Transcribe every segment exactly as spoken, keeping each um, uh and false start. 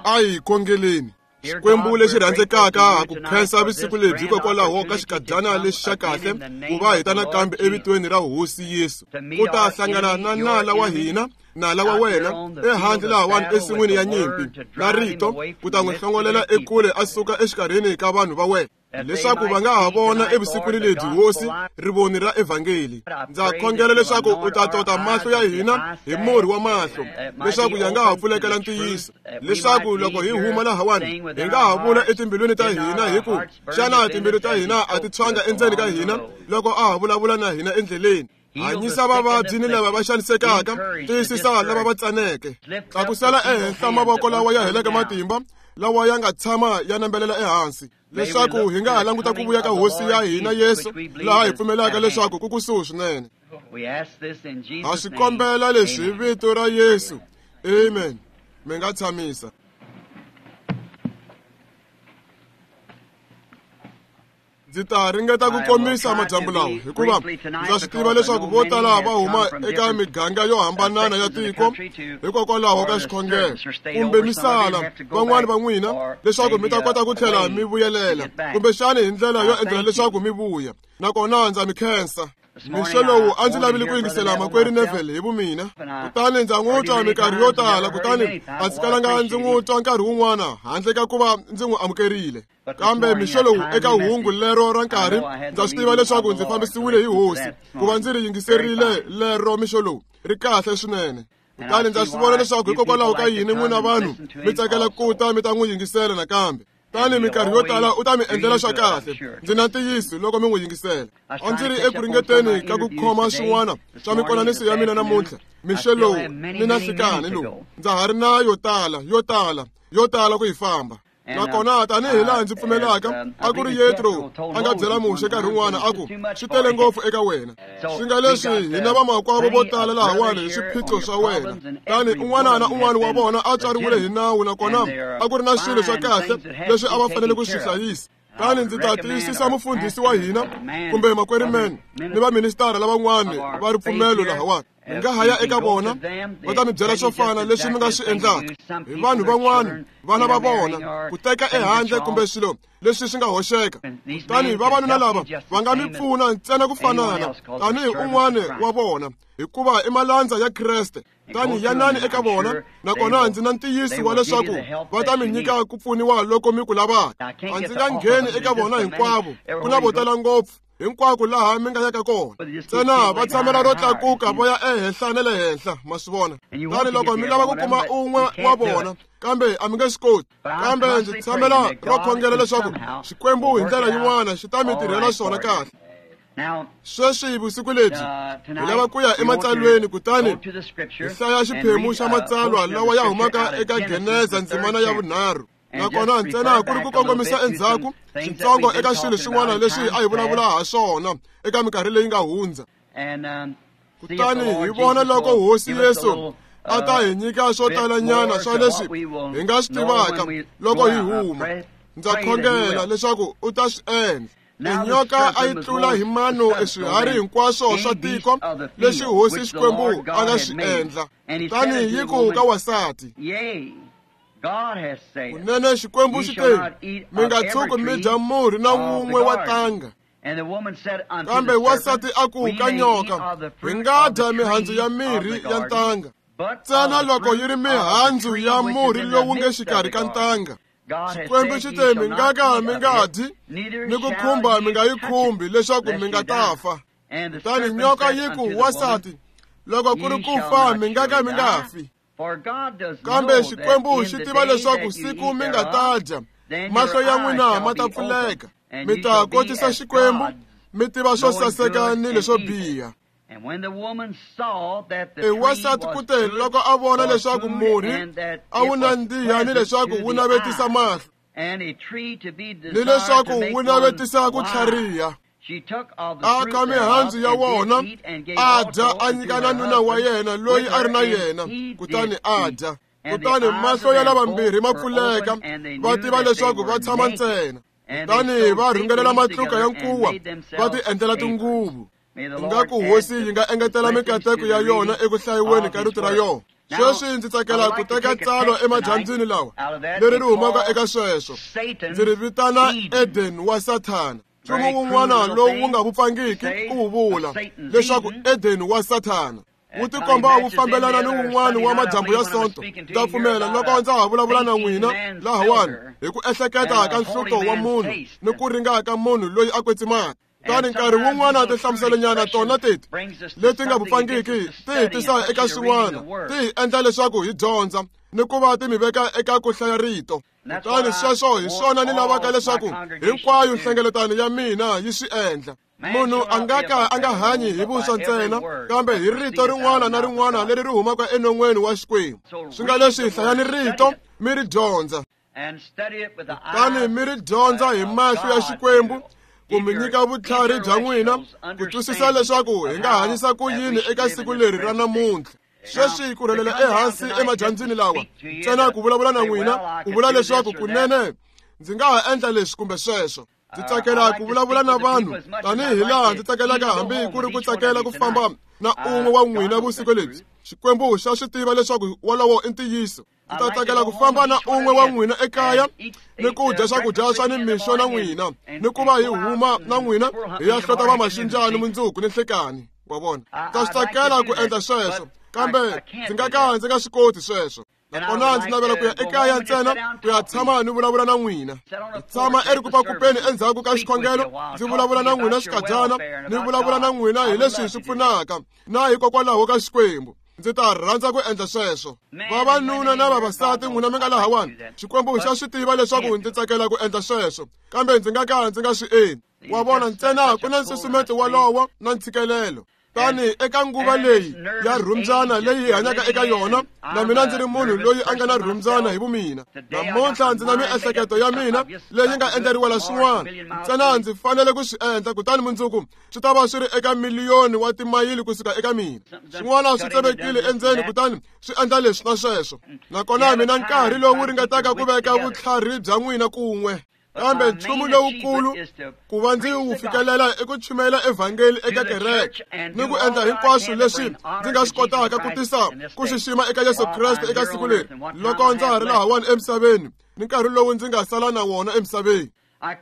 A hi khongeleni. Xikwembu lexi rhandzekaka ku khensa vusiku lebyi hikokwalaho ka xikadyana lexi xa kahle ku va hi ta nakambe evitweni ra Hosi Yesu ku ta hlangana na nala wa hina, nala wa wena ehandle lahawani ensin'wini ya nyimpi na rito ku ta n'wi hlongolela ekule a suka exikarhini ka vanhu va wena leswaku va nga ha vona evusikwini lebyi Hosi rivoni ra evhangeli. Ndza khongela leswaku u ta tota mahlo ya hina hi murhi wa mahlo leswaku ya nga ha pfulekela ntiyiso, leswaku loko hi huma lahawani hi nga ha vula etimbilwini ta hina hi ku xana timbilu ta hina a ti tshwanga endzeni ka hina loko a ha vulavula na hina endleleni. Hanyisa vavabyi ni lava va xanisekaka, tiyisisa lava va tsaneke, tlakusela ehenhla mavoko lawa ya heleke matimba lawa ya nga tshama ya nambelela ehansi, leswaku hi nga ha languta ku vuya ka Hosi ya hina Yesu laha hi pfumelaka leswaku ku kusuhi swinene. Ha swi kombela leswi hi vito ra Yesu, amen. Mi nga tshamisa. Ndzi ta ringeta ku komisa madyambu lawa hikuva ndza swi tiva leswaku vo tala va huma eka miganga yo hambanana ya tiko hikokwalaho ka xikhongelo kumbe misala van'wani va n'wina leswaku mi ta kota ku tlhela mi vuyelela kumbexani hi ndlela yo endlela leswaku mi vuya. Nakona ndza mi khensa. Mixo lowu a ndzi lavile ku yingisela makwerhu Neville hi vumina, kutani ndza n'wi twa minkarhi yo tala, kutani a ndzi kalanga ndzi n'wi twa nkarhi wun'wana handle ka ku va ndzi n'wi amukerile. Kambe mixo lowu eka hungu lero ra nkarhi ndza swi tiva leswaku ndzi fambisiwile hi Hosi ku va ndzi ri yingiserile lero mixo lowu ri kahle swinene. Kutani ndza swi vona leswaku hikokwalaho ka yini n'wina vanhu mi tsakela ku ta mi ta n'wi yingisela nakambe. Tani minkarhi yo tala u ta mi endlela swa kahle, ndzi na ntiyiso loko mi n'wi yingisela. A ndzi ri eku ringeteni ka ku khoma swin'wana swa mikonaniso ya mina namuntlha mixo lowu ni na nhlikani lowu ndza ha ri na yo tala yo tala yo tala ku yi famba. Nakona tanihi laha ndzi pfumelaka a ku ri Yetro a nga byela Muxe nkarhi wun'wana a ku swi tele ngopfu eka wena, swi nga leswi hina vamakwavo vo tala lahawani hi swiphiqo swa wena. Tani un'wana na un'wana wa vona a tswariwile hi nawu, nakona a ku ri na swilo swa kahle leswi a va fanele ku swi hlayisa. Tani ndzi ta tiyisisa mufundhisi wa hina kumbe makwerhu men ni vaministara lavan'wana va ripfumelo lahawani. Mi nga ha ya eka vona va ta mi byela swo fana leswi mi nga swi endlaka hi vanhu van'wana, vana va vona ku teka ehandle kumbe swilo leswi swi nga hoxeka. Kutani vavanuna lava va nga mi pfuna ntsena ku fanana tanihi un'wana wa vona, hikuva i malandza ya Kreste. Tani yanani eka vona, nakona ndzi na ntiyiso wa leswaku va ta mi nyika ku pfuniwa loko mi ku lavaka. A ndzi nga ngheni eka vona hinkwavo, ku na vo tala ngopfu hinkwako laha mi nga yaka kona. Ntsena va tshamela ro tlakuka va ya ehenhla na le henhla, ma swi vona. Tani loko mi lava ku kuma un'we wa vona, kambe a mi nge swi koti. Kambe ndzi tshamela ro khongela leswaku Xikwembu hi ndlela yin'wana xi ta mi tirhela swona kahle. Sweswi vusiku lebyi hi lava ku ya ematsalweni, kutani hi hlaya xiphemu xa matsalwa lawa ya humaka eka Geneza ndzimana ya vunharhu. Nakona ntsena ku ri ku kongomisa endzhaku switsongo eka swilo swin'wana leswi a hi vulavula ha swona eka minkarhi leyi nga hundza. Kutani hi vona loko Hosi Yesu a ta hi nyika swo talanyana swa leswi hi nga swi tivaka loko hi huma. Ndza khongela leswaku u ta swi endla. Tinyoka a yi tlula hi mano eswiharhi hinkwaswo swa tiko leswi Hosi Xikwembu a nga swi endla. Kutani yi ku ka wansati, kunene Xikwembu xi te, mi nga tshuki mi dya murhi na wun'we wa tanga. Kambe wansati a ku ka nyoka, hi nga dya mihandzu ya mirhi ya ntanga ntsena loko yi ri mihandzu ya murhi lowu nge xikarhi ka ntanga. Xikwembu xi te, mi nga ka mi nga dyi ni ku khumba mi nga yi khumbi leswaku mi nga ta fa. Kutani nyoka yi ku wansati, loko ku ri ku fa mi nga ka mi nga fi. Kambe Xikwembu xi tiva leswaku siku mi nga ta dya, mahlo ya n'wina ma ta pfuleka, mi ta kotisa Xikwembu, mi tiva swo saseka ni leswo biha. E wansati ku te loko a vona leswaku murhi a wu nandziha ni leswaku wu navetisa mahlo ni leswaku wu navetisa ku tlhariha, a kha mihandzu ya wona a dya, a nyika na nuna wa yena loyi a ri na yena, kutani a dya. Kutani mahlo ya lavambirhi ma pfuleka, va tiva leswaku va tshama ntsena. Kutani va rhungelela matluka ya nkuwa va ti endlela tinguvu. Ingaku Hosi yi nga engetela mikateko ya yona eku hlayiweni ka rito ra yona. Sweswi ndzi tsakela ku teka tsalwa emadyambyini lawa leri ri humaka eka sweswo. Ndzi ri vitana Eden wa Sathana. Nchumu wun'wana lowu wu nga vupfangiki ku wu vula leswaku Eden wa Sathana wu tikomba wu fambelana ni wun'wana wa madyambu ya Sonto. Ndza pfumela loko ndza ha vulavula na n'wina lahawani hi ku ehleketa ka nhluto wa munhu ni ku ringa ka munhu loyi a kwetsimaka. Kutani nkarhi wun'wana tinhlamuselonyana tona teti leti nga vupfangiki ti hi tisa eka swin'wana, ti hi endla leswaku hi dyondza ni ku va ti mi veka eka ku hlaya rito. Kutani sweswo hi swona ni lavaka leswaku hinkwayo nhlengeletano ya mina yi swi endla. Munhu a nga ka a nga hanyi hi vuswa ntsena, kambe hi rito rin'wana na rin'wana leri ri humaka enon'weni wa Xikwembu. Swi nga leswi hlayani rito mi ri dyondza, kutani mi ri dyondza hi mahlo ya Xikwembu ku mi nyika vutlhari bya n'wina ku twisisa leswaku hi nga hanyisa ku yini eka siku leri ra namuntlha. Sweswi ku rhelela ehansi emadyambyini lawa ntsena ku vulavula na n'wina ku vula leswaku kunene ndzi nga ha endla leswi kumbe sweswo. Ndzi tsakela ku vulavula na vanhu tanihi laha ndzi tsakelaka hambi ku ri ku tsakela ku famba na un'we wa n'wina vusiku lebyi. Xikwembu xa swi tiva leswaku wolowo i ntiyiso. Ndzi ta tsakela ku famba na un'we wa n'wina ekaya ni ku dya swakudya swa nimixo na n'wina ni ku va hi huma na n'wina hi ya hlota vamaxinjani mundzuku ni nhlekani. Wa vona, ndza swi tsakela ku endla sweswo, kambe ndzi nga ka ndzi nga swi koti sweswo. Nakona ndzi navela ku ya ekaya ntsena ku ya tshama ni vulavula na n'wina. Ndzi tshama erikupakupeni endzhaku ka xikhongelo ndzi vulavula na n'wina xikadyana, ni vulavula na n'wina hi leswi swi pfunaka na hikokwalaho ka Xikwembu. Ndzi ta rhandza ku endla sweswo. Vavanuna na vavasati n'wina mi nga lahawani, Xikwembu xa swi tiva leswaku ndzi tsakela ku endla sweswo, kambe ndzi nga ka ndzi nga swi endli. Wa vona, ntsena ku na nsusumeto wolowo na ntshikelelo. Tani eka nguva leyi ya rhumbyana leyi hi hanyaka eka yona, na mina ndzi ri munhu loyi a nga na rhumbyana hi vumina. Namuntlha ndzi na miehleketo ya mina leyi nga endleriwela swin'wana, ntsena ndzi fanele ku swi endla, kutani mundzuku swi ta va swi ri eka miliyoni wa timayili kusuka eka mina. Swin'wana swi tsemekile endzeni kutani swi endla leswi na sweswo. Nakona mina nkarhi lowu ringetaka ku veka vutlhari bya n'wina kun'we. Kambe nchumu lowukulu ku va ndzi wu fikelela i ku chumayela evhangeli eka kereke ni ku endla hinkwaswo leswi ndzi nga swi kotaka ku tisa ku xixima eka Yesu Kreste eka siku leri loko ndza ha ri lahawani emisaveni ni nkarhi lowu ndzi nga sala na wona emisaveni.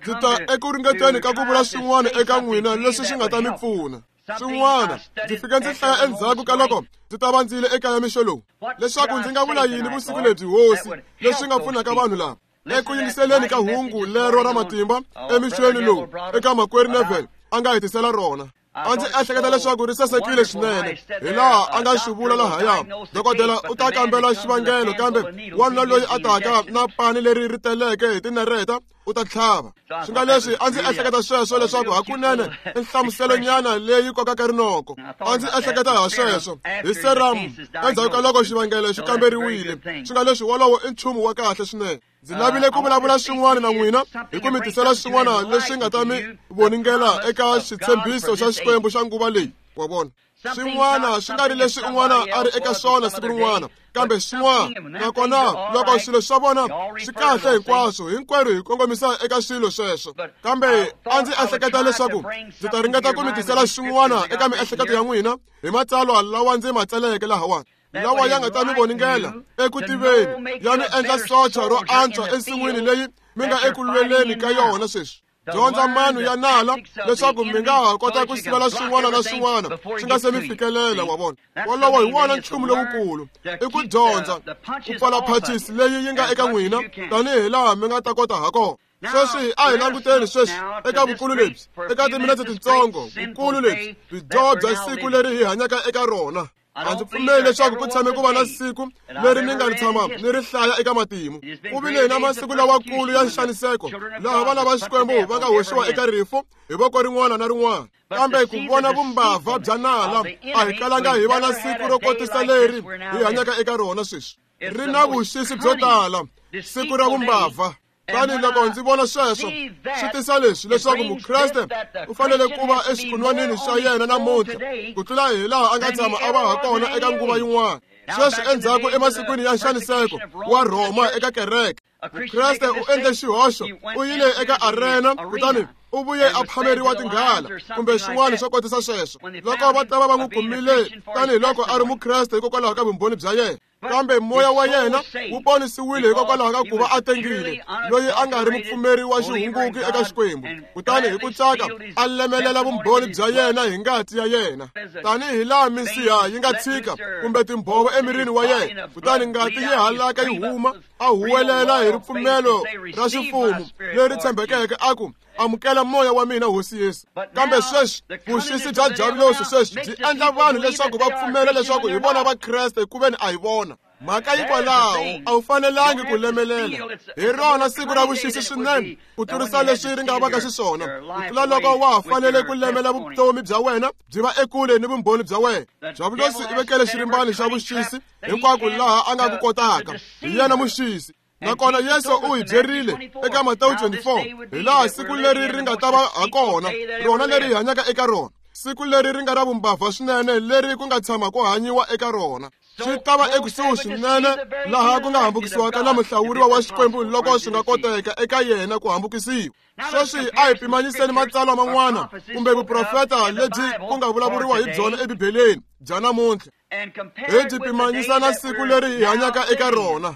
Ndzi ta eku ringeteni ka ku vula swin'wana eka n'wina leswi swi nga ta mi pfuna. Swin'wana ndzi fike ndzi hlaya endzhaku ka loko ndzi ta va ndzi yile ekaya mixo lowu leswaku ndzi nga vula yini vusiku lebyi, Hosi, leswi nga pfunaka vanhu lava. Eku yingiseleni ka hungu lero ra matimba emixweni lowu eka makwerhu Neville a nga hetisela rona, a ndzi ehleketa leswaku ri sasekile swinene hi laha a nga swi vula lahaya. Dokodela u ta kambela xivangelo, kambe wanuna loyi a taka na pani leri ri teleke hi tinareta u ta tlhava. Swi nga leswi a ndzi ehleketa sweswo leswaku hakunene i nhlamuselonyana leyi kokaka rinoko. A ndzi ehleketa ha sweswo hi serum endzhaku ka loko xivangelo xi kamberiwile. Swi nga leswi wolowo i nchumu wa kahle swinene. Ndzi lavile ku vulavula swin'wana na n'wina hi ku mi tisela swin'wana leswi nga ta mi voningela eka xitshembiso xa Xikwembu xa nguva leyi. Wa vona, swin'wana swi nga ri leswi un'wana a ri eka swona siku rin'wana, kambe swin'wana. Nakona loko swilo swa vona swi kahle hinkwaswo, hinkwerhu hi kongomisa eka swilo sweswo. Kambe a ndzi ehleketa leswaku ndzi ta ringeta ku mi tisela swin'wana eka miehleketo ya n'wina hi matsalwa lawa ndzi ma tsaleke lahawani, lawa ya nga ta mi voningela eku tiveni, ya mi endla socha ro antswa ensin'wini leyi mi nga eku lweleni ka yona sweswi. Dyondza mano ya nala leswaku mi nga ha kota ku sivela swin'wana na swin'wana swi nga se mi fikelela. Wa vona, wolowo hi wona nchumu lowukulu, i ku dyondza ku pfala phachisi leyi yi nga eka n'wina tanihi laha mi nga ta kota ha kona. Sweswi a hi languteni sweswi eka vukulu lebyi, eka timinetse tintsongo, vukulu lebyi byi bya siku leri hi hanyaka eka rona. A ndzi pfumeli leswaku ku tshame ku va na siku leri ni nga ri tshama ni ri hlaya eka matimu. Ku vile na masiku lawakulu ya nxaniseko laha vana va Xikwembu va nga hoxiwa eka rifu hi voko rin'wana na rin'wana. Kambe ku vona vumbabva bya nala, a hi kalanga hi va na siku ro kotisa leri hi hanyaka eka rona sweswi. Ri na vuxisi byo tala, siku ra vumbabva. Tani loko ndzi vona sweswo swi tisa leswi leswaku Mukreste u fanele ku va exikhonwanini xa yena namuntlha ku tlula hi laha a nga tshama a va ha kona eka nguva yin'wana. Sweswi endzhaku emasikwini ya nxaniseko wa Rhoma eka kereke, Mukreste u endle xihoxo, u yile eka arena kutani u vuye a phameriwa tinghala kumbe swin'wana swo kotisa sweswo. Loko va ta va va n'wi kumile tanihiloko a ri Mukreste hikokwalaho ka vumbhoni bya yena, Kambe moya wa yena wu ponisiwile hikokwalaho ka ku va a tengile, loyi a nga ri mupfumeri wa xihunguki eka Xikwembu. Kutani hi ku tsaka a lemelela vumbhoni bya yena hi ngati ya yena, tanihi laha misiha yi nga tshika kumbe timbhovo emirini wa yena, kutani ngati yi halaka yi huma, a huwelela hi ripfumelo ra ximfumo leri tshembekeke a ku, amukela moya wa mina Hosi Yesu. Kambe sweswi vuxisi bya diavulosi sweswi byi endla vanhu leswaku va pfumela leswaku hi vona Vakreste ku veni a hi vona. Mhaka hikwalaho a wu fanelangi ku lemelela. Hi rona siku ra vuxisi swinene ku tlurisa leswi ri nga vaka xiswona, ku tlula loko wa ha fanele ku lemela vutomi bya wena byi va ekule ni vumbhoni bya wena. Diavulosi i vekele xirimbani xa vuxisi hinkwako laha a nga ku kotaka. Hi yena muxisi. Nakona Yesu u hi byerile eka Matewu twenty-four hi laha siku leri ri nga ta va ha kona, rona leri hi hanyaka eka rona, siku leri ri nga ra vumbabva swinene leri ku nga tshama ku hanyiwa eka rona. Swi ta va ekusuhi swinene laha ku nga hambukisiwaka na muhlawuriwa wa Xikwembu loko swi nga koteka eka yena ku hambukisiwa. Sweswi a hi pimanyiseni matsalwa man'wana kumbe vuprofeta lebyi ku nga vulavuriwa hi byona eBibeleni bya namuntlha, hi byi pimanyisa na siku leri hi hanyaka eka rona.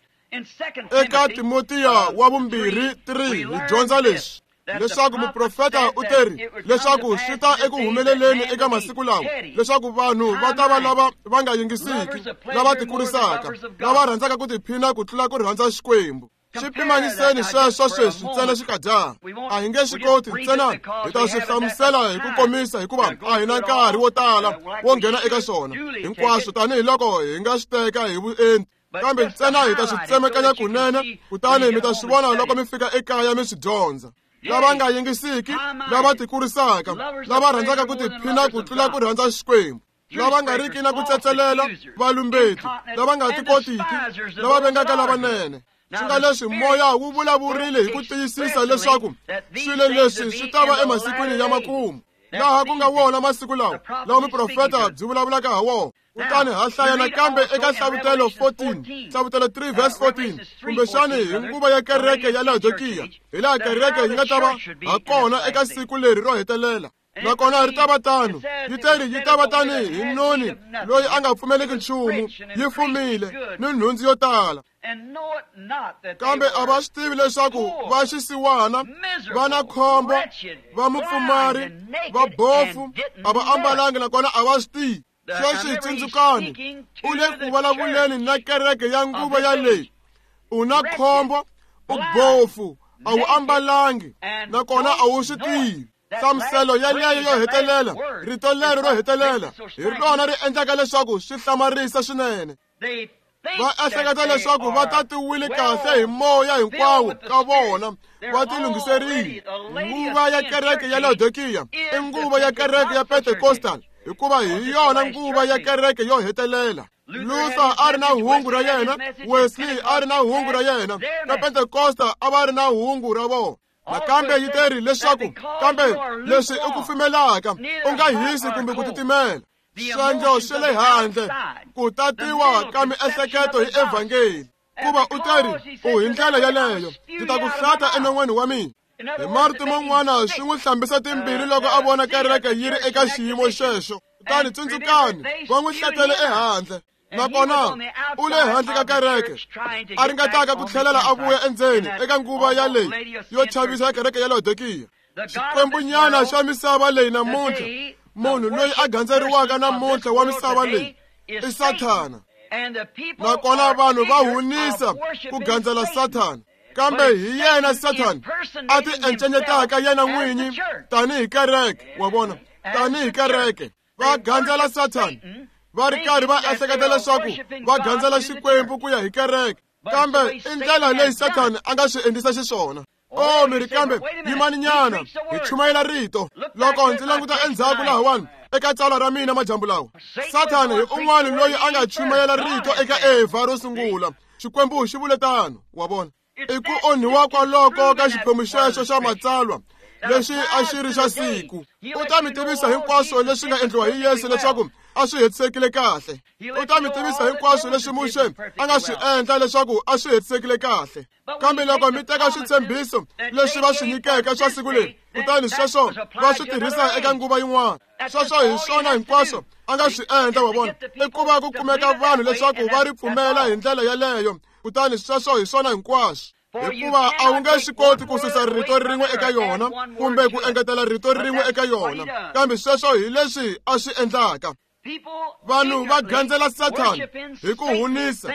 Eka Timotiya wa vumbirhi three hi dyondza leswi, leswaku muprofeta u teri leswaku swi ta eku humeleleni eka masiku lawa leswaku vanhu va ta va lava va nga yingisiki, lava tikurisaka, lava rhandzaka ku tiphina ku tlula ku rhandza Xikwembu. Swi pimanyiseni sweswo sweswi ntsena xikadyana. A hi nge swi koti ntsena hi ta swi hlamusela hi ku komisa hikuva a hi na nkarhi wo tala wo nghena eka swona hinkwaswo tanihiloko hi nga swi teka hi vuenti. Kambe ntsena hi ta swi tsemekanya kunene, kutani mi ta swi vona loko mi fika ekaya mi swi dyondza. Lava nga yingisiki, lava tikurisaka, lava rhandzaka ku tiphina ku tlula ku rhandza Xikwembu, lava nga riki na ku tsetselela, valumbeti, lava nga tikotiki, lava vengaka lavanene. Swi nga leswi moya wu vulavurile hi ku tiyisisa leswaku swilo leswi swi ta va emasikwini ya makumu, laha ku nga wona masiku lawa lawa muprofeta byi vulavulaka ha wona. Kutani ha hlaya nakambe eka Hlavutelo fourteen, Hlavutelo three verse fourteen, kumbexani hi nguva ya kereke ya Laodikiya, hi laha kereke yi nga ta va ha kona eka siku leri ro hetelela. Nakona ri ta va tano, yi teri yi ta va tani hi noni loyi a nga pfumeleki nchumu, yi fumile ni nhundzu yo tala. Kambe a va swi tivi leswaku va xisiwana, va na khombo, va mupfumari, va bofu, a va ambalangi nakona a va swi tivi. Sweswi tsundzukani, u le ku vulavuleni na kereke ya nguva ya leyi. U na khombo, u bofu, a wu ambalangi, nakona a wu swi tivi. Nhlamuselo yeleyo yo hetelela, rito lero ro hetelela, hi rona ri endlaka leswaku swi hlamarisa swinene. Va ehleketa leswaku va tatiwile kahle hi moya hinkwawo ka vona, va tilunghiserile. Nguva ya kereke ya Laodikiya i nguva ya kereke ya Pentecostal, hikuva hi yona nguva ya kereke yo hetelela. Luther a ri na hungu ra yena, Wesley a ri na hungu ra yena, na Pentecosta a va ri na hungu ra vona. Nakambe yi teri leswaku kambe leswi i ku pfumelaka u nga hisi kumbe ku titimela, swendlo swa le handle, ku tatiwa ka miehleketo hi evhangeli. Kuva u teri u hi ndlela yeleyo, ndzi ta ku hlata enon'weni wa mina. Hi marito man'wana swi n'wi hlambisa timbilu loko a vona kereke yi ri eka xiyimo xexo. Kutani tsundzukani, va n'wi hlatele ehandle. Nakona u le handle ka kereke, a ringetaka ku tlhelela a vuya endzeni eka nguva ya leyi yo chavisa ya kereke ya Laodikiya. Xikwembunyana xa misava leyi namuntlha, munhu loyi a gandzeriwaka namuntlha wa misava leyi i Sathana. Nakona vanhu va hunisa ku gandzela Sathana, kambe hi yena Sathana a ti encenyetaka yena n'winyi tanihi kereke. Wa vona, tanihi kereke va gandzela Sathana, va ri karhi va ehleketa leswaku va gandzela Xikwembu ku ya hi kereke, kambe i ndlela leyi Sathana a nga swi endlisa xiswona. O mi ri kambe yimani nyana, hi chumayela rito. Loko ndzi languta endzhaku lahawani eka tsalwa ra mina majambu lawa, Sathana hi un'wana loyi a nga chumayela rito eka Evha ro sungula. Xikwembu xi vule tano, wa vona. I ku onhiwa kwaloko ka xiphemu xexo xa matsalwa lexi a xi ri xa siku. U ta mi tivisa hinkwaswo leswi nga endliwa hi Yesu leswaku a swi hetisekile kahle. U ta mi tivisa hinkwaswo leswi Muxe a nga swi endla leswaku a swi hetisekile kahle. Kambe loko mi teka switshembiso leswi va swi nyikeke swa siku leri, kutani sweswo va swi tirhisa eka nguva yin'wana, sweswo hi swona hinkwaswo a nga swi endla wa vona i ku va ku kumeka vanhu leswaku va ri pfumela hi ndlela yaleyo kutani sweswo hi swona hinkwaswo hikuva a wu nge swi koti ku susa rito rin'we eka yona kumbe ku engetela rito rin'we eka yona kambe sweswo hi leswi a swi endlaka vanhu va gandzela Sathana hi ku hunisa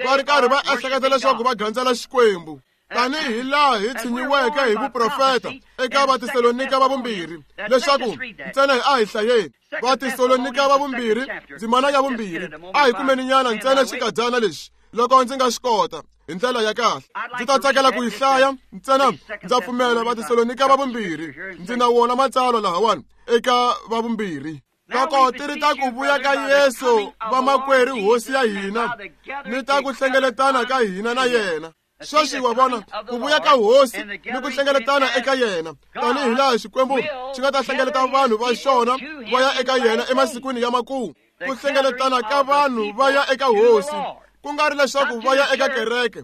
va ri karhi va ehleketa leswaku va gandzela Xikwembu tanihi laha hi tshinyiweke hi vuprofeta eka Vatesalonika va vumbirhi leswaku ntsena a hi hlayeni Vatesalonika va vumbirhi ndzimana ya vumbirhi a hi kumeni nyana ntsena xikadyana lexi loko ndzi nga xi kota hi ndlela ya kahle ndzi ta tsakela ku yi hlaya ntsena ndza pfumela Vatesalonika va vumbirhi ndzi na wona matsalwa lahawani eka va vumbirhi loko ti ri ta ku vuya ka Yesu vamakwerhu hosi ya hina ni ta ku hlengeletana ka hina na yena sweswi wa vona ku vuya ka hosi ni ku hlengeletana eka yena tanihi laha Xikwembu xi nga ta hlengeleta vanhu va xona va ya eka yena emasikwini ya makumu ku hlengeletana ka vanhu va ya eka hosi ku nga ri leswaku va ya eka kereke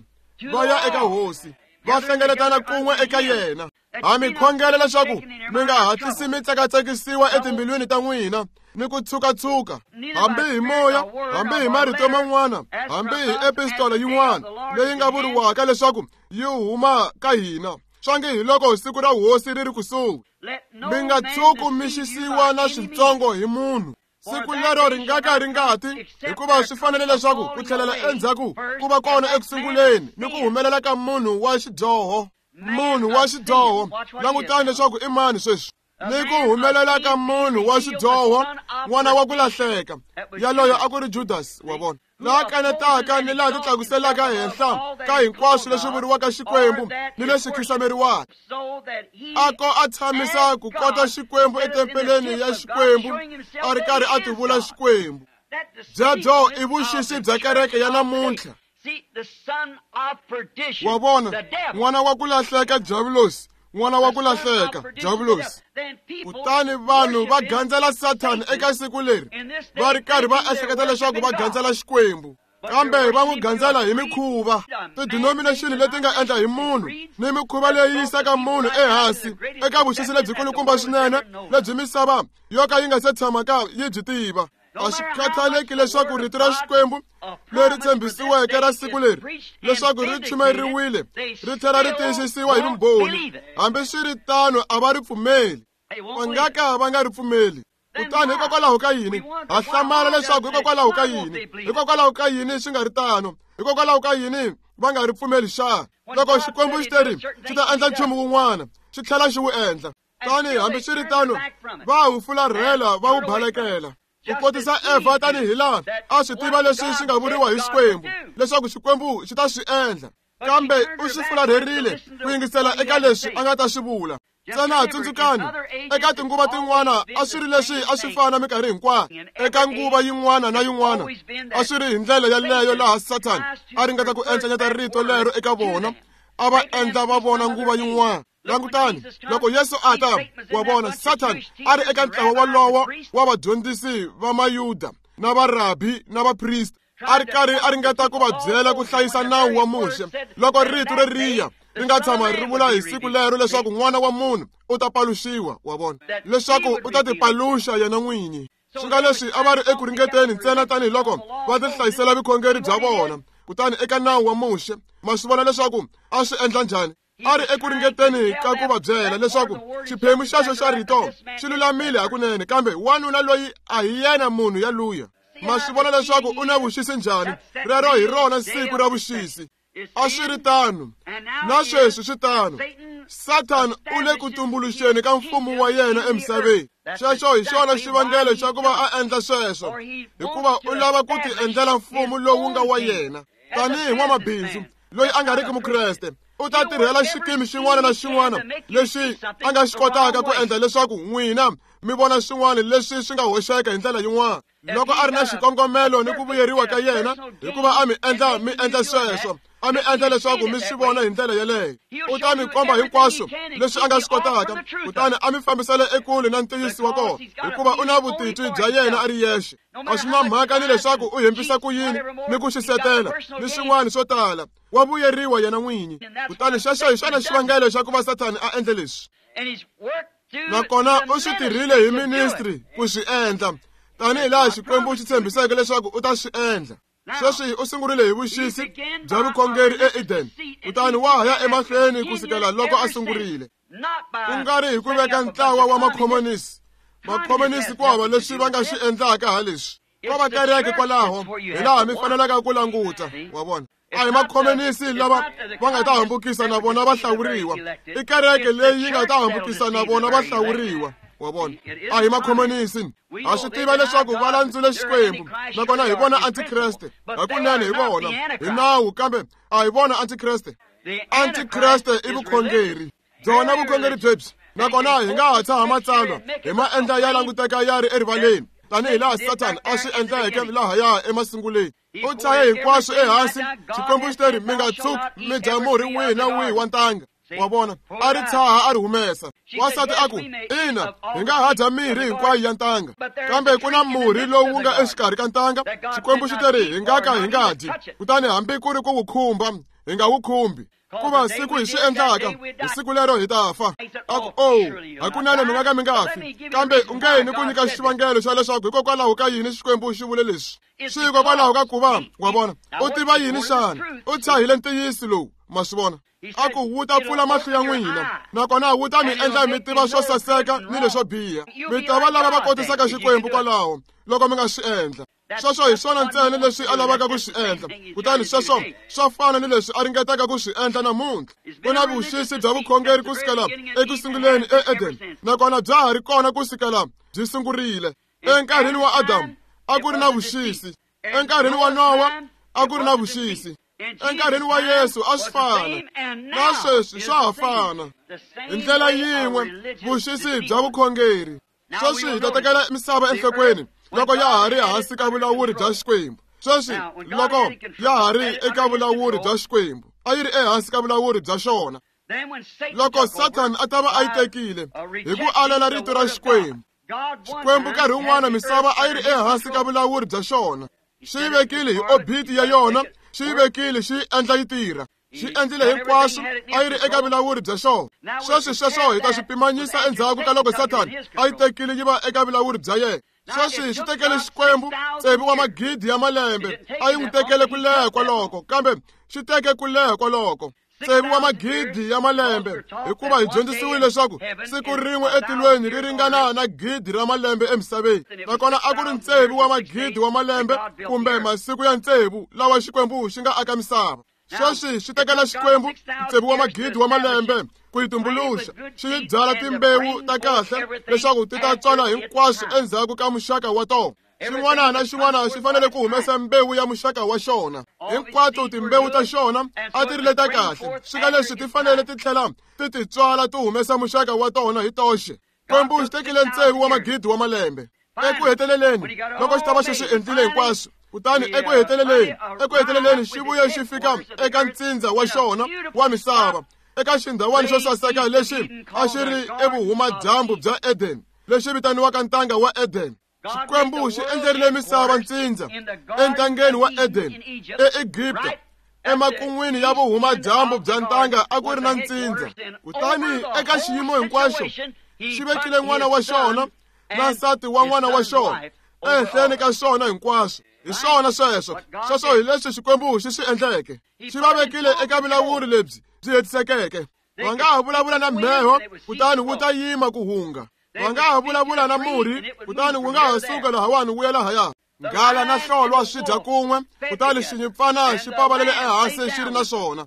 va ya eka hosi va hlengeletana kun'we eka yena ha mi khongela leswaku mi nga hatlisi mi tsakatsekisiwa etimbilwini ta n'wina ni ku tshukatshuka hambi hi moya hambi hi marito man'wana hambi hi epistola yin'wana leyi nga vuriwaka leswaku yi huma ka hina swange hi loko siku ra hosi ri ri kusuhi mi nga tshuki mi xisiwa na switsongo hi munhu siku lero ri nga ka ri nga ti hikuva swi fanele leswaku ku tlhelela endzhaku ku va kona ekusunguleni ni ku humelela ka munhu wa xidyoho munhu wa xidyoho langutani leswaku i mani sweswi ni ku humelela ka munhu wa xidyoho n'wana wa ku lahleka yaloyo a ku ri Judas wa vona laha kanetaka ni laha titlakuselaka henhla ka hinkwaswo leswi vuriwaka Xikwembu ni leswi khisameriwaka a ko a tshamisa ku kota Xikwembu etempeleni ya Xikwembu a ri karhi a tivula Xikwembu byebyo i vuxisi bya kereke ya namuntlha wa vona n'wana wa ku lahleka Diavulosi n'wana wa ku lahleka Diavulosi kutani vanhu va gandzela Sathana eka siku leri va ri karhi va ehleketa leswaku va gandzela Xikwembu kambe va n'wi gandzela hi mikhuva tidenomination leti nga endla hi munhu ni mikhuva leyi yisaka munhu ehansi eka vuxisi lebyikulukumba swinene lebyi misava yo ka yi nga se tshamaka yi byi tiva a swi khathaleki leswaku rito ra Xikwembu leri tshembisiweke ra siku leri leswaku ri chumayeriwile ri tlhela ri tiyisisiwa hi vumbhoni hambi swi ri tano a va ri pfumeli va nga ka va nga ri pfumeli kutani hikokwalaho ka yini ha hlamala leswaku hikokwalaho ka yini hikokwalaho ka yini swi nga ri tano hikokwalaho ka yini va nga ri pfumeli xa loko Xikwembu xi teri xi ta endla nchumu wun'wana xi tlhela xi wu endla tani hambi swi ri tano va wu fularhela va wu balekela ku kotisa Evha tanihi laha a swi tiva leswi swi nga vuriwa hi Xikwembu leswaku Xikwembu xi ta swi endla kambe u swi fularherile ku yingisela eka leswi a nga ta swi vula ntsena tsundzukani eka tinguva tin'wana a swi ri leswi a swi fana minkarhi hinkwayo eka nguva yin'wana na yin'wana a swi ri hi ndlela yaleyo laha Sathana a ringeta ku encenyeta rito lero eka vona a va endla va vona nguva yin'wana langutani loko Yesu a ta wa vona Sathana a ri eka ntlawa wolowo wa vadyondzisi va Mayuda na varabi na vaprista a ri karhi a ringeta ku va byela ku hlayisa nawu wa Muxe loko rito reriya ri nga tshama ri vula hi siku lero leswaku n'wana wa munhu u ta paluxiwa wa vona leswaku u ta tipaluxa yena n'winyi swi nga leswi a va ri eku ringeteni ntsena tanihiloko va tihlayisela vukhongeri bya vona kutani eka nawu wa Muxe ma swi vona leswaku a swi endla njhani a ri eku ringeteni ka ku va byela leswaku xiphemu xexo xa rito xi lulamile hakunene kambe wanuna loyi a hi yena munhu yaluya ma swi vona leswaku u na vuxisi njhani rero hi rona siku ra vuxisi a swi ri tano na sweswi swi tano Sathana u le ku tumbuluxeni ka mfumo wa yena emisaveni xexo hi xona xivangelo xa ku va a endla sweswo hikuva u lava ku ti endlela mfumo lowu nga wa yena tanihi n'wamabindzu loyi a nga riki mukreste u ta tirhela xikimi xin'wana na xin'wana lexi a nga xi kotaka ku endla leswaku n'wina mi vona swin'wana leswi swi nga hoxeka hi ndlela yin'wana loko a ri na xikongomelo ni ku vuyeriwa ka yena hikuva a mi endla mi endla sweswo a mi endla leswaku mi swi vona hi ndlela yeleyo u ta mi komba hinkwaswo leswi a nga swi kotaka kutani a mi fambisela ekule na ntiyiso wa kona hikuva u na vutitwi bya yena a ri yexe a swi na mhaka ni leswaku u hembisa ku yini ni ku xisetela ni swin'wana swo tala wa vuyeriwa yena n'winyi kutani xexo hi xona xivangelo xa ku va Sathana a endle leswi nakona u swi tirhile hi ministry ku swi endla tanihi laha Xikwembu xi tshembiseke leswaku u ta swi endla. Sweswi u sungurile hi vuxisi bya vukhongeri eEden, kutani wa ha ya emahlweni ku sukela loko a sungurile. Ku nga ri hi ku veka ntlawa wa makhomonisi. Makhomonisi ku hava leswi va nga swi endlaka ha leswi. Ko va kereke kwalaho hi laha mi fanelaka ku languta, wa vona. A hi makhomonisi lava va nga ta hambukisa na vona va hlawuriwa. I kereke leyi yi nga ta hambukisa na vona va hlawuriwa, wa vona. A hi makhomonisi. Ha swi tiva leswaku va landzule Xikwembu, nakona hi vona antikreste. Hakunene hi vona hi nawu, kambe a hi vona antikreste. Antikreste i vukhongeri byona, vukhongeri byebyi. Nakona hi nga ha tshaha matsalwa hi ma endla ya languteka ya ri erivaleni, tanihi laha Sathana a swi endleke lahaya emasunguleni. U tshahe hinkwaswo ehansi. Xikwembu xi teri mi nga tshuki mi dya murhi wihi na wihi wa ntanga, wa vona. A ri tshaha a ri humesa. Wansati a ku, ina, hi nga ha dya mirhi hinkwayo ya ntanga, kambe ku na murhi lowu nga exikarhi ka ntanga. Xikwembu xi teri hi nga ka hi nga dyi, kutani hambi ku ri ku wu khumba hi nga wu khumbi, kuva siku hi swi endlaka hi siku lero hi ta fa. A ku, oh, hakunene mi nga ka mi nga fi, kambe u nge ni ku nyika xivangelo xa leswaku hikokwalaho ka yini Xikwembu xi vule leswi. Swi hikokwalaho ka ku va, wa vona, u tiva yini xana? U tshahile ntiyiso lowu, ma swi vona. A ku wu ta pfula mahlo ya n'wina, nakona wu ta mi endla mi tiva swo saseka ni leswo biha. Mi ta va lava va kotisaka Xikwembu kwalaho loko mi nga swi endla. Sweswo hi swona ntsena leswi a lavaka ku swi endla, kutani sweswo swa fana ni leswi a ringetaka ku swi endla namuntlha. Ku na vuxisi bya vukhongeri ku sukela eku sunguleni eEden, nakona bya ha ri kona ku sukela byi sungurile. Enkarhini wa Adamu a ku ri na vuxisi, enkarhini wa Nowa a ku ri na vuxisi, enkarhini wa Yesu a swi fana, na sweswi swa ha fana. Hi ndlela yin'we vuxisi bya vukhongeri. Sweswi hi ta tekela misava enhlokweni loko ya ha ri hansi ka vulawuri bya Xikwembu. Sweswi loko ya ha ri eka vulawuri bya Xikwembu, a yi ri ehansi ka vulawuri bya xona. Loko Sathana a ta va a yi tekile hi ku alela rito ra Xikwembu, Xikwembu nkarhi wun'wana misava a yi ri ehansi ka vulawuri bya xona. Xi yi vekile hi obiti ya yona, xi yi vekile xi yi endla yi tirha. Xi endlile hinkwaswo, a yi ri eka vulawuri bya xona. Sweswi sweswo hi ta swi pimanyisa endzhaku ka loko Sathana a yi tekile yi va eka vulawuri bya yena. Sweswi xi tekele Xikwembu tsevu wa magidi ya malembe, a yi n'wi tekele ku leha kwaloko, kambe xi teke ku leha kwaloko tsevu wa magidi ya malembe, hikuva hi dyondzisiwile leswaku siku rin'we etilweni ri ringana na gidi ra malembe emisaveni. Nakona a ku ri ntsevu wa magidi wa malembe kumbe masiku ya ntsevu lawa Xikwembu xi nga aka misava. Sweswi xi tekela Xikwembu tsevu wa magidi wa malembe ku yi tumbuluxa, xi yi byala timbewu ta kahle leswaku ti ta tswala hinkwaswo endzhaku ka muxaka wa tona. Xin'wana na xin'wana xi fanele ku humesa mbewu ya muxaka wa xona. Hinkwato timbewu ta xona a ti ri leta kahle, swi nga leswi ti fanele ti tlhela ti ti tswala ti humesa muxaka wa tona hi toxe. Xikwembu xi tekile ntsevu wa magidi wa malembe. Eku heteleleni loko xi ta va xi swi endlile hinkwaswo, kutani eku heteleleni eku heteleleni xi vuye xi fika eka ntsindza wa xona wa misava, eka xindhawani xo saseka lexi a xi ri evuhumadyambu bya Eden, lexi vitaniwaka ntanga wa Eden. Xikwembu xi endlerile misava ntsindza entangeni wa Eden eEgipta. Emakun'wini ya vuhumadyambu bya ntanga a ku ri na ntsindza, kutani eka xiyimo hinkwaxo xi vekile n'wana wa xona na nsati wa n'wana wa xona ehenhleni ka swona hinkwaswo. Hi swona sweswo, sweswo hi leswi Xikwembu xi swi endleke. Xi va vekile eka vulawuri lebyi byi hetisekeke. Va nga ha vulavula na mheho, kutani wu ta yima ku hunga. Va nga ha vulavula na murhi, kutani wu nga ha suka lahawani wu ya lahaya. Nghala na hlolwa swi dya kun'we, kutani xinyimpfana xi pavalele ehansi xi ri na swona.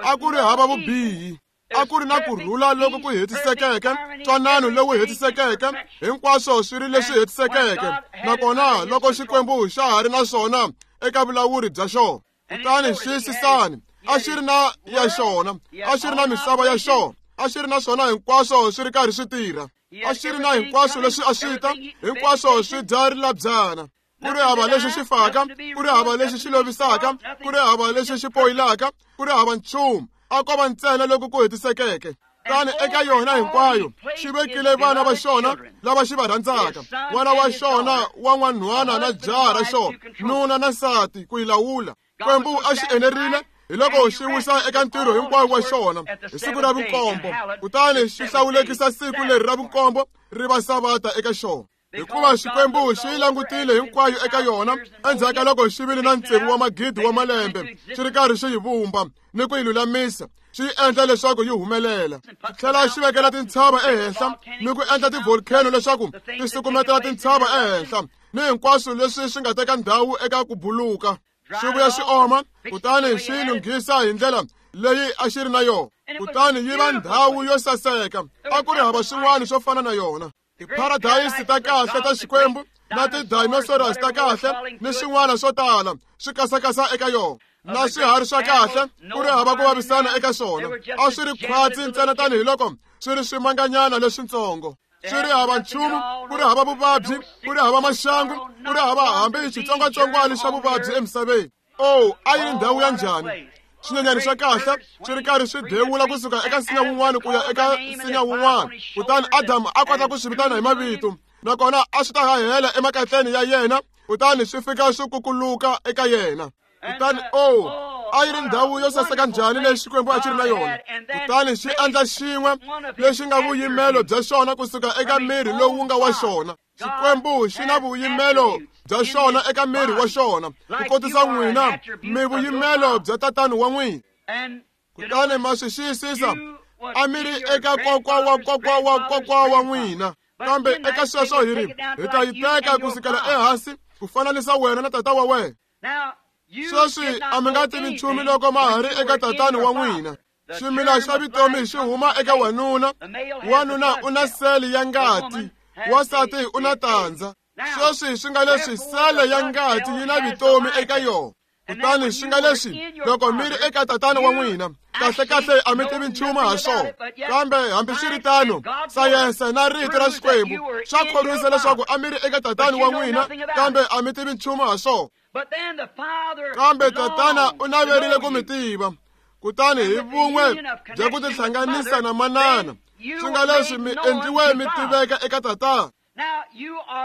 A ku ri hava vubihi, a ku ri na ku rhula loku ku hetisekeke, ntwanano lowu hetisekeke, hinkwaswo swi ri leswi hetisekeke. Nakona loko Xikwembu xa ha ri na swona eka vulawuri bya xona, kutani xiyisisani, a xi ri na ya xona, a xi ri na misava ya xona, a xi ri na swona hinkwaswo swi ri karhi swi tirha, a xi ri na hinkwaswo leswi a swi ta, hinkwaswo swi dya rilabyana. Ku ri hava lexi xi faka, ku ri hava lexi xi lovisaka, ku ri hava lexi xi poyilaka, ku ri hava nchumu, a ko va ntsena loko ku hetisekeke. Kutani eka yona hinkwayo xi vekile vana va xona lava xi va rhandzaka, n'wana wa xona wa n'wanhwana na jaha ra xona, nuna na nsati, ku yi lawula. Xikwembu a xi enerile hi loko xi wisa eka ntirho hinkwawo wa xona hi siku ra vunkombo, kutani xi hlawulekisa siku leri ra vunkombo ri va savata eka xona. Hikuva Xikwembu xi yi langutile hinkwayo eka yona endzhaku ka loko xi vile na tsevu wa magidi wa malembe xi ri karhi xi yi vumba ni ku yi lulamisa, xi yi endla leswaku yi humelela. Xi tlhela xi vekela tintshava ehenhla ni ku endla ti-volcano leswaku ti sukumetela tintshava ehenhla ni hinkwaswo leswi swi nga teka ndhawu eka ku buluka. Xi vuya xi oma, kutani xi yi lunghisa hi ndlela leyi a xi ri na yona, kutani yi va ndhawu yo saseka. A ku ri hava swin'wana swo fana na yona. Tiparadayisi ta kahle ta Xikwembu na ti-dinosaurs ta kahle ni swin'wana swo tala swi kasakasa eka yona, na swiharhi swa kahle ku ri hava ku vavisana eka swona. A swi ri khwatsi ntsena tanihiloko swi ri swimanganyana leswitsongo, swi ri hava nchumu, ku ri hava vuvabyi, ku ri hava maxangu, ku ri hava hambi xitsongwatsongwana xa vuvabyi emisaveni. Oh, a yi ri ndhawu ya njhani! Swinyenyani swa kahle swi ri karhi swi dewula kusuka eka nsinya wun'wana ku ya eka nsinya wun'wana, kutani Adamu a kota ku swi vitana hi mavito, nakona a swi ta hahela emakatleni ya yena, kutani swi fika swi kukuluka eka yena. Kutani oh, a yi ri ndhawu yo saseka njhani leyi Xikwembu a xi ri na yona! Kutani xi endla xin'we lexi nga vuyimelo bya xona kusuka eka miri lowu nga wa xona. Xikwembu xi na vuyimelo bya xona eka miri wa xona, ku kotisa n'wina mi vuyimelo bya tatani wa n'wina. Kutani ma swi xiyisisa, a mi ri eka kokwa wa kokwa wa kokwa wa n'wina, kambe eka sweswo hi ri hi ta yi teka kusukela ehansi ku fananisa wena na tata wa wena. Sweswi a mi nga tivi nchumu loko ma ha ri eka tatani wa n'wina. Ximila xa vutomi xi huma eka wanuna, wanuna u na sele ya ngati, wansati u na tandza. Sweswi swi nga leswi sele ya ngati yi na vutomi eka yona. Kutani swi nga leswi loko mi ri eka tatana wa n'wina, kahlekahle a mi tivi nchumu ha swona. Kambe hambiswiritano, sayense na rito ra Xikwembu swa khorwisa leswaku a mi ri eka tatana wa n'wina, kambe a mi tivi nchumu ha swona. Kambe tatana u naverile ku mi tiva, kutani hi vun'we bya ku tihlanganisa na manana, swi nga leswi mi endliwe mi tiveka eka tatana.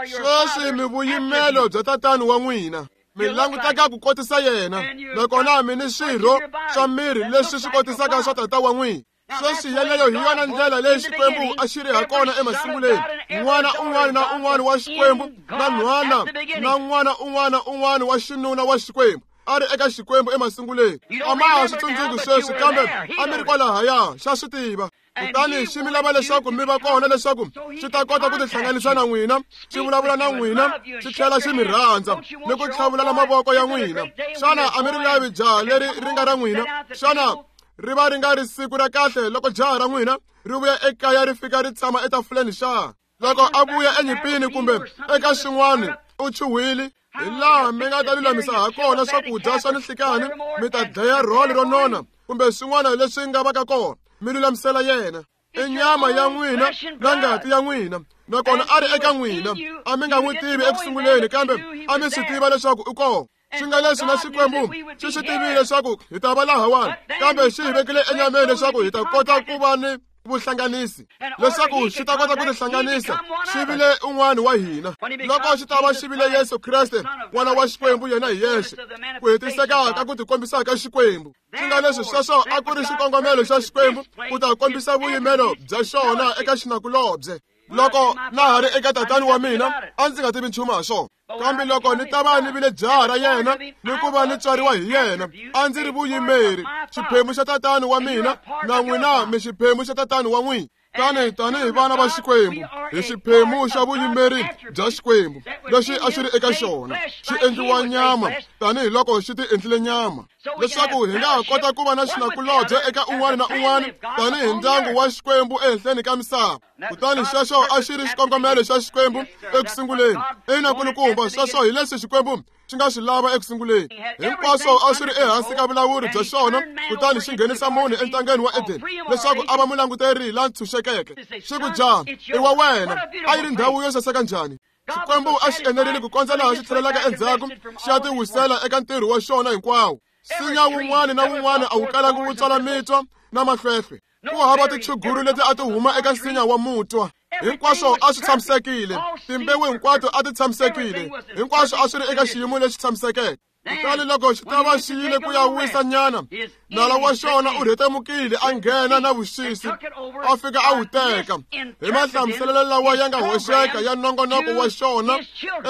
Sweswi mi vuyimelo bya tatana wa n'wina, mi languteka ku kotisa yena, nakona mi ni swirho swa miri leswi swi kotisaka swa tata wa n'wina. Sweswi yeleyo hi yona ndlela leyi Xikwembu a xi ri ha kona emasunguleni. N'wana un'wana na un'wana wa Xikwembu na nhwana na n'wana un'wana un'wana wa xinuna wa Xikwembu a ri eka Xikwembu emasunguleni. A ma ha swi tsundzuki sweswi, kambe a mi ri kwalahaya, xa swi tiva. Kutani xi mi lava leswaku mi va kona leswaku xi ta kota ku tihlanganisa na n'wina, xi vulavula na n'wina, xi tlhela xi mi rhandza ni ku tlhavulana mavoko ya n'wina. Xana a mi ri lavi jaha leri ri nga ra n'wina? Xana ri va ri nga ri siku ra kahle loko jaha ra n'wina ri vuya ekaya ri fika ri tshama etafuleni xa? Loko a vuya enyimpini kumbe eka xin'wana u chuhwile, hi laha mi nga ta lulamisa ha kona swakudya swa ninhlikani, mi ta dlaya rhole ro nona kumbe swin'wana leswi nga vaka kona, mi lulamisela yena. I nyama ya n'wina na ngati ya n'wina, nakona a ri eka n'wina. A mi nga n'wi tivi ekusunguleni, kambe a mi swi tiva leswaku u kona. Swi nga leswi na Xikwembu xi swi tivile leswaku hi ta va lahawani, kambe xi hi vekile enyameni leswaku hi ta kota ku va ni vuhlanganisi, leswaku xi ta kota ku tihlanganisa xi vile un'wana wa hina. Loko xi ta va xi vile Yesu Kreste, N'wana wa Xikwembu yena hi yexe, ku hetiseka ka ku tikombisa ka Xikwembu. Swi nga leswi sweswo a ku ri xikongomelo xa Xikwembu ku ta kombisa vuyimelo bya xona eka xinakulobye. Loko na ha ri eka tatani wa mina, a ndzi nga tivi nchumu ha swona, kambe loko ni ta va ni vile jaha ra yena ni ku va ni tswariwa hi yena, a ndzi ri vuyimeri, xiphemu xa tatani wa mina, na n'wina mi xiphemu xa tatani wa n'wina. Tani tanihi vana va Xikwembu, hi xiphemu xa vuyimeri bya Xikwembu lexi a xi ri eka xona, xi endliwa nyama tanihiloko xi ti endlile nyama, leswaku hi nga ha kota ku va na xinakulobye eka un'wana na un'wana tanihi ndyangu wa Xikwembu ehenhleni ka misava. Kutani xexo a xi ri xikongomelo xa Xikwembu ekusunguleni. Ina kulukumba, sweswo hi leswi Xikwembu xi nga swi lava ekusunguleni. Hinkwaswo a swi ri ehansi ka vulawuri bya xona, kutani xi nghenisa munhu entangeni wa Edeni leswaku a va mulanguteri la ntshunxekeke. Xi ku, jaha i wa wena. A yi ri ndhawu yo saseka njhani! Xikwembu a xi enerile ku kondza laha xi tlhelelaka endzhaku xi ya tiwisela eka ntirho wa xona hinkwawo. Nsinya wun'wana na wun'wana a wu kalangi wu tswala mitwa na mahlwehlwe. Ku hava tichuguru leti a ti huma eka nsinya wa mutwa. Hinkwaswo a swi tshamisekile, timbewu hinkwato a ti tshamisekile, hinkwaswo a swi ri eka xiyimo lexi tshamisekeke. Kutani loko xi ta va xi yile ku ya wisa nyana, nala wa xona u rhetemukile a nghena na vuxisi, a fika a wu teka hi mahlamuselelo lawa ya nga hoxeka ya nongonoko wa xona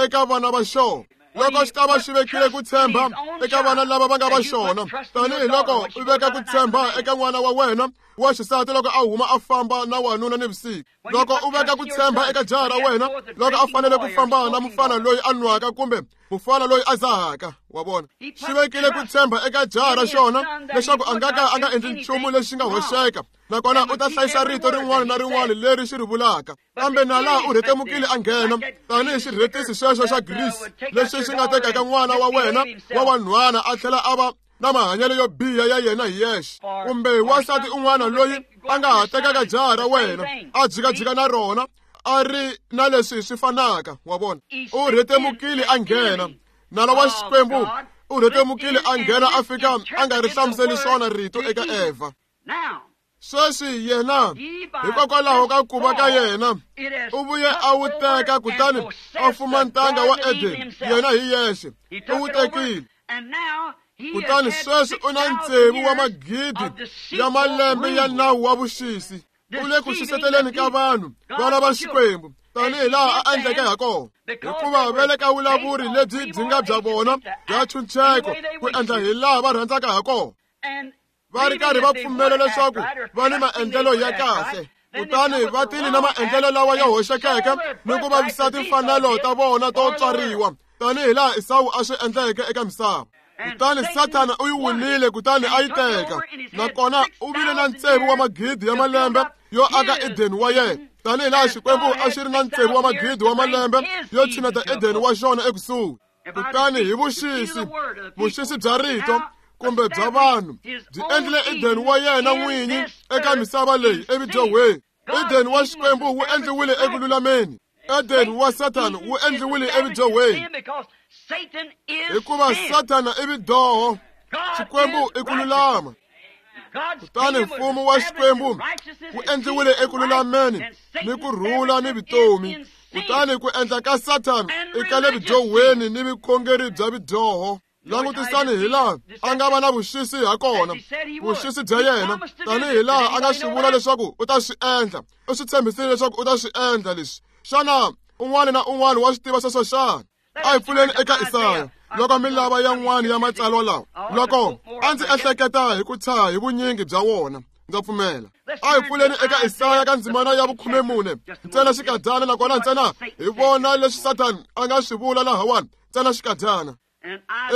eka vana va xona. Loko xi ta va xi vekile ku tshemba eka vana lava va nga va xona, tanihiloko u veka ku tshemba eka n'wana wa wena wa xisati loko a huma a famba na wanuna nivusiku, loko u veka ku tshemba eka jaha ra wena loko a fanele ku famba na mufana loyi a nwaka kumbe mufana loyi a dzahaka, wa vona, xi vekile ku tshemba eka jaha ra xona leswaku a nga ka a nga endli nchumu lexi nga hoxeka, nakona u ta hlayisa rito rin'wana na rin'wana leri xi ri vulaka. Kambe nala u rhetemukile a nghena tanihi xirhetisi xexo xa Greece lexi xi nga tekaka n'wana wa wena wa wanhwana a tlhela a va na mahanyelo yo biha ya yena hi yexe, kumbe wansati un'wana loyi a nga ha tekaka jaha ra wena a jikajika na rona a ri na leswi swi fanaka, wa vona. U rhetemukile a nghena. Nala wa Xikwembu u rhetemukile a nghena a fika a nga ri hlamuseli swona rito eka Evha. Sweswi yena hikokwalaho ka ku va ka yena u vuye a wu teka kutani a fuma ntanga wa Eden yena hi yexe, u wu tekile. Kutani sweswi u na ntsevu wa magidi ya malembe ya nawu wa vuxisi, u le ku xiseteleni ka vanhu vana va Xikwembu tanihi laha a endleke ha kona, hikuva va le ka vulavuri lebyi byi nga bya vona bya ntshunxeko ku endla hi laha va rhandzaka ha kona, va ri karhi va pfumela leswaku va ni maendlelo ya kahle, kutani va tile na maendlelo lawa ya hoxekeke ni ku vavisa timfanelo ta vona to tswariwa tanihi laha Esawu a swi endleke eka misava. Kutani Sathana u yi winile kutani a yi teka, nakona u vile na ntsevu wa magidi ya malembe yo aka Edeni wa yena, tanihi laha Xikwembu a xi ri na ntsevu wa magidi wa malembe yo tshineta Edeni wa xona ekusuhi. Kutani hi vuxisi, vuxisi bya rito kumbe bya vanhu byi endlile Edeni wa yena n'winyi eka misava leyi evudyohweni. Edeni wa Xikwembu wu endliwile eku lulameni, Edeni wa Sathana wu endliwile evudyohweni, hikuva Sathana i vudyoho, Xikwembu i ku lulama. Kutani mfumo wa Xikwembu wu endliwile eku lulameni ni ku rhula ni vutomi, kutani ku endla ka Sathana i ka le vudyohweni ni vukhongeri bya vudyoho. Langutisani hi laha a nga va na vuxisi ha kona, vuxisi bya yena, tanihi laha a nga swi vula leswaku u ta swi endla, u swi tshembisile leswaku u ta swi endla leswi. Xana un'wana na un'wana wa swi tiva sweswo xana? A hi pfuleni eka Isaya loko mi lava yan'wana ya matsalwa lawa, loko a ndzi ehleketa hi ku tshaha hi vunyingi bya wona, ndza pfumela. A hi pfuleni eka Isaya ka ndzimana ya vukhumemune ntsena xikadyana, nakona ntsena hi vona leswi Sathana a nga swi vula lahawani, ntsena xikadyana.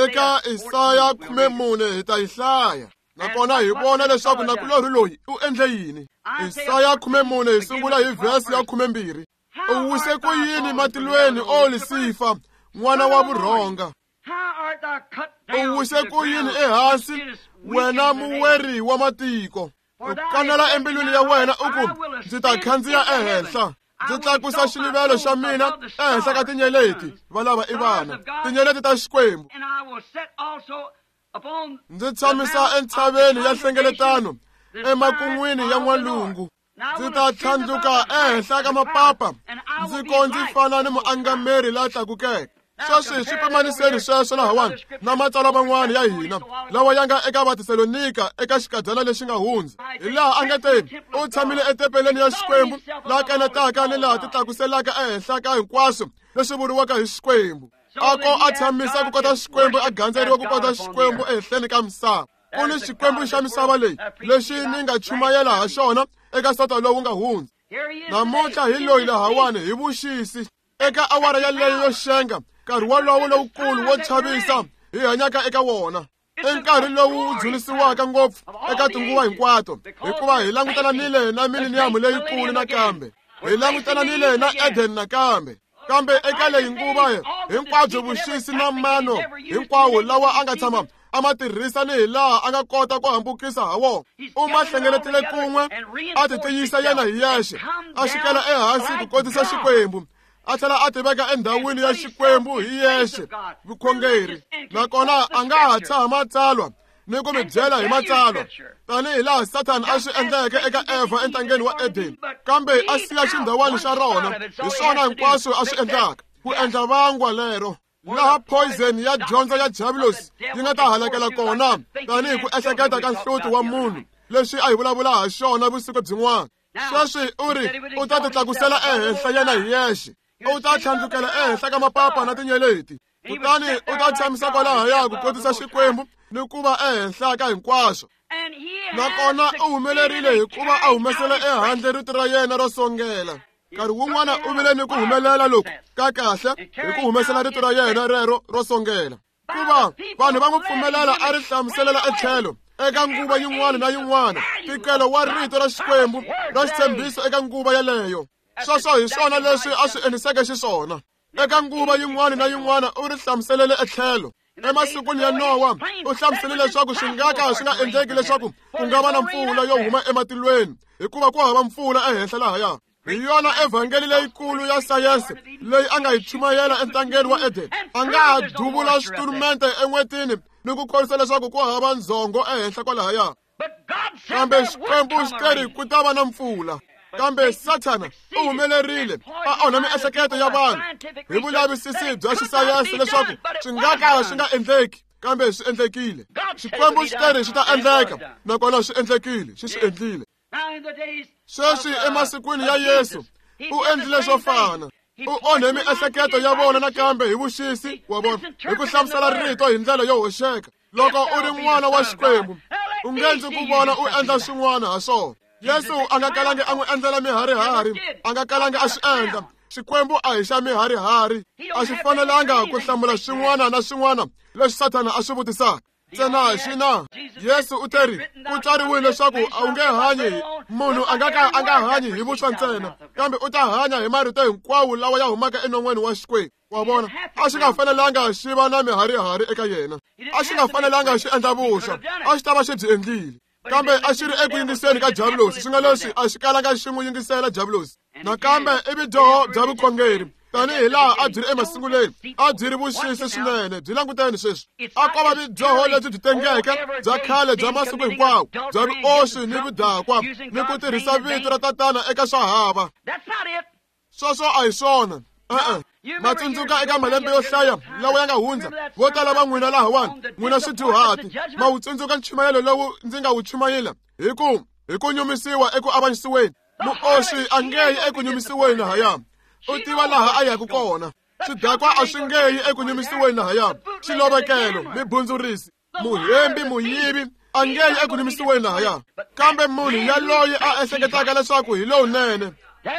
Eka Isaya khumemune hi ta yi hlaya, nakona hi vona leswaku nakulorhi loyi u endle yini. Isaya khumemune hi sungula hi vhesi ya khumembirhi. U wise ku yini matilweni, o Lusifa, n'wana wa vurhonga? U wise ku yini ehansi, wena muweri wa matiko? U kanela embilwini ya wena u ku, ndzi ta khandziya ehenhla, ndzi tlakusa xiluvelo xa mina ehenhla ka tinyeleti, valava i vana, tinyeleti ta Xikwembu. Ndzi tshamisa entshaveni ya nhlengeletano emakun'wini ya n'walungu, ndzi ta tlhandluka ehenhla ka mapapa, ndzi ko ndzi fana ni muangameri la tlakukeke. Sweswi swi pimaniseni sweswo lahawani na matsalwa man'wana ya hina lawa ya nga eka Vatesalonika eka xikadyana lexi nga hundza, hi laha a nga te u tshamile etempeleni ya Xikwembu laha kanetaka ni laha ti tlakuselaka ehenhla ka hinkwaswo leswi vuriwaka hi Xikwembu. A ko a tshamisa ku kota Xikwembu, a gandzeriwa ku kota Xikwembu ehenhleni ka misava. Ku ni Xikwembu xa misava leyi lexi ni nga chumayela ha xona eka sata lowu nga hundza. Namuntlha hi loyi lahawani hi vuxisi eka awara yaleyo yo xenga, nkarhi wolowo lowukulu wo chavisa hi hanyaka eka wona, i nkarhi lowu wu dzunisiwaka ngopfu eka tinguva hinkwato, hikuva hi langutananile na mileniyamu leyikulu nakambe, hi langutananile na Eden nakambe. Kambe eka leyi nguva hinkwabyo vuxisi na mano hinkwawo lawa a nga tshama a ma tirhisa ni hi laha a nga kota ku hambukisa ha wona, u ma hlengeletile kun'we, a ti tiyisa yena hi yexe, a xikela ehansi ku kotisa Xikwembu, a tlhela a tiveka endhawini ya Xikwembu hi yexe, vukhongeri. Nakona a nga ha tshaha matsalwa ni ku mi byela hi matsalwa tanihi laha Sathana a swi endleke eka Evha entangeni wa Eden, kambe a siya xindhawani xa rona. Hi swona hinkwaswo a swi endlaka ku endla vangwa lero. Laha poison ya dyondzo ya diabolos yi nga ta halakela kona tanihi ku ehleketa ka nhloti wa munhu leswi a hi vulavula ha xona vusiku byin'wana. Sweswi u ri u ta titlakusela ehenhla yena hi yexe, u ta tlhandlukela ehenhla ka mapapa na tinyeleti, kutani u ta tshamisa kwalahaya ku kotisa Xikwembu ni ku va ehenhla ka hinkwaswo. Nakona u humelerile hikuva a humesele ehandle rito ra yena ro songela. Nkarhi wun'wana u vile ni ku humelela loku ka kahle hi ku humesela rito ra yena rero ro songela, kuva vanhu va n'wi pfumelela a ri hlamuselela etlhelo eka nguva yin'wana na yin'wana ntikelo wa rito ra Xikwembu ra xitshembiso eka nguva yeleyo. Sweswo hi swona leswi a swi endliseke xiswona. Eka nguva yin'wana na yin'wana u ri hlamuselele etlhelo. Emasikwini ya Nowa u hlamusele leswaku swi nga ka swi nga endleki leswaku ku nga va na mpfula yo huma ematilweni, hikuva ku hava mpfula ehenhla lahaya. Hi yona evhangeli leyikulu ya sayense leyi a nga yi chumayela entangeni wa Eden. A nga ha duvula switurumente en'wetini ni ku khorwisa leswaku ku hava ndzhongo ehenhla kwalahaya. Kambe Xikwembu xi teri ku ta va na mpfula. Kambe Sathana u humelerile a onha miehleketo ya vanhu hi vulavisisi bya xisayense leswaku swi nga ka swi nga endleki, kambe swi endlekile. Xikwembu xi teri swi ta endleka, nakona swi endlekile, xi swi endlile. Sweswi emasikwini ya Yesu u endlile swo fana. U onhe miehleketo ya vona nakambe hi vuxisi wa vona hi ku hlamusela rito hi ndlela yo hoxeka. Loko u ri n'wana wa Xikwembu u nge ndzi ku vona u endla swin'wana ha swona. Yesu a nga kalangi a n'wi endlela miharihari, a nga kalangi a swi endla. Xikwembu a hi xa miharihari, a xi fanelanga ku hlamula swin'wana na swin'wana leswi Sathana a swi vutisaka. Ntsena xi na Yesu u teri ku tsariwile leswaku a wu nge hanyi, munhu a nga ka a nga hanyi hi vuswa ntsena, kambe u ta hanya hi marito hinkwawo lawa ya humaka enon'weni wa Xikwembu. Wa vona, a xi nga fanelanga xi va na miharihari eka yena, a xi nga fanelanga xi endla vuswa, a xi ta va xi byi endlile. Kambe a xi ri eku yingiseni ka diabulosi, swi nga leswi a xi kalanga xi n'wi yingisela diabulosi. Nakambe i vudyoho bya vukhongeri tanihi laha a byi ri emasunguleni, a byi ri vuxisi swinene. Byi languteni sweswi, a ko va vudyoho lebyi byi tengeke bya khale bya masiku hinkwawo bya vuoswi ni vudakwa ni ku tirhisa vito ra tatana eka swa hava. Sweswo a hi swona. E-e. Ma tsundzuka eka malembe yo hlaya lawa ya nga hundza, vo tala va n'wina lahawani n'wina swidyuhati ma wu tsundzuka nchumayelo lowu ndzi nga wu chumayela hi ku hi ku nyumisiwa eku avanyisiweni. Muoswi a nge yi eku nyumisiweni lahaya, u tiva laha a yaka kona. Swidakwa a swi nge yi eku nyumisiweni lahaya, xilovekelo, mibundzurisi, muhembi, muyivi a nge yi eku nyumisiweni lahaya. Kambe munhu yaloye a ehleketaka leswaku hi lowunene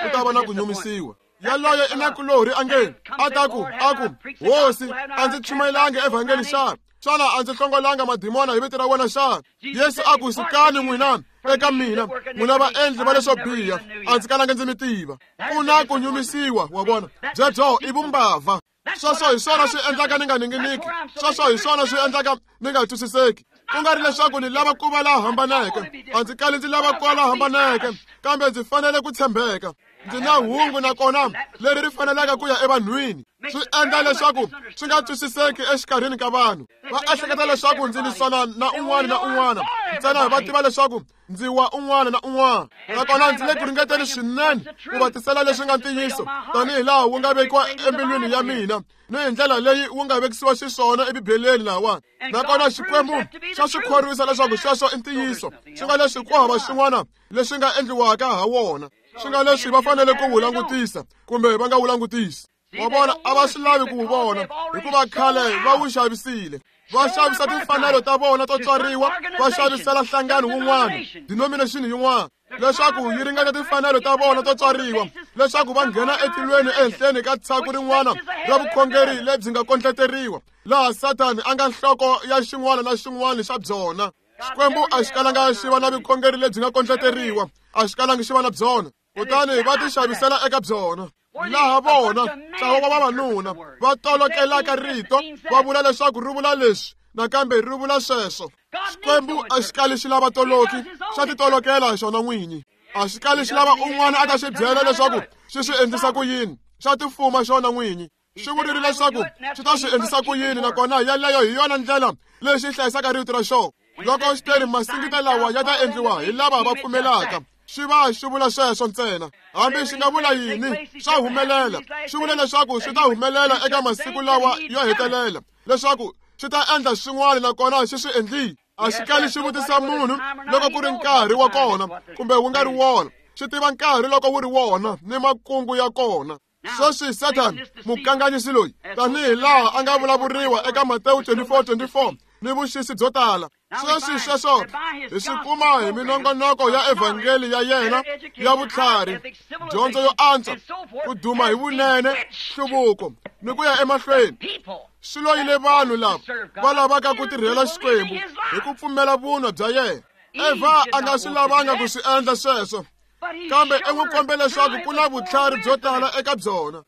u ta va na ku nyumisiwa. Yaloye i nakulorhi a nge a ta ku a ku Hosi, a ndzi chumayelanga evhangeli xana? Xana a ndzi hlongolanga madimona hi vito ra wena xana? Yesu a ku sukani n'wina eka mina, n'wina vaendli va leswo biha, a ndzi kalanga ndzi mi tiva. Ku na ku nyumisiwa, wa vona, byebyo i vumbava. Sweswo hi swona swi endlaka ni nga ninginiki, sweswo hi swona swi endlaka ni nga twisiseki. Ku nga ri leswaku ni lava ku va la hambaneke, a ndzi kali ndzi lava ku va la hambaneke, kambe ndzi fanele ku tshembeka. Ndzi na hungu nakona leri ri faneleke ku ya evanhwini. Swi endla leswaku swi nga twisiseki exikarhini ka vanhu. Va ehleketa leswaku ndzi lwisana na un'wana na un'wana, ntsena va tiva leswaku ndzi wa un'wana na un'wana. Nakona ndzi le ku ringeteni swinene ku va tisela leswi nga ntiyiso tanihi laha wu nga vekiwa embilwini ya mina ni hi ndlela leyi wu nga vekisiwa xiswona eBibeleni lahawani. Nakona Xikwembu xa swi khorwisa leswaku sweswo i ntiyiso, swi nga leswi ku hava swin'wana leswi nga endliwaka ha wona, swi nga leswi va fanele ku wu langutisa kumbe va nga wu langutisi. Wa vona, a va swi lavi ku wu vona hikuva khale va wu xavisile. Va xavisa timfanelo ta vona to tswariwa, va xavisela nhlangano wun'wana, denomination yin'wana, leswaku yi ringana timfanelo ta vona to tswariwa, leswaku va nghena etilweni ehenhleni ka tshaku rin'wana ra vukhongeri lebyi nga kondleteriwa, laha Sathani a nga nhloko ya xin'wana na xin'wana xa byona. Xikwembu a xi kalanga xi va na vukhongeri lebyi nga kondleteriwa, a xi kalangi xi va na byona, kutani va ti xavisela eka byona. Laha vona ntlawa wa vavanuna va tolokelaka rito va vula leswaku ri vula leswi nakambe ri vula sweswo. Xikwembu a xi kali xi lava toloki, xa titolokela xona n'winyi. A xi kali xi lava un'wana a ta xi byela leswaku xi swi endlisa ku yini, xa tifuma xona n'winyi. Xi vurile leswaku xi ta swi endlisa ku yini, nakona yeleyo hi yona ndlela leyi xi hlayisaka rito ra xona. Loko xi teri masingita lawa ya ta endliwa hi lava va pfumelaka, Xi va xi vula sweswo ntsena. Hambi xi nga vula yini, swa humelela. Xi vule leswaku swi ta humelela eka masiku lawa yo hetelela, leswaku xi ta endla swin'wana nakona xi swi endlile. A xi kali xi vutisa munhu loko ku ri nkarhi wa kona kumbe wu nga ri wona. Xi tiva nkarhi loko wu ri wona ni makungu ya kona. Sweswi Satan, mukanganyisi loyi, tanihi laha a nga vulavuriwa eka Matewu twenty-four twenty-four ni vuxisi byo tala. Sweswi sweswo hi swi kuma hi minongonoko ya evhangeli ya yena ya vutlhari, dyondzo yo antswa, ku duma hi vunene, nhluvuko ni ku ya emahlweni. Swi loyile vanhu lava va lavaka ku tirhela Xikwembu hi ku pfumela vunwa bya yena. Eva a nga swi lavanga ku swi endla sweswo, kambe i n'wi kombe leswaku ku na vutlhari byo tala eka byona.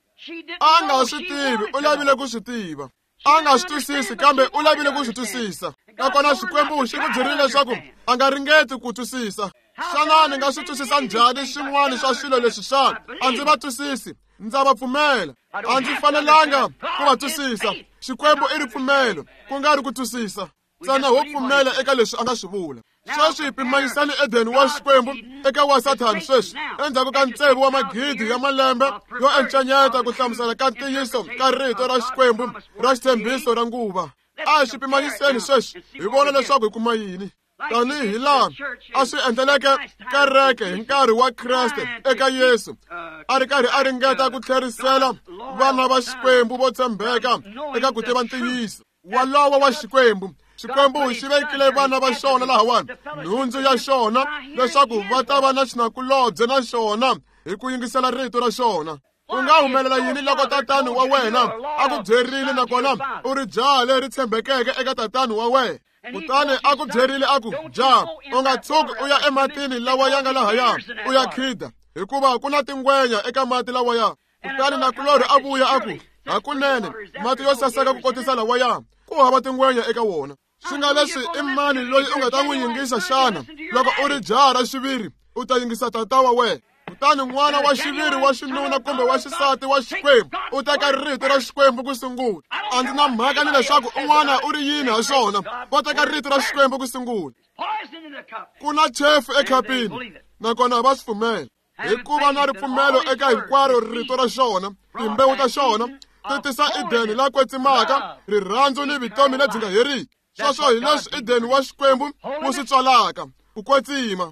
A nga swi tivi, u lavile ku swi tiva. A nga swi twisisi, kambe u lavile ku swi twisisa. Nakona Xikwembu xi n'wi byerile leswaku a nga ringeti ku twisisa. Xana ni nga swi twisisa njhani swin'wana swa swilo leswi xana? A ndzi va twisisi, ndza va pfumela. A ndzi fanelanga ku va twisisa. Xikwembu i ripfumelo, ku nga ri ku twisisa. Ntsena ho pfumela eka leswi a nga swi vula. Sweswi pimanyisani Edeni wa Xikwembu eka wa Sathani sweswi, endzhaku ka tsevu wa magidi ya malembe yo encanyeta ku hlamusela ka ntiyiso ka rito ra Xikwembu ra xitshembiso ra nguva. A hi swi pimanyiseni sweswi hi vona leswaku hi kuma yini. Tanihi laha a swi endleleke kereke hi nkarhi wa Kreste eka Yesu, a ri karhi a ringeta ku tlherisela vana va Xikwembu vo tshembeka eka ku tiva ntiyiso walowo wa Xikwembu. Xikwembu xi vekile vana va xona lahawani, nhundzu ya xona, leswaku va ta va na xinakulobye na xona hi ku yingisela rito ra xona. U nga humelela yini loko tatani wa wena a ku byerile nakona u ri jaha leri tshembekeke eka tatani wa wena? Kutani a ku byerile a ku, jaha, u nga tshuki u ya ematini lawa ya nga lahaya u ya khida, hikuva ku na tingwenya eka mati lawaya. Kutani nakulorhi a vuya a ku, hakunene mati yo saseka ku kotisa lawaya, ku hava tingwenya eka wona. Swi nga leswi i mani loyi u nga ta n'wi yingisa xana? Loko u ri jaha ra xiviri, u ta yingisa tata wa wena. Kutani n'wana wa xiviri wa xinuna kumbe wa xisati wa Xikwembu u teka rito ra Xikwembu ku sungula. A ndzi na mhaka ni leswaku un'wana u ri yini ha swona, va teka rito ra Xikwembu ku sungula. Ku na chefu ekhapini, nakona va swi pfumela. Hikuva na ripfumelo eka hinkwaro rito ra xona, timbewu ta xona ti tisa Edeni la kwetsimaka, rirhandzu ni vutomi lebyi nga heriki. Sweswo hi leswi Edeni wa Xikwembu wu swi tswalaka, ku kwetsima.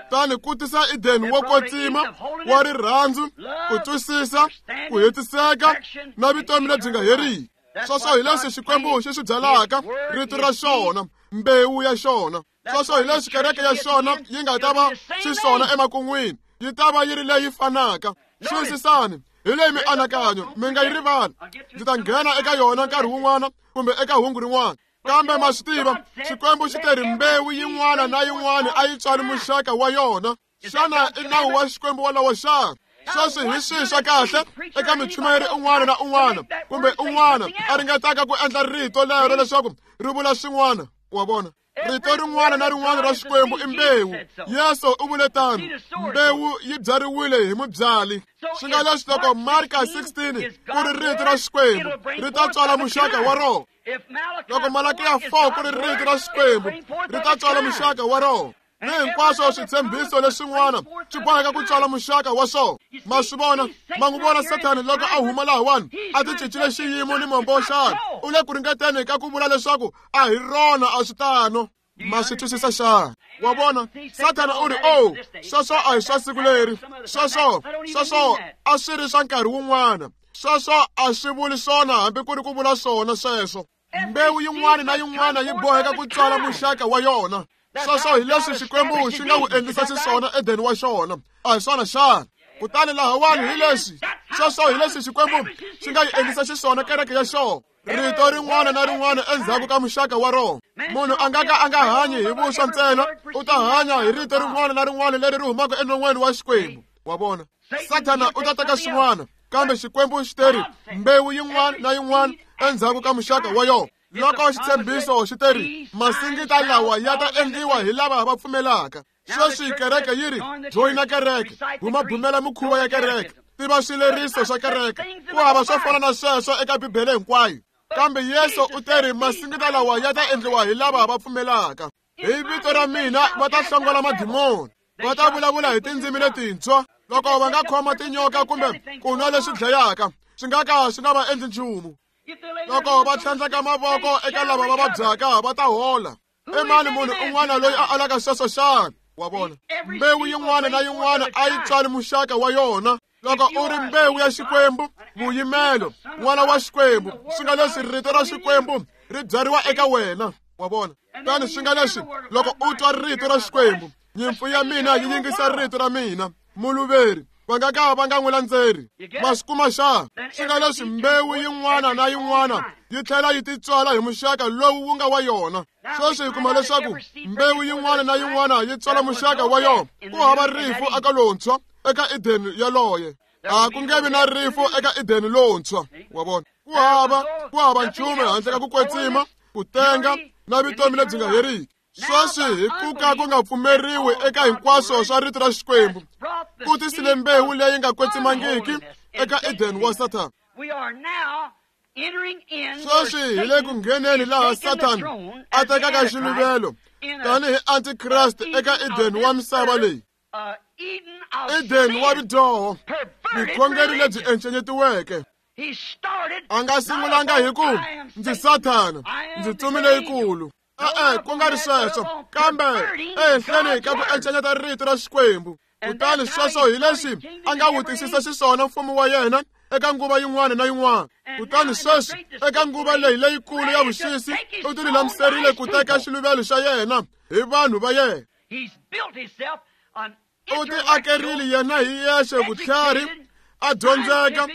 Tani ku tisa Edeni wo kwetsima wa rirhandzu, ku twisisa, ku hetiseka na vutomi lebyi nga heriki. Sweswo hi leswi Xikwembu xi swi byalaka, rito ra xona, mbewu ya xona. Sweswo hi leswi kereke ya xona yi nga ta va xiswona emakun'wini, yi ta va yi ri leyi fanaka. Xiyisisani hi leyi mianakanyo, mi nga yi rivali. Ndzi ta nghena eka yona nkarhi wun'wana kumbe eka hungu rin'wana. Kambe ma swi tiva, Xikwembu xi te ri mbewu yin'wana na yin'wana a yi tswali muxaka wa yona. Xana i nawu wa Xikwembu wolowo xana? Sweswi hi swihi swa kahle eka muchumayeri un'wana na un'wana kumbe un'wana a ringetaka ku endla rito lero leswaku ri vula swin'wana? Wa vona, rito rin'wana na rin'wana ra Xikwembu i mbewu. Yesu u vule tano, mbewu yi byariwile hi mubyali. Swi nga leswi loko Marka sixteen ku ri rito ra Xikwembu, ri ta tswala muxaka wa rona. Loko Malakiya four ku ri rito ra Xikwembu, ri ta tswala muxaka wa rona. Ni hinkwaswo switshembiso leswin'wana swi boheka ku tswala muxaka wa swona. Ma swi vona, ma n'wi vona Sathani loko a huma lahawani a ti cincile xiyimo ni mombo xana? U le ku ringeteni ka ku vula leswaku a hi rona, a swi tano. Ma swi twisisa xana? Wa vona, Sathana u ri, oh, sweswo a hi swa siku leri, sweswo sweswo a swi ri swa nkarhi wun'wana, sweswo a swi vuli swona hambi ku ri ku vula swona sweswo. Mbewu yin'wana na yin'wana yi boheka ku tswala muxaka wa yona. Sweswo hi leswi Xikwembu xi nga wu endlisa xiswona Edeni wa xona, a hi swona xana? Kutani lahawani hi leswi, sweswo hi leswi Xikwembu xi nga yi endlisa xiswona kereke ya xona. Rito rin'wana na rin'wana endzhaku ka muxaka wa rona. Munhu a nga ka a nga hanyi hi vuswa ntsena, u ta hanya hi rito rin'wana na rin'wana leri ri humaka enon'weni wa Xikwembu. Wa vona, Sathana u ta teka swin'wana, kambe Xikwembu xi teri mbewu yin'wana na yin'wana endzhaku ka muxaka wa yona. Loko xitshembiso xi teri masingita lawa ya ta endliwa hi lava va pfumelaka. Sweswi kereke yi ri joyina kereke, bumabumela mikhuva ya kereke, tiva swileriso swa kereke. Ku hava swo fana na sweswo eka Bibele hinkwayo. Kambe Yesu u teri masingita lawa ya ta endliwa hi lava va pfumelaka. Hi vito ra mina va ta hlongola madimoni. Va ta vulavula hi tindzimi letintshwa. Loko va nga khoma tinyoka kumbe ku nwa leswi dlayaka, swi nga ka swi nga va endli nchumu. Loko va tlhandleka mavoko eka lava va vabyaka, va ta hola. I mani munhu un'wana loyi a alaka sweswo xana? Wa vona, mbewu yin'wana na yin'wana a yi tswali muxaka wa yona. Loko u ri mbewu ya Xikwembu, vuyimelo, n'wana wa Xikwembu, swi nga leswi rito ra Xikwembu ri byariwa eka wena. Wa vona? Tani swi nga leswi loko u twa rito ra Xikwembu, nyimpfu ya mina yi yingisa rito ra mina, muluveri va nga ka va nga n'wi landzeri. Ma swi kuma xana? Swi nga leswi mbewu yin'wana na yin'wana yi tlhela yi titswala hi muxaka lowu wu nga wa yona. Sweswi hi kuma leswaku mbewu yin'wana na yin'wana yi tswala muxaka wa yona. Ku hava rifu eka lontshwa eka Edeni yaloye. A ku nge vi na rifu eka Edeni lontshwa. Wa vona? Ku hava ku hava nchumu handle ka ku kwetsima, ku tenga na vutomi lebyi nga heriki. Sweswi hi ku ka ku nga pfumeriwi eka hinkwaswo swa rito ra Xikwembu, ku tisile mbewu leyi nga kwetsimangiki eka Eden wa Sathana. Sweswi hi le ku ngheneni laha Sathana a tekaka xiluvelo tanihi Antikreste eka Eden wa misava leyi. Eden wa vudyoho, vukhongeri lebyi encenyetiweke. A nga sungulanga hi ku ndzi Sathana, ndzi ntsumi leyikulu. E-e, ku nga ri sweswo, kambe ehenhleni ka ku encenyeta rito ra Xikwembu. Kutani sweswo hi leswi a nga vutisisa xiswona mfumo wa yena eka nguva yin'wana na yin'wana. Kutani sweswi eka nguva leyi leyikulu ya vuxisi, u tilulamiserile ku teka xiluvelo xa yena hi vanhu va yena. U tiakerile yena hi yexe vutlhari, a dyondzeka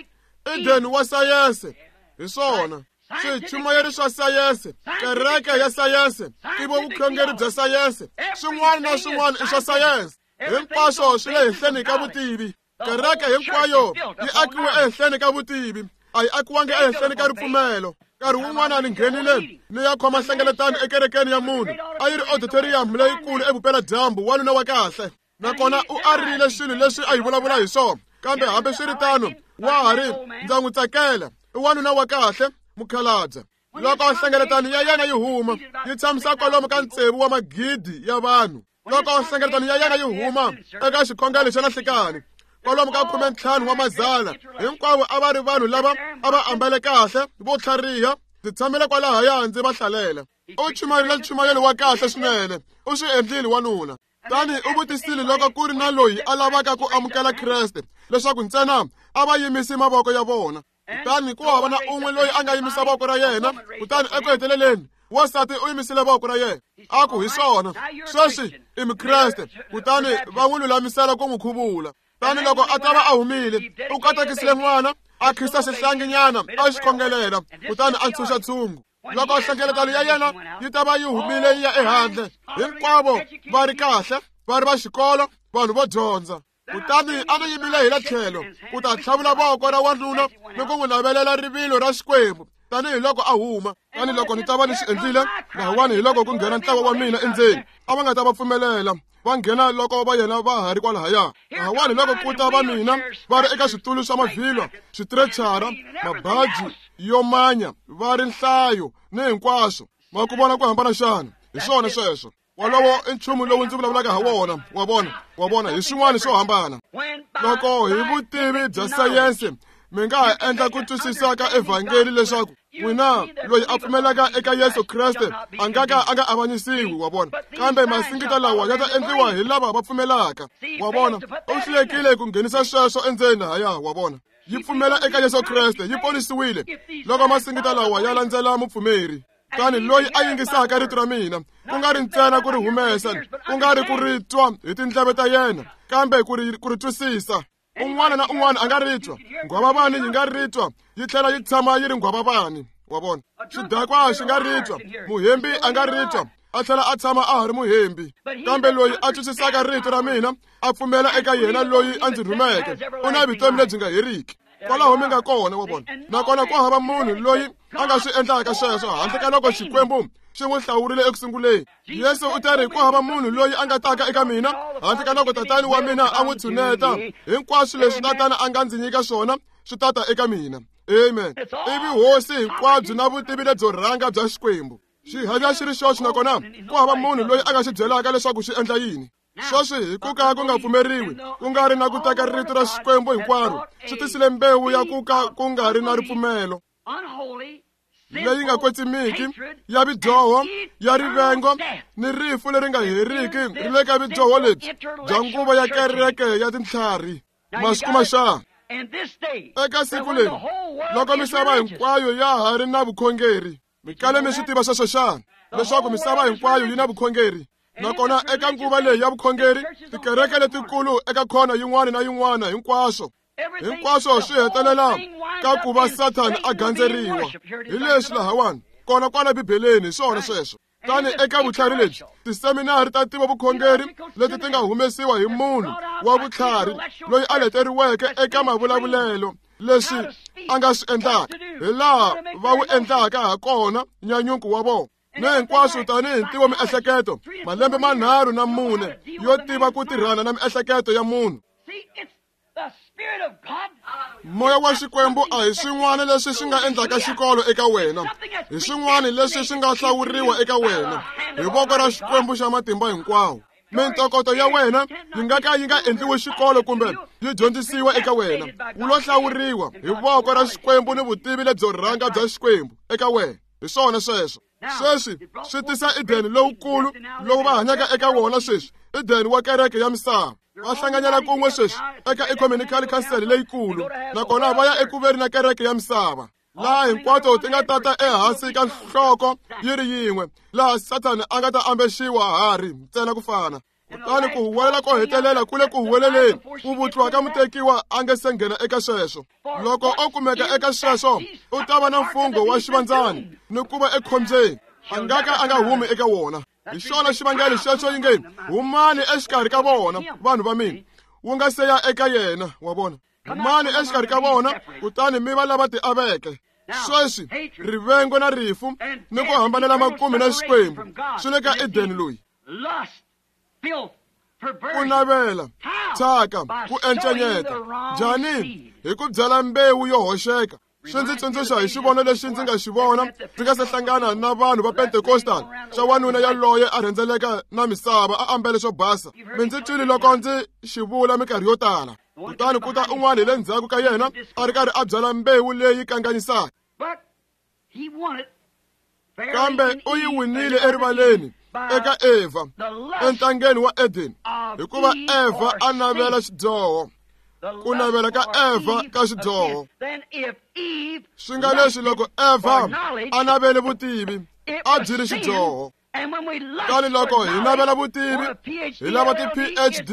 Eden wa sayense. Hi swona swichumayeri swa sayense, kereke ya sayense, tivo vukhongeri bya sayense, swin'wana na swin'wana i swa sayense. Hinkwaswo swi le henhleni ka vutivi. Kereke hinkwayo yi akiwe ehenhleni ka vutivi, a yi akiwangi ehenhleni ka ripfumelo. Nkarhi wun'wana ni nghenile ni ya khoma nhlengeletano ekerekeni ya munhu, a yi ri auditorium leyikulu evupeladyambu, wanuna wa kahle. Nakona u arile swilo leswi a yi vulavula hi swona, kambe hambiswiritano wa ha ri ndza n'wi tsakela, i wanuna wa kahle, mukhalabye. Loko nhlengeletano ya yena yi huma, yi tshamisa kwalomu ka tsevu wa magidi ya vanhu. Loko nhlengeletano ya yena yi huma eka xikhongelo xa nhlikani, kwalomu ka khume ntlhanu wa mazana, hinkwavo a va ri vanhu lava a va ambale kahle, vo tlhariha. Ndzi tshamile kwalahaya ndzi va hlalela. U chumayerile nchumayelo wa kahle swinene, u swi endlile wanuna. Tani u vutisile loko ku ri na loyi a lavaka ku amukela Kreste, leswaku ntsena a va yimisi mavoko ya vona. Kutani ku hava na un'we loyi a nga yimisa voko ra yena. Kutani eku heteleleni wansati u yimisile voko ra yena, a ku hi swona, sweswi i Mukreste. Kutani va n'wi lulamisela ku n'wi khuvula. Tani loko a ta va a humile, u katekisile n'wana, a khisa xihlanginyana, a xi khongelela, kutani a ntshunxa tshungu. Loko nhlengeletano ya yena yi ta va yi humile yi ya ehandle, hinkwavo va ri kahle, va ri va xikolo, vanhu vo dyondza. Kutani a ni yimile hi le tlhelo ku ta tlhavula voko ra wanuna ni ku n'wi navelela rivilo ra Xikwembu tanihiloko a huma. Tani loko ni ta va ni swi endlile lahawani, hi loko ku nghena ntlawa wa mina endzeni, a va nga ta va pfumelela va nghena loko va yena va ha ri kwalahaya. Lahawani loko ku ta va mina va ri eka switulu swa mavhilwa, switirechara, mabaji yo manya, va ri nhlayo ni hinkwaswo. Ma ku vona ku hambana xana? Hi swona sweswo. Wolowo i nchumu lowu ndzi vulavulaka ha wona. Wa vona, wa vona, hi swin'wana swo hambana. Loko hi vutivi bya sayense mi nga ha endla ku twisisa ka evhangeli leswaku n'wina loyi a pfumelaka eka Yesu Kreste a nga ka a nga avanyisiwi, wa vona, kambe masingita lawa ya ta endliwa hi lava va pfumelaka. Wa vona, u hlulekile ku nghenisa sweswo endzeni lahaya. Wa vona, yi pfumela eka Yesu Kreste, yi ponisiwile loko masingita lawa ya landzela mupfumeri. Tani loyi a yingisaka rito ra mina, ku nga ri ntsena ku ri humesa, ku nga ri ku ri twa hi tindleve ta yena, kambe ku ri ku ri twisisa. Un'wana na un'wana a nga ri twa. Nghwavavani yi nga ri twa, yi tlhela yi tshama yi ri nghwavavani. Wa vona, xidakwa xi nga ri twa, muhembi a nga ri twa, a tlhela a tshama a ha ri muhembi. Kambe loyi a twisisaka rito ra mina, a pfumela eka yena loyi a ndzi rhumeke, u na vutomi lebyi nga heriki. Kwalaho mi nga kona, wa vona. Nakona ku hava munhu loyi a nga swi endlaka sweswo handle ka loko Xikwembu xi n'wi hlawurile eku sunguleni. Yesu u ta ri ku hava munhu loyi a nga taka eka mina handle ka loko tatani wa mina a n'wi tshuneta. Hinkwaswo leswi tatana a nga ndzi nyika swona swi tata eka mina. Amen. Ivi hosi hinkwabyo na vutivi lebyo rhanga bya Xikwembu xi hanya xi ri xoxe, nakona ku hava munhu loyi a nga xi byelaka leswaku xi endla yini. Sweswi hi ku ka ku nga pfumeriwi, ku nga ri na ku teka rito ra Xikwembu hinkwaro, swi tisile mbewu ya ku ka ku nga ri na ripfumelo leyi nga kwetsimiki, ya vidyoho, ya rivengo ni rifu leri nga heriki ri le ka vidyoho lebyi bya nguva ya kereke ya tintlhari. Ma swi kuma xana? Eka siku leri loko misava hinkwayo ya ha ri na vukhongeri, mi kale mi swi tiva sweswo xana? Leswaku misava hinkwayo yi na vukhongeri. Nakona eka nguva leyi ya vukhongeri, tikereke letikulu eka khona yin'wana na yin'wana, hinkwaswo hinkwaswo swi hetelela ka ku va Sathana a gandzeriwa. Hi leswi lahawani kona kwala Bibeleni, hi swona sweswo. Tani eka vutlhari lebyi, tiseminari ta tiva vukhongeri leti ti nga humesiwa hi munhu wa vutlhari loyi a leteriweke eka mavulavulelo leswi a nga swi endlaka, hi laha va wu endlaka ha kona nyanyuko wa vona ni hinkwaswo tanihi ntivo miehleketo, malembe manharhu na mune yo tiva ku tirhana na miehleketo ya munhu. Moya wa Xikwembu a hi swin'wana leswi swi nga endlaka xikolo eka wena, hi swin'wana leswi swi nga hlawuriwa eka wena hi voko ra Xikwembu xa matimba hinkwawo. Mintokoto ya wena yi nga ka yi nga endliwi xikolo kumbe yi dyondzisiwa eka wena, wu lo hlawuriwa hi voko ra Xikwembu ni vutivi lebyo rhanga bya Xikwembu eka wena. Hi swona sweswo. Sweswi swi tisa Edeni lowukulu lowu va hanyaka eka wona sweswi, Edeni wa kereke ya misava. Va hlanganyela kun'we sweswi eka Ecumenical Council leyikulu, nakona va ya ekuveni na kereke ya misava, laha hinkwato ti nga tata ehansi ka nhloko yi ri yin'we, laha Sathana a nga ta ambexiwa hari ntsena ku fana. Kutani ku huwelela ko hetelela ku le ku huweleleni, ku vutliwa ka mutekiwa a nge se nghena eka sweswo. Loko o kumeka eka sweswo, u ta va na mfungho wa xivandzani ni ku va ekhombyeni, a nga ka a nga humi eka wona. Hi xona xivangelo xexo yi nge humani exikarhi ka vona, vanhu va mina, wu nga se ya eka yena. Wa vona, humani exikarhi ka vona, kutani mi va lava tiaveke. Sweswi rivengo na rifu ni ku hambanela makumu na Xikwembu swi le ka Edeni loyi. Ku navela, thyaka, ku encenyeta. Njhani? Hi ku byala mbewu yo hoxeka. Swi ndzi tsundzuxa hi xivono lexi ndzi nga xi vona ndzi nga se hlangana na vanhu va Pentecostal, xa wanuna yaloye a rhendzeleka na misava a ambele swo basa. Mi ndzi twile loko ndzi xi vula minkarhi yo tala. Kutani ku ta un'wana hi le ndzhaku ka yena a ri karhi a byala mbewu leyi kanganyisaka, kambe u yi winile erivaleni eka Eva entangeni wa Eden, hikuva Eva a navela xidyoho. Ku navela ka Eva ka xidyoho. Swi nga leswi loko Eva a navele vutivi, a byi ri xidyoho. Kutani loko hi navela vutivi, hi lava ti-P H D,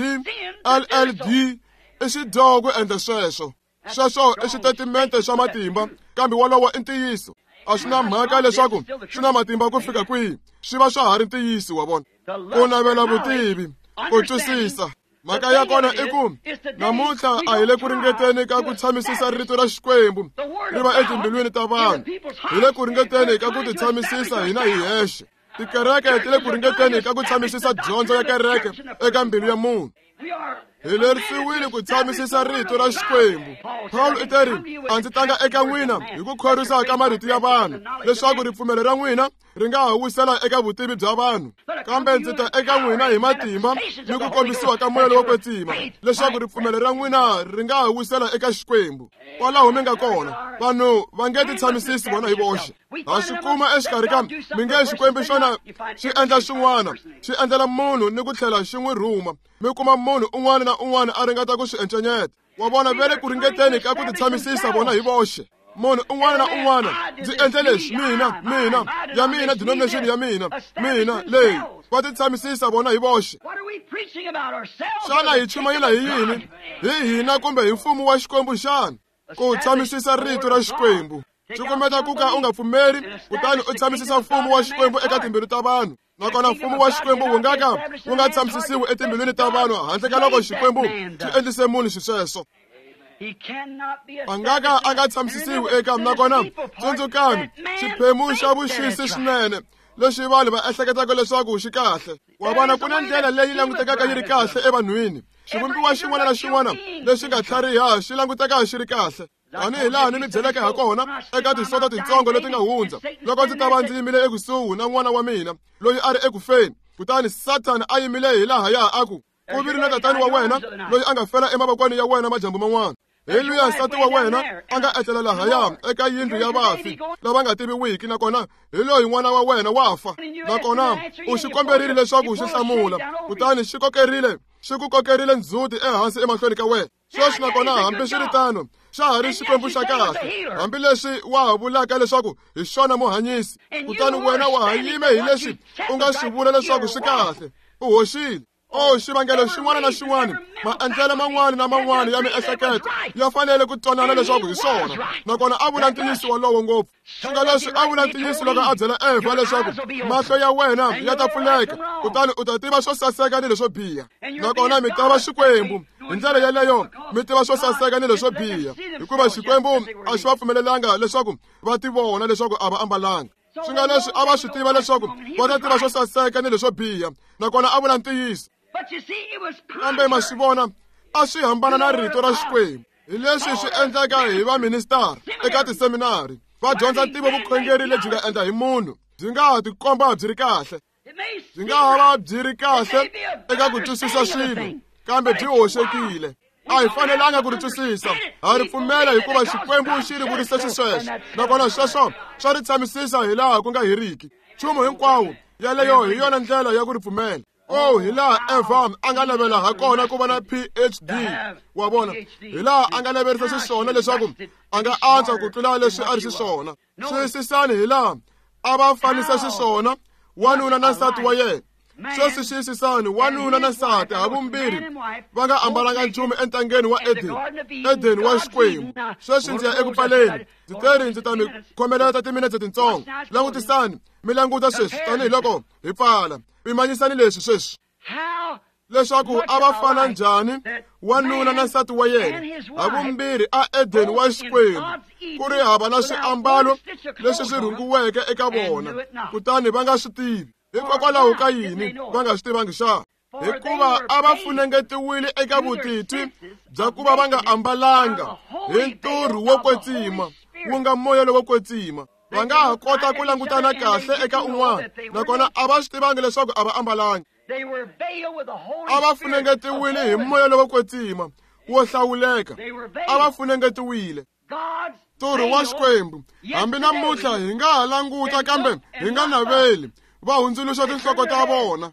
L L D, i xidyoho ku endla sweswo. Sweswo i xitatimende xa matimba, kambe wolowo i ntiyiso. A swi na mhaka leswaku swi na matimba ku fika kwihi, swi va swa ha ri ntiyiso. Wa vona, ku navela vutivi, ku twisisa. Mhaka ya kona i ku namuntlha a hi le ku ringeteni ka ku tshamisisa rito ra Xikwembu ri va etimbilwini ta vanhu, hi le ku ringeteni ka ku titshamisisa hina hi hexe. Tikereke ti le ku ringeteni ka ku tshamisisa dyondzo ya kereke eka mbilu ya munhu. Hi lerisiwile ku tshamisisa rito ra Xikwembu. Paul i teri, a ndzi tanga eka n'wina hi ku khorwisa ka marito ya vanhu, leswaku ripfumelo ra n'wina ri nga ha wisela eka vutivi bya vanhu, kambe ndzi ta eka n'wina hi matimba ni ku kombisiwa ka moya lowo kwetsima, leswaku ripfumelo ra n'wina ri nga ha wisela eka Xikwembu. Kwalaho mi nga kona, vanhu va nge titshamisisi vona hi voxe. Ha swi kuma exikarhi ka mi nge Xikwembu xona xi endla xin'wana, xi endlela munhu ni ku tlhela xi n'wi rhuma. Mi kuma munhu un'wana na un'wana a ringeta ku swi encenyeta. Wa vona, va le ku ringeteni ka ku titshamisisa vona hi voxe. Munhu un'wana na un'wana, ndzi endle leswi, mina, mina, ya mina, denomination ya mina, mina leyi. Va titshamisisa vona hi voxe. Xana hi chumayela hi yini? Hi hina kumbe hi mfumo wa Xikwembu xana? Ku tshamisisa rito ra Xikwembu. Swi kombeta ku ka u nga pfumeri, kutani u tshamisisa mfumo wa Xikwembu eka timbilu ta vanhu. Nakona mfumo wa Xikwembu wu nga ka wu nga tshamisisiwi etimbilwini ta vanhu handle ka loko Xikwembu xi endlise munhu xisweswo. A nga ka a nga tshamisisiwi eka. Nakona tsundzukani, xiphemu xa vuxisi swinene lexi vanhu va ehleketaka leswaku xi kahle. Wa vona, ku na ndlela leyi langutekaka yi ri kahle evanhwini. Xivumbiwa xin'wana na xin'wana lexi nga tlhariha xi languteka xi ri kahle. Tanihi laha ni mi byeleke ha kona eka tisoto titsongo leti nga hundza, loko ndzi ta va ndzi yimile ekusuhi na n'wana wa mina loyi a ri ekufeni, kutani Sathana a yimile hi lahaya a ku, Ku vile na tatani wa wena loyi a nga fela emavokweni ya wena madyambu man'wana. Hi luya nsati wa wena a nga etlela lahaya eka yindlu ya vafi lava nga tiviwiki, nakona hi loyi n'wana wa wena wa fa, nakona u xi komberile leswaku xi hlamula, kutani xi kokerile xi ku kokerile ndzhuti ehansi emahlweni ka wena. Sweswi nakona hambiswiritano xa ha ri Xikwembu xa kahle, hambileswi wa ha vulaka leswaku hi xona muhanyisi, kutani wena wa ha yime hi leswi u nga swi vula leswaku swi kahle. U hoxile. O xivangelo xin'wana na xin'wana, maendlelo man'wana na man'wana ya miehleketo ya fanele ku twanana leswaku hi swona, nakona a vula ntiyiso wolowo ngopfu. Swi nga leswi a vula ntiyiso loko a byela Evha leswaku mahlo ya wena ya ta pfuleka, kutani u ta tiva swo saseka ni leswo biha, nakona mi ta va Xikwembu. Hi ndlela yeleyo mi tiva swo saseka ni leswo biha, hikuva Xikwembu a xi va pfumelelanga leswaku va ti vona leswaku a va ambalanga. Swi nga leswi a va swi tiva leswaku va ta tiva swo saseka ni leswo biha, nakona a vula ntiyiso. Kambe ma swi vona, a swi hambana na rito ra Xikwembu. Hi leswi swi endleka hi vaministara eka tiseminari, va dyondza ntivo vukhongeri lebyi nga endla hi munhu, byi nga ha tikomba byi ri kahle, byi nga ha va byi ri kahle eka ku twisisa swilo, kambe byi hoxekile. A hi fanelanga ku ri twisisa, ha ri pfumela hikuva Xikwembu xi ri vurise xisweswo, nakona sweswo swa ri tshamisisa hi laha ku nga heriki. Nchumu hinkwawo yeleyo hi yona ndlela ya ku ri pfumela. Oh, hi laha Eva a nga navela ha kona ku va na P H D, wa vona, hi laha a nga naverisa xiswona leswaku a nga antswa ku tlula leswi a ri xiswona. Xiyisisani hi laha a va fanisa xiswona wanuna na nsati wa yena. Sweswi xiyisisani, wanuna na nsati havumbirhi va nga ambalanga nchumu entangeni wa Eden, Eden wa Xikwembu. Sweswi ndzi ya eku pfaleni, ndzi teri ndzi ta mi khomelela timinetse tintsongo. Langutisani, mi languta sweswi tanihiloko hi pfala. Pimanyisani leswi sweswi, leswaku a va fana njhani wanuna na nsati wa yena havumbirhi a Eden wa Xikwembu, ku ri hava na swiambalo leswi swi rhungiweke eka vona, kutani va nga swi tivi. Hikokwalaho ka yini va nga swi tivangi xa? Hikuva a va funengetiwile eka vutitwi bya ku va va nga ambalanga hi nturhu wo kwetsima, wu nga moya lowo kwetsima. Va nga ha kota ku langutana kahle eka un'wana, nakona a va swi tivangi leswaku a va ambalanga. A va funengetiwile hi moya lowo kwetsima wo hlawuleka, a va funengetiwile. Nturhu wa Xikwembu, hambi namuntlha hi nga ha languta kambe hi nga naveli, va hundzuluxa tinhloko ta vona.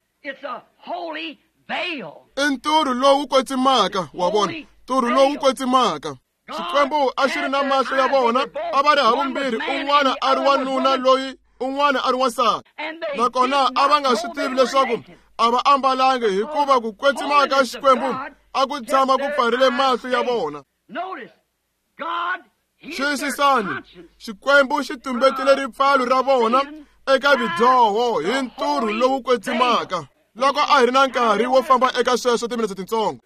I nturhu lowu kwetsimaka, wa vona, nturhu lowu kwetsimaka. Xikwembu a xi ri na mahlo ya vona, a va ri havumbirhi, un'wana a ri wanuna loyi un'wana a ri wansati, nakona a va nga swi tivi leswaku a va ambalangi, hikuva ku kwetsima ka Xikwembu a ku tshama ku pfarile mahlo ya vona. Xiyisisani, Xikwembu xi tumbetile ripfalo ra vona eka vidyoho hi nturhu lowu kwetsimaka. Loko a hi ri na nkarhi wo famba eka sweswo timinetse tintsongo.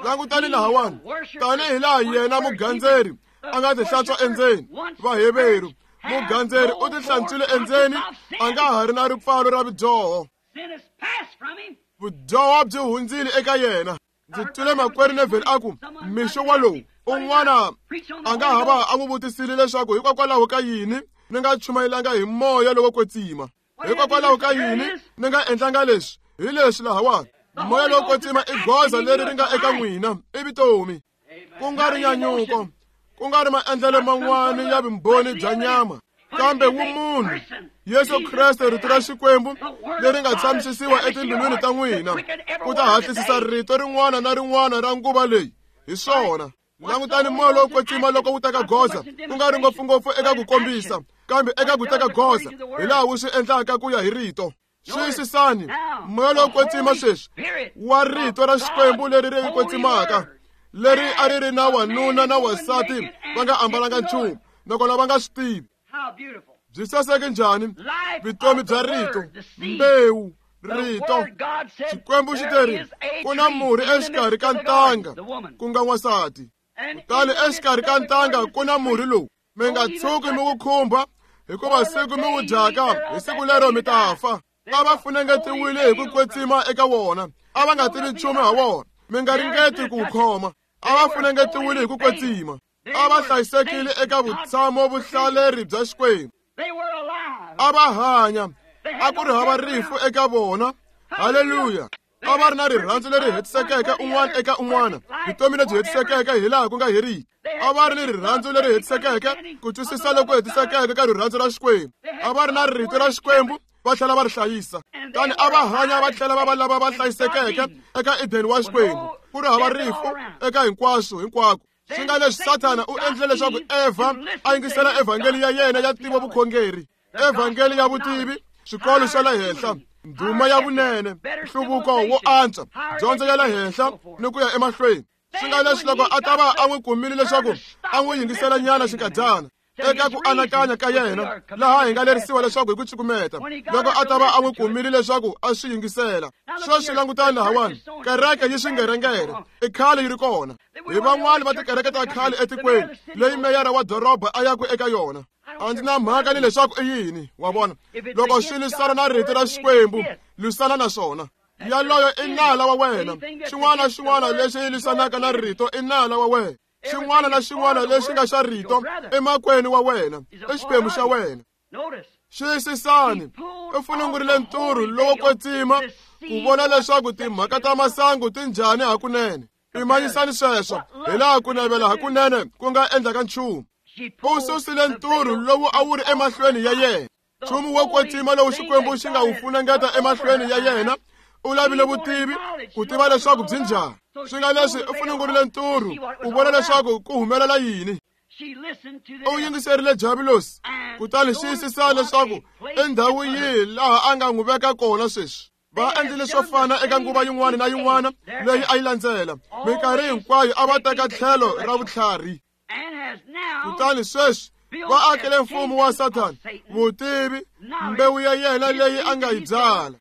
Langutani lahawani, tanihi laha yena mugandzeri a nga tihlantswa endzeni. Vaheveru, mugandzeri u tihlantswile endzeni, a nga ha ri na ripfalo ra vidyoho. Vudyoho byi hundzile eka yena. Ndzi twile makwerhu Neville a ku mixo walowu un'wana a nga ha va a n'wi vutisile leswaku hikokwalaho ka yini ni nga chumayelanga hi moya lowo kwetsima, hikokwalaho ka yini ni nga endlanga leswi hi leswi lahawani. Moya lowo kwetsima i goza leri ri nga eka n'wina, i vutomi, ku nga ri nyanyuko, ku nga ri maendlelo man'wana ya vumbhoni bya nyama, kambe wumunhu Yesu Kreste, rito ra Xikwembu leri nga tshamisisiwa etimbilwini ta n'wina, ku ta hatlisisa rito rin'wana na rin'wana ra nguva leyi. Hi swona. Langutani moya lowo kwetsima loko wu teka goza, ku nga ri ngopfungopfu eka ku kombisa, kambe eka ku teka goza hi laha wu swi endlaka ku ya hi rito. Xiyisisani, moya lowo kwetsima sweswi wa rito ra Xikwembu leri ri kwetsimaka, leri a ri ri na wanuna na wansati va nga ambalanga nchumu, nakona va nga swi tivi. Byi saseke njhani vutomi bya rito, mbewu, rito. Xikwembu xi teri ku na murhi exikarhi ka ntanga, ku nga n'wansati, kutani exikarhi ka ntanga ku na murhi lowu mi nga tshuki mi wu khumba, hikuva siku mi wu dyaka hi siku lero mi ta fa. A va funengetiwile hi ku kwetsima eka wona, a va nga tivi nchumu ha wona, mi nga ringeti ku wu khoma. A va funengetiwile hi ku kwetsima, a va hlayisekile eka vutshamo vuhlaleri bya Xikwembu. A va hanya, a ku ri hava rifu eka vona. Haleluya! A va ri na rirhandzu leri hetisekeke un'wana eka un'wana, vutomi lebyi hetisekeke hilaha ku nga heriki. A va ri ni rirhandzu leri hetisekeke, ku twisisa loku hetisekeke ka rirhandzu ra Xikwembu. A va ri na rito ra Xikwembu, va tlhela va ri hlayisa. Kutani a va hanya va tlhela va va lava va hlayisekeke eka Edeni wa Xikwembu, ku ri hava rifu eka hinkwaswo hinkwako. Swi nga leswi Sathana u endlile leswaku Eva a yingisela evhangeli ya yena ya ntivo vukhongeri, evhangeli ya vutivi, swikolo swa le henhla, ndhuma ya vunene, nhluvuko wo antswa, dyondzo ya le henhla ni ku ya emahlweni. Swi nga leswi loko a ta va a n'wi kumile leswaku a n'wi yingisela nyana xinkadyana eka ku anakanya ka yena, laha hi nga lerisiwa leswaku hi ku cukumeta, loko a ta va a n'wi kumile leswaku a swi yingisela. Sweswi langutani lahawani, kereke yi swingerengere, i khale yi ri kona. Hi van'wani va tikereke ta khale etikweni leyi meyara wa doroba a yaku eka yona. A ndzi na mhaka ni leswaku i yini, wa vona. Loko swi lwisana na rito ra Xikwembu, lwisana na swona. Yaloyo i nala wa wena. Xin'wana na xin'wana lexi lwisanaka na rito i nala wa wena. Xin'wana na xin'wana lexi nga xa rito emakwenu wa wena, i xiphemu xa wena. Xiyisisani, u funungurile nturhu lowo kwetsima ku vona leswaku timhaka ta masangu ti njhani hakunene. Pimanyisani sweswo hilaha ku navela hakunene ku nga endlaka nchumu. U susile nturhu lowu a wu ri emahlweni ya yena, nchumu wo kwetsima lowu Xikwembu xi nga wu funengeta emahlweni ya yena. U lavile vutivi ku tiva leswaku byi njhani. Swi nga leswi u funungurile nturhu ku vona leswaku ku humelela yini. U yingiserile Diabulosi, kutani xiyisisa leswaku i ndhawu yihi laha a nga n'wi veka kona sweswi. Va endlile swo fana eka nguva yin'wana na yin'wana leyi a yi landzela. Minkarhi hinkwayo a va teka tlhelo ra vutlhari. Kutani sweswi va akele mfumo wa Sathana, vutivi, mbewu ya yena leyi a nga yi byala.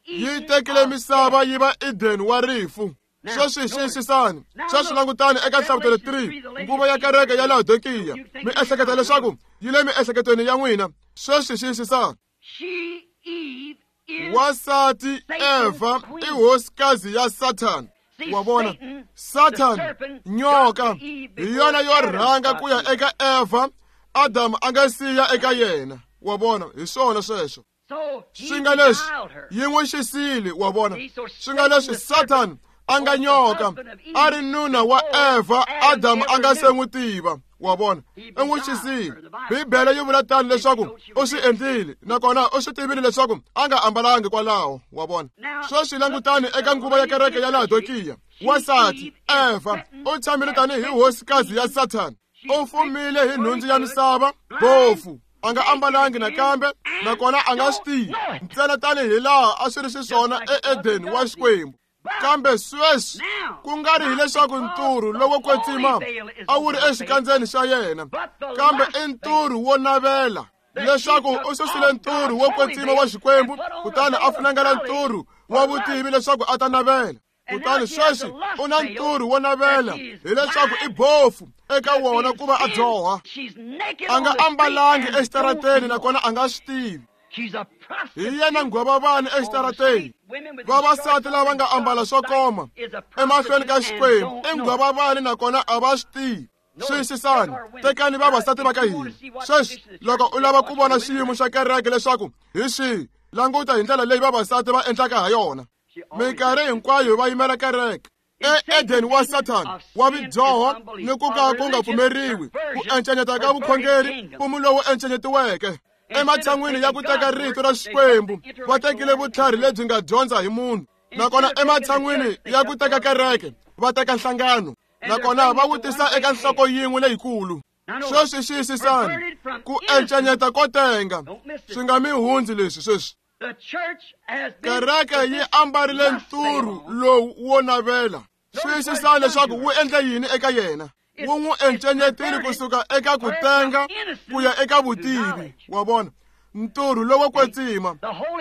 Yi tekile misava yi va Eden wa rifu. Sweswi xiyisisani, sweswi langutani eka Nhlavutelo three, nguva ya kereke ya Laodikiya. Mi ehleketa leswaku yi le miehleketweni ya n'wina. Sweswi xiyisisani, wansati Eva i hosikazi ya Sathana. Wa vona, Sathana, nyoka, hi yona yo rhanga ku ya eka Eva, Adamu a nga siya eka yena. Wa vona, hi swona sweswo. Swi nga leswi yi n'wi xisile, wa vona. Swi nga leswi Sathana a nga nyoka, a ri nuna wa Eva, Adamu a nga se n'wi tiva. Wa vona, i n'wi xisile. Bibele yi vula tani leswaku u swi endlile, nakona u swi tivile leswaku a nga ambalangi kwalaho. Wa vona, sweswi langutani eka nguva ya kereke ya Laodikiya. Wansati Eva u tshamile tanihi hosikazi ya Sathana. U fumile hi nhundzu ya misava, bofu, a nga ambalangi nakambe, nakona a nga swi tivi ntsena tanihi laha a swi ri xiswona eEdeni wa Xikwembu. Kambe sweswi ku nga ri hileswaku nturhu lowo kwetsima a wu ri exikandzeni xa yena, kambe i nturhu wo navela, leswaku u susile nturhu wo kwetsima wa Xikwembu, kutani a funengela nturhu wa vutivi leswaku a ta navela. Kutani sweswi u na nturhu wo navela, hileswaku i bofu eka wona ku va a dyoha. A nga ambalangi exitarateni, nakona a nga swi tivi. Hi yena nghwavavani exitarateni. Vavasati lava nga ambala swo koma emahlweni ka Xikwembu i nghwavavani, nakona a va swi tivi. Xiyisisani, tekani vavasati va ka hina. Sweswi loko u lava ku vona xiyimo xa kereke leswaku hi xihi, languta hi ndlela leyi vavasati va endlaka ha yona. Minkarhi hinkwayo va yimela kereke. E-Edeni wa Sathana wa vidyoho ni ku ka ku nga pfumeriwi, ku encenyeta ka vukhongeri, mfumo lowu encenyetiweke. Ematshan'wini ya ku teka rito ra Xikwembu, va tekile vutlhari lebyi nga dyondza hi munhu. Nakona ematshan'wini ya ku teka kereke, va teka nhlangano. Nakona va wu tisa eka nhloko yin'we leyikulu. Sweswi xiyisisani, ku encenyeta ko tenga swi nga mi hundzi leswi sweswi. Kereke yi ambarile nturhu lowu wo navela. Xiyisisani leswaku wu endla yini eka yena. Wu n'wi encenyetile kusuka eka ku tenga ku ya eka vutivi. Wa vona, nturhu lowo kwetsima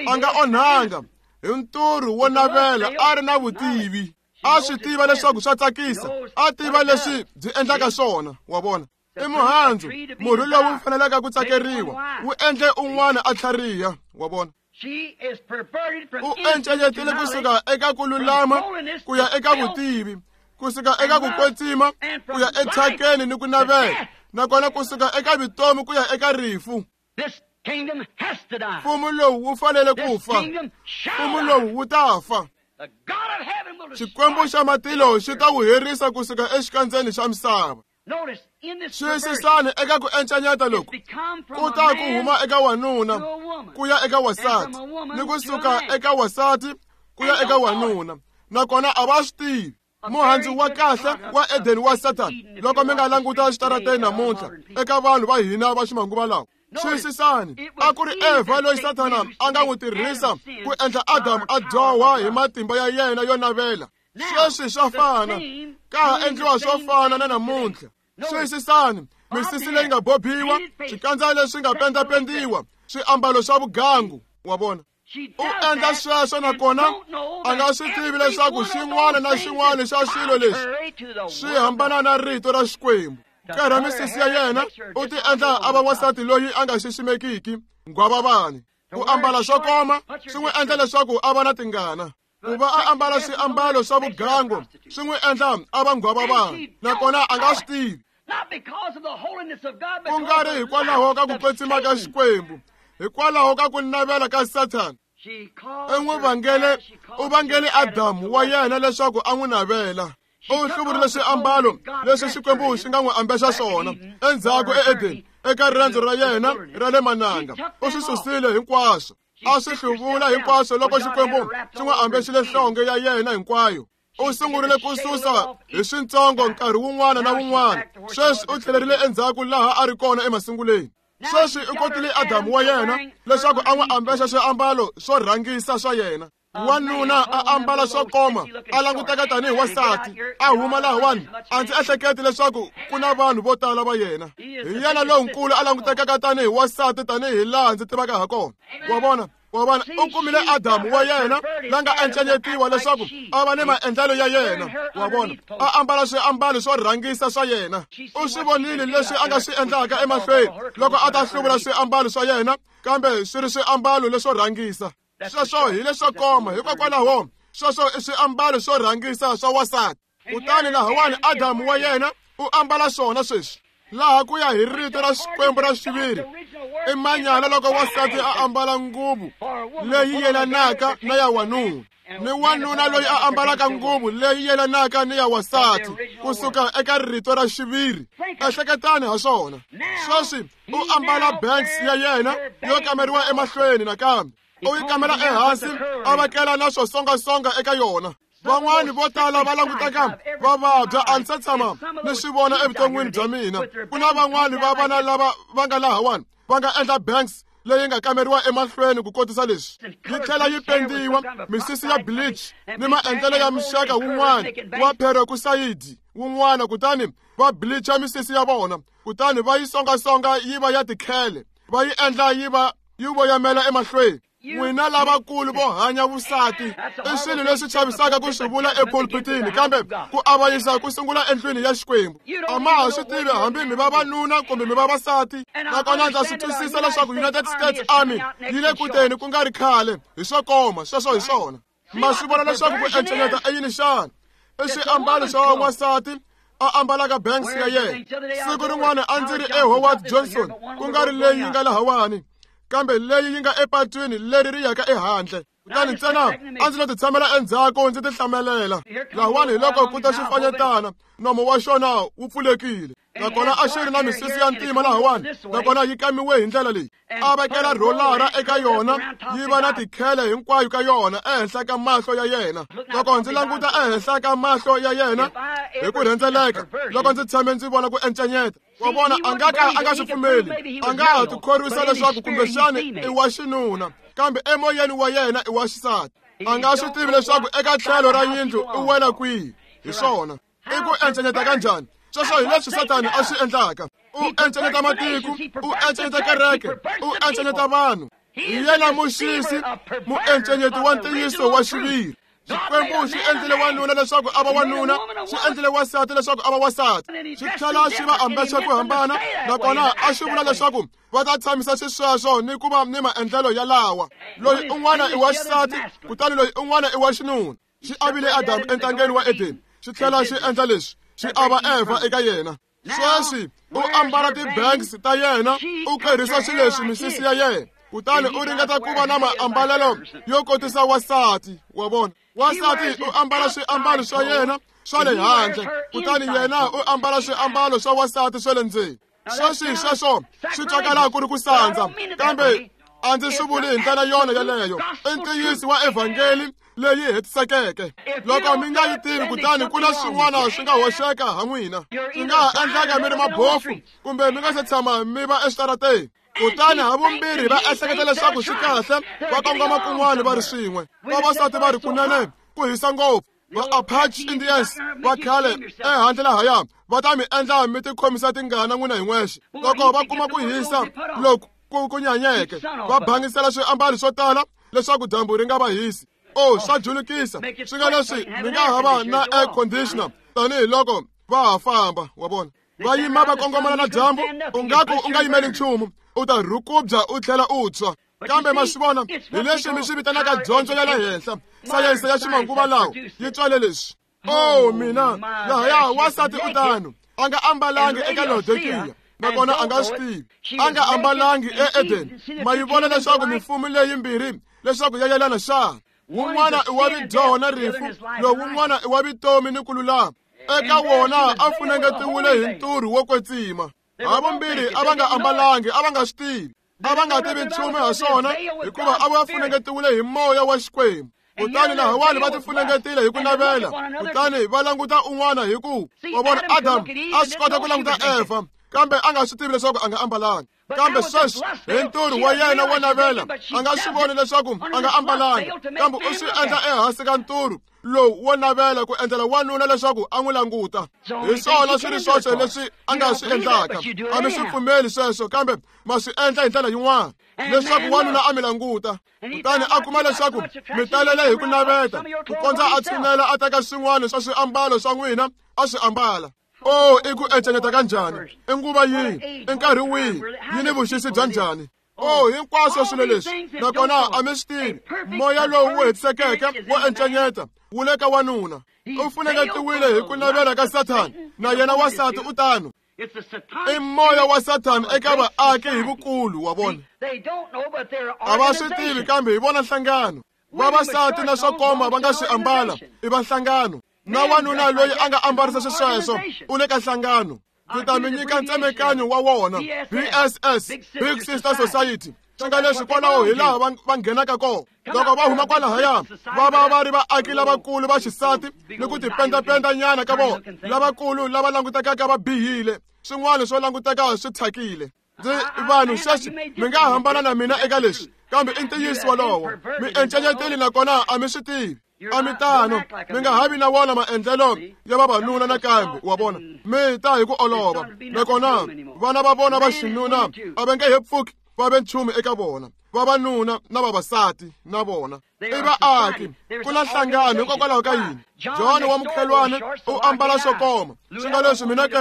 a nga onhanga hi nturhu wo navela, a ri na vutivi. A swi tiva leswaku swa tsakisa, a tiva leswi byi endlaka swona. Wa vona, i muhandzu, murhi lowu faneleke ku tsakeriwa, wu endle un'wana a tlhariha. Wa vona, u encenyetile kusuka eka ku lulama ku ya eka vutivi, kusuka eka ku kwetsima ku ya ethyakeni ni ku navela, nakona kusuka eka vutomi ku ya eka rifu. Mfumo lowu wu fanele ku fa. Mfumo lowu wu ta fa. Xikwembu xa matilo xi ta wu herisa kusuka exikandzeni xa misava. Xiyisisani eka ku encanyeta loku ku ta ku huma eka wanuna ku ya eka wasati, ni kusuka eka wasati ku ya eka wanuna, nakona a va swi tivi. Muhandzu wa kahle wa Eden wa Satan, loko mi nga languta xitarateni namuntlha eka vanhu va hina va ximanguva lawa. Xiyisisani, a ku ri Eva loyi Sathana a nga n'wi tirhisa ku endla Adamu a dyoha hi matimba ya yena yo navela. Sweswi swa fana, ka ha endliwa swo fana na namuntlha. Xiyisisani, misisi leyi nga bobiwa, swikandza leswi nga pendapendiwa, swiambalo swa vugangu, wa vona. U endla sweswo nakona a nga swi tivi leswaku xin'wana na xin'wana xa swilo leswi swi hambana na rito ra Xikwembu. Karha misisi ya yena u ti endla a va wansati loyi a nga xiximekiki, nghwavavani. Ku ambala swo koma swi n'wi endla leswaku a va na tingana. Ku va a ambala swiambalo swa vugangu swi n'wi endla a va nghwavavani, nakona a nga swi tivi. Ku nga ri hikwalaho ka ku kwetsima ka Xikwembu, hikwalaho ka ku navela ka Sathana. U n'wi vangele, u vangele Adamu wa yena leswaku a n'wi navela. U hluvurile swiambalo leswi Xikwembu xi nga n'wi ambexa swona endzhaku eEdeni eka riendzo ra yena ra le mananga. U swi susile hinkwaswo, a swi hluvula hinkwaswo loko Xikwembu xi n'wi ambexile nhlonge ya yena hinkwayo. U sungurile ku susa hi swintsongo nkarhi wun'wana na wun'wana. Sweswi u tlhelerile endzhaku laha a ri kona emasunguleni. Sweswi u kotile Adamu wa yena leswaku a n'wi ambexa swiambalo swo rhangisa swa yena. Wanuna a ambala swo koma, a languteka tanihi wasati, a huma lahawani. A ndzi ehleketi leswaku ku na vanhu vo tala va yena. Hi yena lonkulu a langutekaka tanihi wasati tanihi laha ndzi tivaka ha kona. Wa vona, wa vona, u kumile Adamu wa yena la nga encanyetiwa leswaku a va ni maendlelo ya yena. Wa vona, a ambala swiambalo swo rhangisa swa yena. U swi vonile leswi a nga swi endlaka emahlweni loko a ta hluvula swiambalo swa yena, kambe swi ri swiambalo leswo rhangisa. Sweswo hi leswo koma, hikokwalaho sweswo i swiambalo swo rhangisa swa wasati. Kutani lahawani Adamu wa yena u ambala swona sweswi. Laha ku ya hi rito ra Xikwembu ra xiviri, i manyala loko wasati a ambala nguvu leyi yelanaka na ya wanuna, ni wanuna loyi a ambalaka nguvu leyi yelanaka ni ya wasati, kusuka eka rito ra xiviri. Ehleketani ha swona. Sweswi u ambala banks ya yena yo kameriwa emahlweni nakambe. U yi kamela ehansi a vekela na swo songasonga eka yona. Van'wani vo tala va languteka va vabya, a ndzi se tshama ni swi vona evuton'wini bya mina. Ku na van'wani va vana lava va nga lahawani va nga endla banks leyi nga kameriwa emahlweni ku kotisa leswi, yi tlhela yi pendiwa, misisi ya bleach ni maendlelo ya muxaka wun'wana wa peroxide wun'wana, kutani va bleacha misisi ya vona, kutani va yi songasonga yi va ya tikhele, va yi endla yi va yi voyamela emahlweni. N'wina lavakulu vo hanya vusati i swilo leswi chavisaka ku swi vula epulpitini, kambe ku avanyisa ku sungula endlwini ya Xikwembu. A ma ha swi tivi hambi mi vavanuna kumbe mi vavasati. Nakona ndza swi twisisa leswaku United States Army yi le ku teni ku nga ri khale hi swo koma. Sweswo hi swona. Ma swi vona leswaku ku encenyeta i yini xana? I swiambalo swa wansati a ambalaka banks ya yena. Siku rin'wana a ndzi ri eHoward Johnson, ku nga ri leyi yi nga lahawani, kambe leyi yi nga epatwini leri ri yaka ehandle. Kutani ntsena a ndzi lo ti tshamela endzhaku ndzi ti hlamelela. Lahawani hi loko ku ta xifanyetana, nomo wa xona wu pfulekile, nakona a xi ri na misisi ya ntima lahawani, nakona yi kamiwe hi ndlela leyi. A vekela rolara eka yona, yi va na tikhele hinkwayo ka yona ehenhla ka mahlo ya yena. Loko ndzi languta ehenhla ka mahlo ya yena hi ku rhendzeleka, loko ndzi tshame ndzi vona ku encenyeta, wa vona, a nga ka a nga swi pfumeli, a nga ha tikhorwisa leswaku kumbexani i wa xinuna, kambe emoyeni wa yena i wa xisati. A nga swi tivi leswaku eka tlhelo ra yindlu u wela kwihi. Hi swona. I ku encenyeta kanjhani? Sweswo hi leswi Sathana a swi endlaka. U encenyeta matiko, u encenyeta kereke, u encenyeta vanhu. Hi yena muxisi, muencenyeti wa ntiyiso wa xiviri. Xikwembu xi endlile wanuna leswaku a va wanuna, xi endlile wansati leswaku a va wansati, xi tlhela xi va ambexa ku hambana, nakona a xi vula leswaku va ta tshamisa xisweswo ni ku va ni maendlelo yalawa. Loyi un'wana i wa xisati, kutani loyi un'wana i wa xinuna. Xi avile Adamu entangeni wa Edeni, xi tlhela xi endla leswi, xi ava Eva eka yena. Sweswi u ambala ti-banks ta yena, u kerhisa swileswi misisi ya yena, kutani u ringeta ku va na maambalelo yo kotisa wansati wa vona. Wansati u ambala swiambalo swa yena swa le handle, kutani yena u ambala swiambalo swa wansati swa le ndzeni. Sweswi sweswo swi twakala ku ri ku sandza, kambe a ndzi swi vuli hi ndlela yona yeleyo. I ntiyiso wa evhangeli leyi hetisekeke. Loko mi nga yi tivi, kutani ku na swin'wana swi nga hoxeka ha n'wina. Swi nga ha endleka mi ri mabofu kumbe mi nga se tshama mi va eswitarateni. Kutani havumbirhi va ehleketa leswaku swi kahle, va kongoma kun'wana va ri swin'we. Vavasati va ri kunene ku hisa ngopfu. Va-Apache Indians va khale ehandle lahaya va ta mi endla mi tikhomisa tingana n'wina hi n'wexe. Loko va kuma ku hisa loku ku ku nyanyeke, va bangisela swiambalo swo tala leswaku dyambu ri nga va hisi. O swa julukisa, swi nga leswi mi nga ha va na air conditioner tanihiloko va ha famba, wa vona. Va yima va kongomana na dyambu, u nga ku u nga yimeli nchumu, u ta rhukubya u tlhela u tshwa. Kambe ma swi vona, hi leswi mi swi vitanaka dyondzo ya le henhla, sayense ya ximanguva lawa yi tswale leswi. O mina, lahaya wansati u tano, a nga ambalangi eka Laodikiya, nakona a nga swi tivi. A nga ambalangi eEden. Ma yi vona leswaku mifumo leyimbirhi leswaku ya yelana xana? Wun'wana i wa vidyoho na rifu, lowun'wana i wa vutomi ni ku lulama. Eka wona a funengetiwile hi nturhu wo kwetsima. Havumbirhi a va nga ambalangi, a va nga swi tivi, a va nga tivi nchumu ha swona, hikuva a va funengetiwile hi moya wa Xikwembu. Kutani lahawani va tifunengetile hi ku navela, kutani va languta un'wana hi ku wa vona. Adamu a swi kota ku languta Eva, kambe a nga swi tivi leswaku a nga ambalanga. Kambe sweswi hi nturhu wa yena wo navela, a nga swi voni leswaku a nga ambalanga, kambe u swi endla ehansi ka nturhu lowu wo navela ku endlela wanuna leswaku a n'wi languta. Hi swona swi ri swoxe leswi a nga swi endlaka. A mi swi pfumeli sweswo, kambe ma swi endla hi ndlela yin'wana leswaku wanuna a mi languta. Kutani a kuma leswaku mi talele hi ku naveta, ku kondza a tshinela a teka swin'wana swa swiambalo swa n'wina a swi ambala. O i ku encenyeta ka njhani? I nguva yihi? I nkarhi wihi? Yi ni vuxisi bya njhani? O hinkwaswo swilo leswi, nakona a mi swi tivi. Moya lowu wu hetisekeke wo encenyeta wu le ka wanuna. U funengetiwile hi ku navela ka Sathana, na yena wansati u tano. I moya wa Sathana eka vaaki hi vukulu, wa vona. A va swi tivi, kambe hi vona nhlangano. Vavasati na swo koma va nga swi ambala, i va nhlangano. Na wanuna loyi a nga ambarisa xisweswo u le ka nhlangano. Ndzi ta mi nyika ntsemekanyo wa wona, B S S, Big Sister Society. Swi nga leswi kwalaho hi laha va nghenaka kona. Loko va huma kwalahaya, va va va ri vaaki lavakulu va xisati ni ku tipendapendanyana ka vona, lavakulu lava langutekaka va bihile, swin'wana swo languteka swi thyakile. Ndzi vanhu sweswi mi nga hambana na mina eka leswi, kambe i ntiyiso wolowo. Mi encenyetile nakona a mi swi tivi. A mi tano, mi nga ha vi na wona maendlelo ya vavanuna nakambe, wa vona. Mi ta hi ku olova, nakona vana va vona va xinuna a va nge he pfuki va ve nchumu eka vona, vavanuna na vavasati na vona. I vaaki, ku na nhlangano. Hikokwalaho ka yini? John wa mukhelwana u ambala swo koma, swi nga leswi mina ke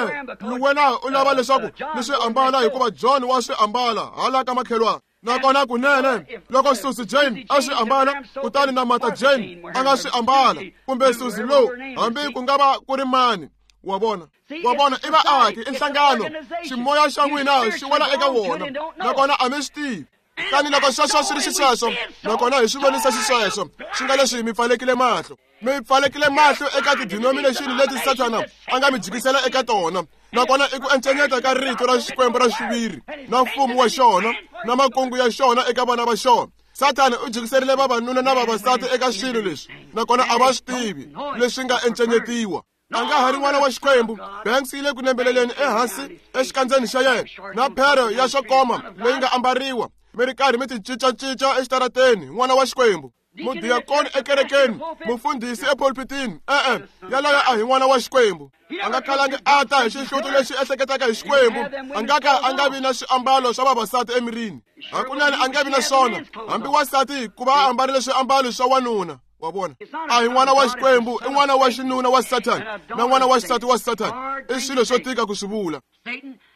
wena u lava leswaku ni swi ambala hikuva John wa swi ambala hala ka makhelwana. Nakona kunene loko Susie Jane a swi ambala, kutani na Martha Jane a nga swi ambala, kumbe Susie lowu, hambi ku nga va ku ri mani, wa vona. Wa vona, i vaaki, i nhlangano. Ximoya xa n'wina xi wela eka wona, nakona a mi swi tivi. Kutani loko sweswo swi ri xisweswo, nakona hi swi vonisa xisweswo, swi nga leswi mi pfalekile mahlo. Mi pfalekile mahlo eka ti-denomination leti Sathana a nga mi jikisela eka tona. Nakona i ku encenyeta ka rito ra Xikwembu ra xiviri, na mfumo wa xona, na makungu ya xona eka vana va xona. Sathana u jikiserile vavanuna na vavasati eka swilo leswi, nakona a va swi tivi leswi nga encenyetiwa. A nga ha ri n'wana wa Xikwembu. Banks yi le ku nembeleleni ehansi exikandzeni xa yena, na phero ya swo koma leyi nga ambariwa, mi ri karhi mi ti cincacinca exitarateni, n'wana wa Xikwembu. Mudiyakoni ekerekeni, mufundhisi epulpitini, e-e, yaloye a hi n'wana wa Xikwembu. A nga khalangi a ta hi xihluto lexi ehleketaka hi Xikwembu. A nga ka a nga vi na swiambalo swa vavasati emirini. Hakunene a nga vi na swona, hambi wansati ku va a ambarile swiambalo swa wanuna. Wa vona, a hi n'wana wa Xikwembu, i n'wana wa xinuna wa Sathana na n'wana wa xisati wa Sathana. I swilo swo tika ku swi vula.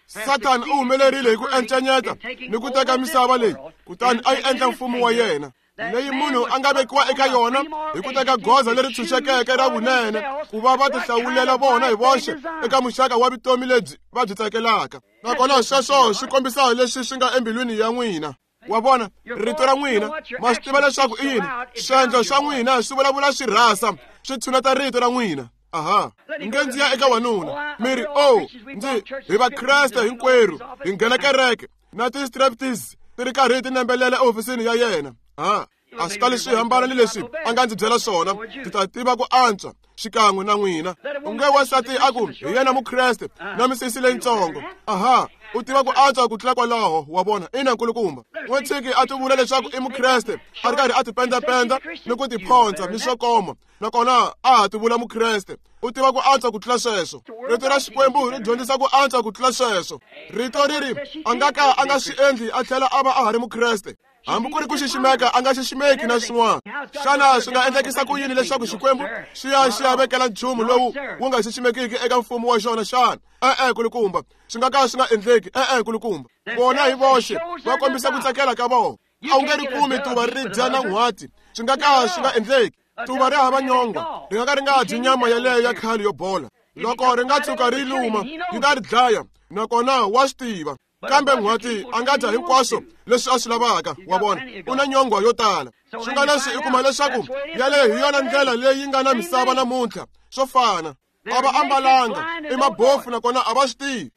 Sathana u humelerile hi ku encenyeta ni ku teka misava leyi, kutani a yi endla mfumo wa yena. leyi munhu a nga vekiwa eka yona hi ku teka goza leri tshunxekeke ra vunene ku va va tihlawulela vona hi voxe eka muxaka wa vutomi lebyi va byi tsakelaka. Nakona sweswo swi kombisa leswi swi nga embilwini ya n'wina. Wa vona, rito ra n'wina ma swi tiva leswaku i yini. Swiendlo swa n'wina swi vulavula swi rhasa, swi tshuneta rito ra n'wina. Aha, nge ndzi ya eka wanuna mi ri, o ndzi hi vakreste hinkwerhu hi nghena kereke na ti-striptease ti ri karhi ti nembelela ehofisini ya yena. Ha, a swi tali swi hambana ni leswi a nga ndzi byela swona, ndzi ta tiva ku antswa xikan'we na n'wina. U nge wansati a ku hi yena mukreste na misisi leyitsongo. Aha, u tiva ku antswa ku tlula kwalaho, wa vona. Ina nkulukumba, n'we tshiki a ti vula leswaku i mukreste a ri karhi a tipendapenda ni ku tiphonsa ni swo koma, nakona a ha ti vula mukreste. U tiva ku antswa ku tlula sweswo. Rito ra Xikwembu ri dyondzisa ku antswa ku tlula sweswo. Rito ri ri a nga ka a nga swi endli a tlhela a va a ha ri mukreste. Hambi ku ri ku xiximeka a nga xiximeki na swin'wana. Xana swi nga endlekisa ku yini leswaku Xikwembu xi ya xi ya vekela nchumu lowu wu nga xiximekiki eka mfumo wa xona xana? E-e kulukumba, swi nga ka swi nga endleki. E-e kulukumba, vona hi voxe va kombisa ku tsakela ka vona. A wu nge ri kumi tuva ri dya na n'hwati, swi nga ka swi nga endleki. Tuva ri hava nyongwa, ri nga ka ri nga dyi nyama yaleyo ya khale yo bola. Loko ri nga tshuka ri luma, yi ta ri dlaya, nakona wa swi tiva. Kambe n'hwati a nga dya hinkwaswo leswi a swi lavaka, wa vona, u na nyongwa yo tala. Swi nga leswi i kuma leswaku yaleyo hi yona ndlela leyi nga na misava namuntlha, swo fana. A va ambalanga, i mabofu nakona a va swi tivi.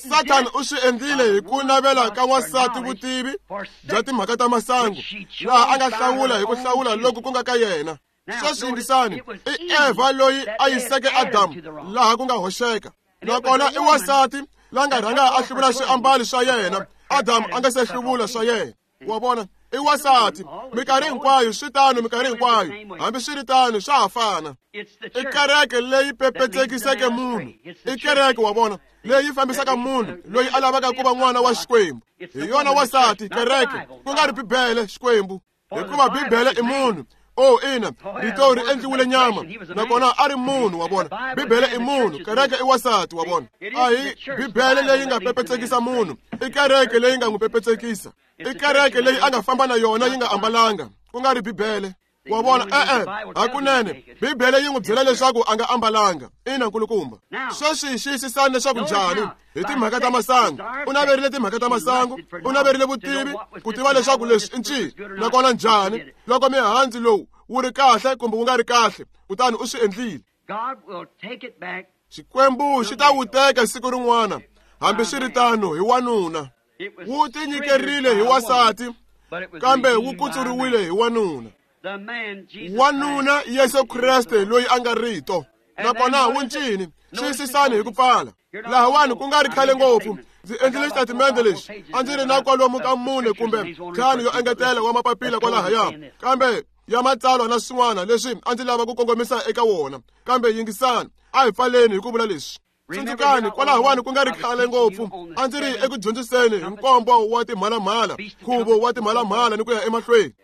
Sathana u swi endlile hi ku navela ka wansati vutivi bya timhaka ta masangu, laha a nga hlawula hi ku hlawula loku ku nga ka yena. Sweswi yingisani, i Eva loyi a yiseke Adamu laha ku nga hoxeka, nakona i wansati la nga rhanga a hluvula swiambalo swa yena, Adamu a nga se hluvula swa yena. Wa vona, i wansati minkarhi hinkwayo, swi tano minkarhi hinkwayo, hambi swi ri tano swa ha fana. I kereke leyi pepetsekiseke munhu, i kereke, wa vona, leyi fambisaka munhu loyi a lavaka ku va n'wana wa Xikwembu. Hi yona wansati, kereke, ku nga ri Bibele, Xikwembu, hikuva Bibele i munhu. O ina, rito ri endliwile nyama, nakona a ri munhu, wa vona. Bibele i munhu, kereke i wansati, wa vona. A hi Bibele leyi nga pepetsekisa munhu, i kereke leyi nga n'wi pepetsekisa. I kereke leyi a nga famba na yona yi nga ambalanga, ku nga ri Bibele. Wa vona, e-e, hakunene Bibele yi n'wi byela leswaku a nga ambalanga. Ina nkulukumba. Sweswi xiyisisani leswaku njhani hi timhaka ta masangu. U naverile timhaka ta masangu, u naverile vutivi ku tiva leswaku leswi i ncini, nakona njhani loko mihandzu lowu wu ri kahle kumbe wu nga ri kahle, kutani u swi endlile. Xikwembu xi ta wu teka siku rin'wana, hambi swi ri tano hi wanuna. Wu tinyikerile hi wansati, kambe wu kutsuriwile hi wanuna. Wanuna Yesu Kreste loyi a nga rito. Nakona wu ncini, xiyisisani hi ku pfala. Lahawani ku nga ri khale ngopfu, ndzi endlile xitatimende lexi a ndzi ri na kwalomu ka mune kumbe ntlhanu yo engetela wa mapapila kwalahaya, kambe ya matsalwa na swin'wana leswi a ndzi lava ku kongomisa eka wona. Kambe yingisani, a hi pfaleni hi ku vula leswi. Tsundzukani, kwalahawani ku nga ri khale ngopfu a ndzi ri eku dyondziseni hi nkombo wa timhalamhala, nkhuvo wa timhalamhala ni ku ya emahlweni.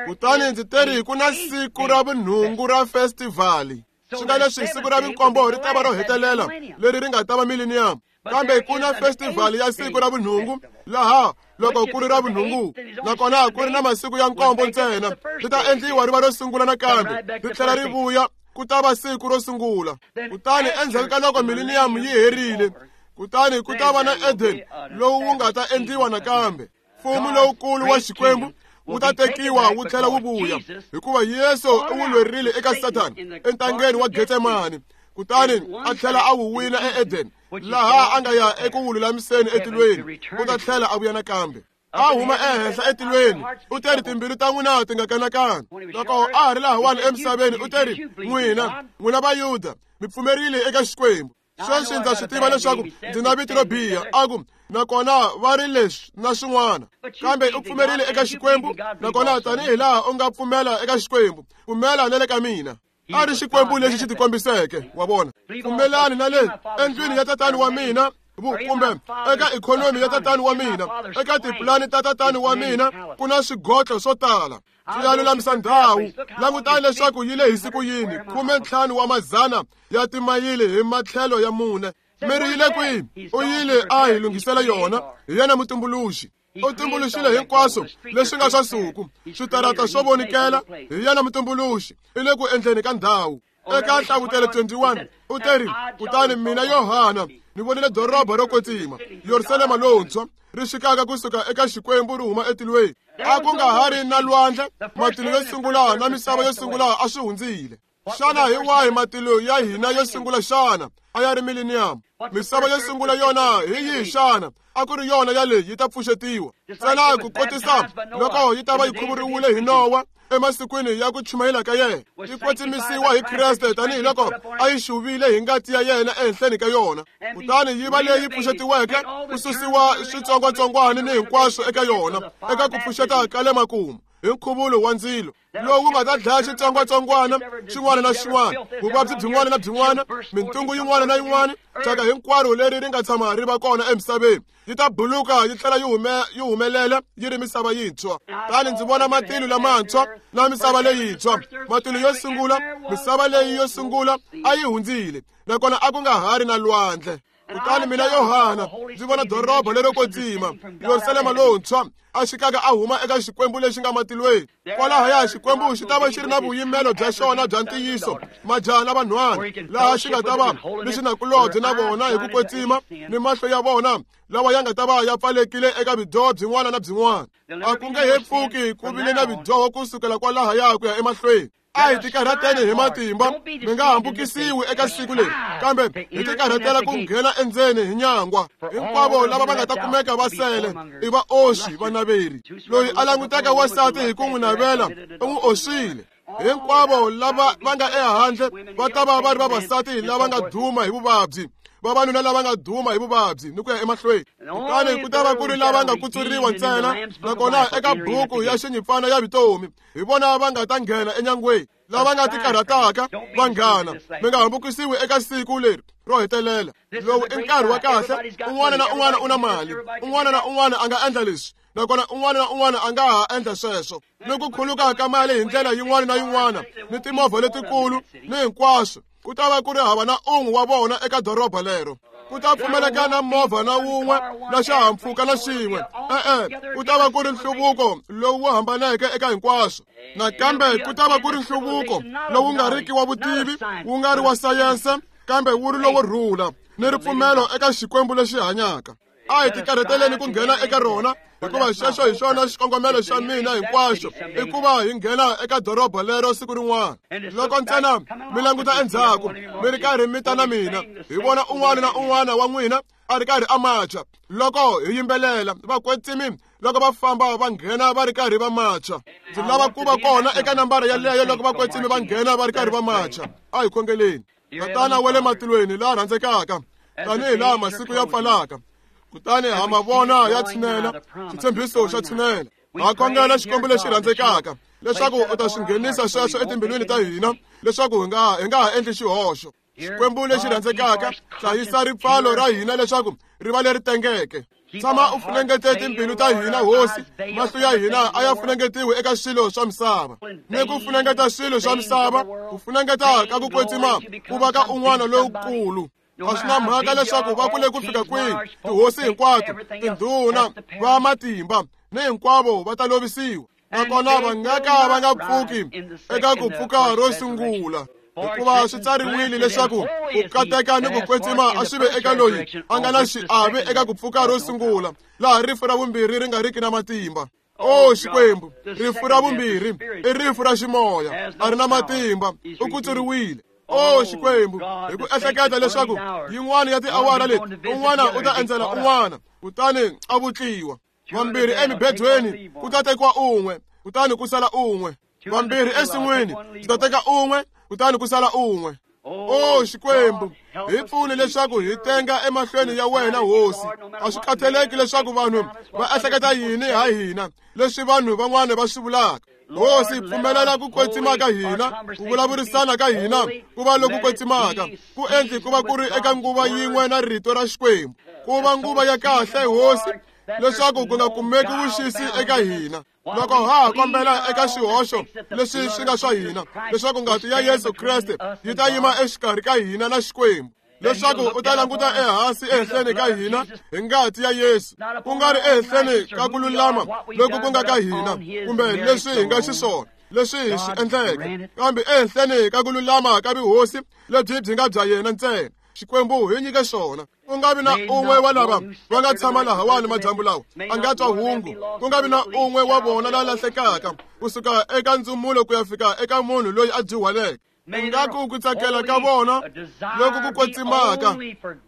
Kutani ndzi teri ku na siku ra vunhungu ra festivali. Swi nga leswi siku ra vinkombo ri ta va ro hetelela leri ri nga ta va millennium, kambe ku na festivali ya siku ra vunhungu laha loko ku ri ra vunhungu, nakona ku ri na masiku ya nkombo ntsena, ri ta endliwa ri va ro sungula nakambe, ri tlhela ri vuya ku ta va siku ro sungula. Kutani endzhaku ka loko millennium yi herile, kutani ku ta va na Eden lowu wu nga ta endliwa nakambe. Mfumo lowukulu wa Xikwembu wu ta tekiwa wu tlhela wu vuya, hikuva Yesu u wu lwerile eka Sathana entangeni wa Getsemani, kutani a tlhela a wu wina eEden, laha a nga ya eku wu lulamiseni etilweni. U ta tlhela a vuya nakambe. A huma ehenhla etilweni, u teri timbilu ta n'wina ti nga kanakani. Loko a ha ri lahawani emisaveni, u teri, n'wina, n'wina Vayuda, mi pfumerile eka Xikwembu. Sweswi ndza swi tiva leswaku ndzi na vito ro biha, a ku, nakona va ri leswi na swin'wana, kambe u pfumerile eka Xikwembu, nakona tanihi laha u nga pfumela eka Xikwembu, pfumela na le ka mina. A ri Xikwembu lexi xi tikombiseke, wa vona. Pfumelani na le endlwini ya tatani wa mina, kumbe eka ikhonomi ya tatani wa mina, eka tipulani ta tatani wa mina, ku na swigotlo swo tala. Swi ya lulamisa ndhawu. Langutani leswaku yi lehise ku yini, khume ntlhanu wa mazana ya timayili hi matlhelo ya mune. Mi ri yile kwihi? U yile a hi lunghisela yona, hi yena mutumbuluxi. U tumbuluxile hinkwaswo leswi nga swa nsuku, switarata swo vonikela, hi yena mutumbuluxi, i le ku endleni ka ndhawu. Eka Nhlavutelo twenty-one u teri, kutani mina Yohana ni vonile doroba ro kwetsima, Yerusalema lowuntshwa, ri xikaka kusuka eka Xikwembu ri huma etilweni. A ku nga ha ri na lwandle, matilo yo sungula na misava yo sungula a swi hundzile. Xana hi wahi matilo ya hina yo sungula xana? A ya ri millennium. Misava yo sungula yona hi yihi xana? A ku ri yona yaleyi yi ta pfuxetiwa. Ntsena ku kotisa loko yi ta va yi khuvuriwile hi Nowa emasikwini ya ku chumayela ka yena, yi kwetsimisiwa hi Kreste tanihiloko a yi xuvile hi ngati ya yena ehenhleni ka yona, kutani yi va leyi pfuxetiweke ku susiwa switsongwatsongwana ni hinkwaswo eka yona eka ku pfuxeta ka le makumu hi nkhuvulo wa ndzilo lowu nga ta dlaya xitsongwatsongwana xin'wana na xin'wana, vuvabyi byin'wana na byin'wana, mintungu yin'wana na yin'wana, thyaka hinkwaro leri ri nga tshama ri va kona emisaveni yi ta buluka yi tlhela yi hume yi humelela yi ri misava yintshwa. Tani ndzi vona matilo lamantshwa na misava leyintshwa. Matilo yo sungula, misava leyi yo sungula a yi hundzile, nakona a ku nga ha ri na lwandle. Kutani mina Yohana ndzi vona doroba lero kwetsima, Yerusalema lowuntshwa, a xikaka a huma eka Xikwembu lexi nga matilweni. Kwalahaya Xikwembu xi ta va xi ri na vuyimelo bya xona bya ntiyiso, majaha na vanhwana, laha xi nga ta va ni xinakulobye na vona hi ku kwetsima, ni mahlo ya vona lawa ya nga ta va ya pfalekile eka vudyoho byin'wana na byin'wana. A ku nge he pfuki ku vile na vudyoho kusukela kwalahaya ku ya emahlweni. A hi tikarhateni hi matimba, mi nga hambukisiwi eka siku leri, kambe hi tikarhatela ku nghena endzeni hi nyangwa. Hinkwavo lava va nga ta kumeka va sele i vaoxi vanaveri. Loyi a langutaka wansati hi ku n'wi navela u n'wi oxile. Hinkwavo lava va nga ehandle va ta va va ri vavasati lava nga duma hi vuvabyi, vavanuna lava nga duma hi vuvabyi ni ku ya emahlweni. Kutani ku ta va ku ri lava nga kutsuriwa ntsena, nakona eka buku ya xinyimpfana ya vutomi hi vona va nga ta nghena enyangweni. Lava nga tikarhataka vanghana, mi nga hambukisiwi eka siku leri ro hetelela. Lowu i nkarhi wa kahle, un'wana na un'wana u na mali, un'wana na un'wana a nga endla leswi, nakona un'wana na un'wana a nga ha endla sweswo. Ni ku khuluka ka mali hi ndlela yin'wana na yin'wana, ni timovha letikulu ni hinkwaswo, ku ta va ku ri hava na un'we wa vona eka doroba lero. Ku ta pfumaleka na movha na wun'we na xihahampfhuka na xin'we. E-e, ku ta va ku ri nhluvuko lowu hambaneke eka hinkwaswo. Nakambe ku ta va ku ri nhluvuko lowu nga riki wa vutivi, wu nga ri wa sayense, kambe wu ri lowo rhula ni ripfumelo eka Xikwembu lexi hanyaka. A hi tikarhateleni ku nghena eka rona, hikuva xexo hi xona xikongomelo xa mina hinkwaxo, i ku va hi nghena eka doroba lero siku rin'wana. Loko ntsena mi languta endzhaku mi ri karhi mi ta na mina, hi vona un'wana na un'wana wa n'wina a ri karhi a macha loko hi yimbelela vakwetsimi loko va famba va nghena va ri karhi va macha. Ndzi lava ku va kona eka nambara yaleyo loko vakwetsimi va nghena va ri karhi va macha. A hi khongeleni. Tatana wa le matilweni laha rhandzekaka, tanihi laha masiku ya pfalaka, kutani ha ma vona ya tshinela, xitshembiso xa tshinela. Ha khongela Xikwembu lexi rhandzekaka leswaku u ta swi nghenisa sweswo etimbilwini ta hina, leswaku hi nga hi nga ha endli xihoxo. Xikwembu lexi rhandzekaka, hlayisa ripfalo ra hina leswaku ri va leri tengeke. Tshama u funengete timbilu ta hina, Hosi. Mahlo ya hina a ya funengetiwi eka swilo swa misava, ni ku funengeta swilo swa misava, ku funengeta ka ku kwetsima ku va ka un'wana lowukulu. A swi na mhaka leswaku va kule ku fika kwihi, tihosi hinkwato, tindhuna, va matimba ni hinkwavo va ta lovisiwa, nakona va nga ka va nga pfuki eka ku pfuka ro sungula. Hikuva swi tsariwile leswaku ku kateka ni ku kwetsima a swi ve eka loyi a nga na xiave eka ku pfuka ro sungula, laha rifu ra vumbirhi ri nga riki na matimba. O Xikwembu, rifu ra vumbirhi i rifu ra ximoya, a ri na matimba, u kutsuriwile. O Xikwembu, hi ku ehleketa leswaku yin'wana ya tiawara leti un'wana u ta endzela un'wana, kutani a vutliwa. Vambirhi emibedweni ku ta tekiwa un'we, kutani ku sala un'we. Vambirhi ensin'wini ku ta teka un'we, kutani ku sala un'we. O Xikwembu, hi pfuni leswaku hi tenga emahlweni ya wena, Hosi. A swi khathaleki leswaku vanhu va ehleketa yini ha hina, leswi vanhu van'wana va swi vulaka. Hosi, pfumelela ku kwetsima ka hina, ku vulavurisana ka hina ku va loku kwetsimaka, ku endli ku va ku ri eka nguva yin'we na rito ra Xikwembu, ku va nguva ya kahle, Hosi, leswaku ku nga kumeki vuxisi eka hina. Loko ha ha kombela eka xihoxo leswi swi nga swa hina, leswaku ngati ya Yesu Kreste yi ta yima exikarhi ka hina na Xikwembu. leswaku u ta languta ehansi ehenhleni ka hina hi ngati ya Yesu, ku nga ri ehenhleni ka ku lulama loku ku nga ka hina kumbe leswi hi nga xiswona leswi hi swi endleke, kambe ehenhleni ka ku lulama ka vuhosi lebyi byi nga bya yena ntsena. Xikwembu hi nyike xona. Ku nga vi na un'we wa lava va nga tshama lahawani madyambu lawa a nga twa hungu, ku nga vi na un'we wa vona la lahlekaka kusuka eka ndzumulo ku ya fika eka munhu loyi a dyuhaleke. Ingaku ku tsakela ka vona loku ku kwetsimaka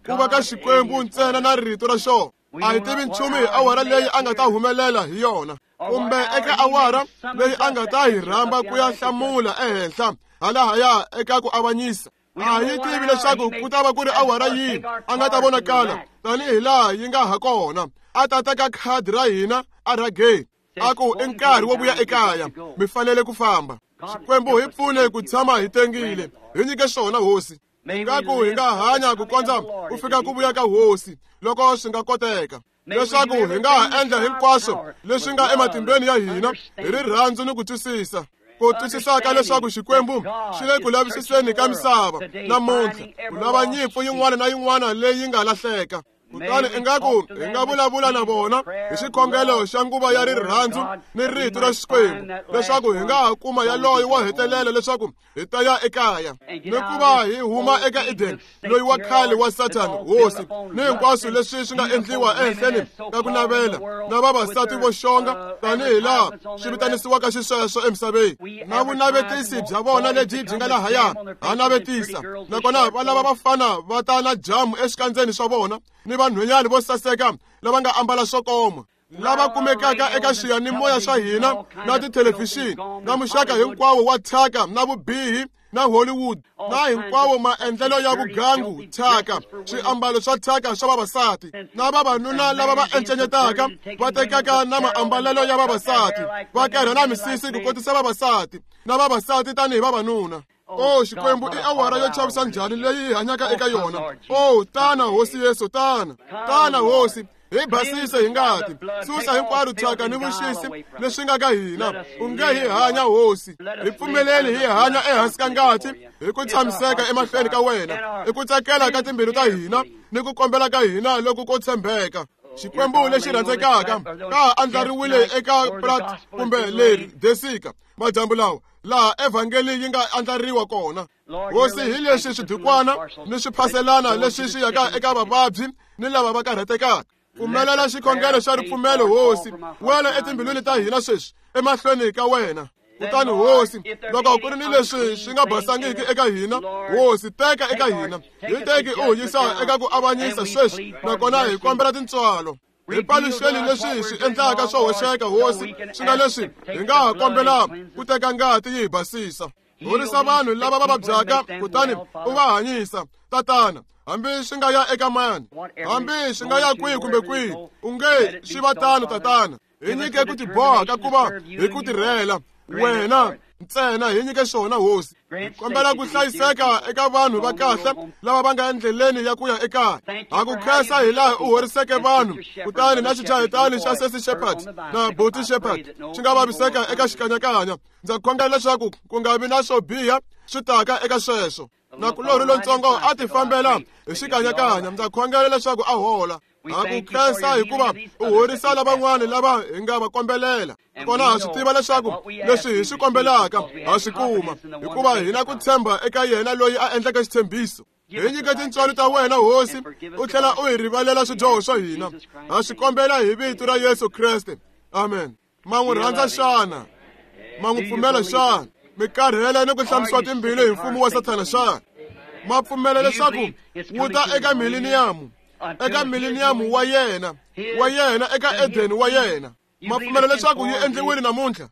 ku va ka Xikwembu ntsena na rito ra xona. A hi tivi nchumu hi awara leyi a nga ta humelela hi yona, kumbe eka awara leyi a nga ta hi rhamba ku ya hlamula ehenhla halahaya eka ku avanyisa. A hi tivi leswaku ku ta va ku ri awara yini a nga ta vonakala tanihi laha yi nga ha kona, a ta teka khadi ra hina a rhageni a ku i nkarhi wo vuya ekaya, mi fanele ku famba. Xikwembu hi pfune ku tshama hi tengile, hi nyike xona hosi. Ingaku hi nga hanya ku kondza ku fika ku vuya ka hosi loko swi nga koteka, leswaku hi nga ha endla hinkwaswo leswi nga ematimbeni ya hina hi rirhandzu ni ku twisisa. Ku twisisaka leswaku Xikwembu xi le ku lavisiseni ka misava namuntlha, ku lava nyimpfu yin'wana na yin'wana leyi nga lahleka. Kutani ingaku hi nga vulavula na vona hi xikhongelo xa nguva ya rirhandzu ni rito ra Xikwembu, leswaku hi nga ha kuma yaloyo wo hetelela leswaku hi ta ya ekaya ni ku va hi huma eka Eden loyi wa khale wa Sathana hosi, ni hinkwaswo leswi swi nga endliwa ehenhleni ka ku navela na vavasati vo xonga tanihi laha swi vitanisiwaka xisweswo emisaveni, na vunavetisi bya vona lebyi byi nga lahaya ha navetisa. Nakona va lava vafana va ta na jamu exikandzeni swa vona ni vanhwanyana vo saseka lava nga ambala swo koma, lava kumekaka eka xiyanimoya swa hina na tithelevhixini na muxaka hinkwawo wa thyaka na vubihi na Hollywood na hinkwawo maendlelo ya vugangu, thyaka, swiambalo swa thyaka swa vavasati na vavanuna lava va encenyetaka va tekaka na maambalelo ya vavasati, va kerha na misisi ku kotisa vavasati na vavasati tanihi vavanuna. O Xikwembu, i awara yo chavisa njhani leyi hi hanyaka eka yona. O tana hosi Yesu, tana tana hosi, hi basise hi ngati, susa hinkwaro thyaka ni vuxisi leswi nga ka hina. U nge hi hanya hosi, hi pfumeleli hi hanya ehansi ka ngati hi ku tshamiseka emahlweni ka wena, hi ku tsakela ka timbilu ta hina ni ku kombela ka hina loku ko tshembeka. Xikwembu lexi rhandzekaka, ka ha andlariwile eka Prat kumbe leri desika madyambu lawa laha evhangeli yi nga andlariwa kona. Hosi, hi leswi swidukwana ni swiphaselana leswi swi yaka eka vavabyi ni lava va karhatekaka. Pfumelela xikhongelo xa ripfumelo hosi, wela etimbilwini ta hina sweswi emahlweni ka wena. Kutani hosi, loko ku ri ni leswi swi nga basangiki eka hina, hosi teka eka hina, hi teki u hi yisa eka ku avanyisa sweswi, nakona hi kombela tintswalo. Hi paluxeni leswi hi swi endlaka swo hoxeka hosi, swi nga leswi hi nga ha kombela ku teka ngati yi hi basisa. Horisa vanhu lava va vabyaka kutani u va hanyisa tatana, hambi swi nga ya eka mani, hambi swi nga ya kwihi kumbe kwihi, u nge swi va tano tatana. Hi nyike ku tiboha ka ku va hi ku tirhela wena ntsena, hi nyike xona hosi. Hi kombela ku hlayiseka eka vanhu va kahle lava va nga endleleni ya ku ya ekaya. Ha ku khensa hi laha u horiseke vanhu, kutani na xichayetani xa Sesi Shepherd na Buti Shepherd xi nga vaviseka eka xikanyakanya. Ndza khongela leswaku ku nga vi na swo biha swi taka eka sweswo. Nakulorhi lontsongo a ti fambela hi xikanyakanya, ndza khongela leswaku a hola. Ha ku khensa hikuva u horisa lavan'wana lava hi nga va kombelela. Kona ha swi tiva leswaku leswi hi swi kombelaka ha swi kuma, hikuva hi na ku tshemba eka yena loyi a endleke xitshembiso. Hi nyike tintswalo ta wena hosi, u tlhela u hi rivalela swidyoho swa hina. Ha swi kombela hi vito ra Yesu Kreste, amen. Ma n'wi rhandza xana? Ma n'wi pfumela xana? Mi karhele ni ku hlamisiwa timbilu hi mfumo wa Sathana xana? Ma pfumela leswaku wu ta eka mileniyamu, eka mileniyamu wa yena wa yena eka Edeni wa yena? Ma pfumela leswaku yi endliwile namuntlha?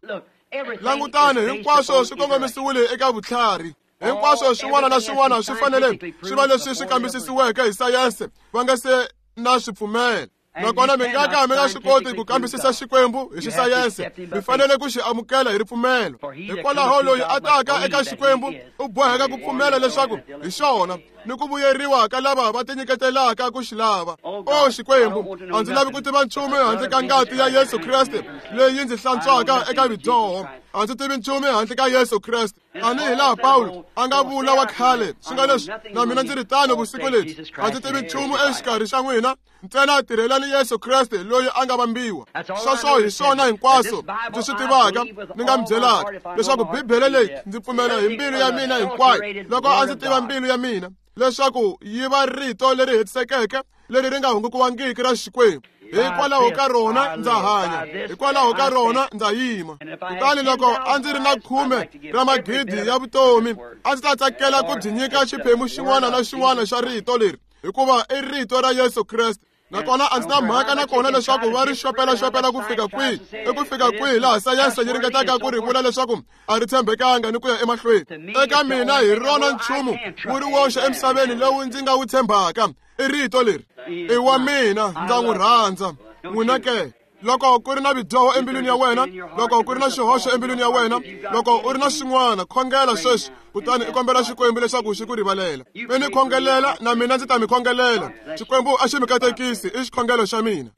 Langutani, hinkwaswo swi kongomisiwile eka vutlhari. Hinkwaswo swin'wana na swin'wana swi fanele swi va leswi swi kambisisiweke hi sayense va nga se na swi pfumela. Nakona mi nga ka mi nga swi koti ku kambisisa Xikwembu hi xisayense, mi fanele ku xi amukela hi ripfumelo. Hikwalaho loyi a taka eka Xikwembu u boheka ku pfumela leswaku hi xona ni ku vuyeriwa ka lava va tinyiketelaka ku xi lava. O Xikwembu, a ndzi lavi ku tiva nchumu handle ka ngati ya Yesu Kreste leyi ndzi hlantswaka eka vidyoho. A ndzi tivi nchumu handle ka Yesu Kreste. Tanihi laha Pawulo a nga vula wa khale swi nga leswi na mina ndzi ri tano vusiku lebyi a ndzi tivi nchumu exikarhi xa n'wina ntsena tirhelani Yesu Kreste loyi a nga vambiwa. Sweswo hi swona hinkwaswo ndzi swi tivaka ni nga mi byelaka leswaku Bibele leyi ndzi pfumela hi mbilu ya mina hinkwayo loko a ndzi tiva mbilu ya mina leswaku yi va rito leri hetisekeke leri ri nga hungukiwangiki ra Xikwembu. Hikwalaho ka rona ndza hanya, hikwalaho ka rona ndza yima. Kutani loko a ndzi ri na khume ra magidi ya vutomi a ndzi ta tsakela ku byi nyika xiphemu xin'wana na xin'wana xa rito leri hikuva i rito ra Yesu Kreste. Nakona a ndzi na mhaka nakona leswaku va ri xopelaxopela ku fika kwihi i ku fika kwihi laha sayense yi ringetaka ku ri vula leswaku a ri tshembekanga ni ku ya emahlweni. Eka mina hi rona nchumu wu ri woxe emisaveni lowu ndzi nga wu tshembaka i rito leri. I wa mina, ndza n'wi rhandza. N'wina ke? Loko ku ri na vidyoho embilwini ya wena, loko ku ri na xihoxo embilwini ya wena, loko u ri na xin'wana, khongela sweswi kutani i kombela Xikwembu leswaku xi ku rivalela. Mi ni khongelela na mina ndzi ta mi khongelela. Xikwembu a xi mi katekisi, i xikhongelo xa mina.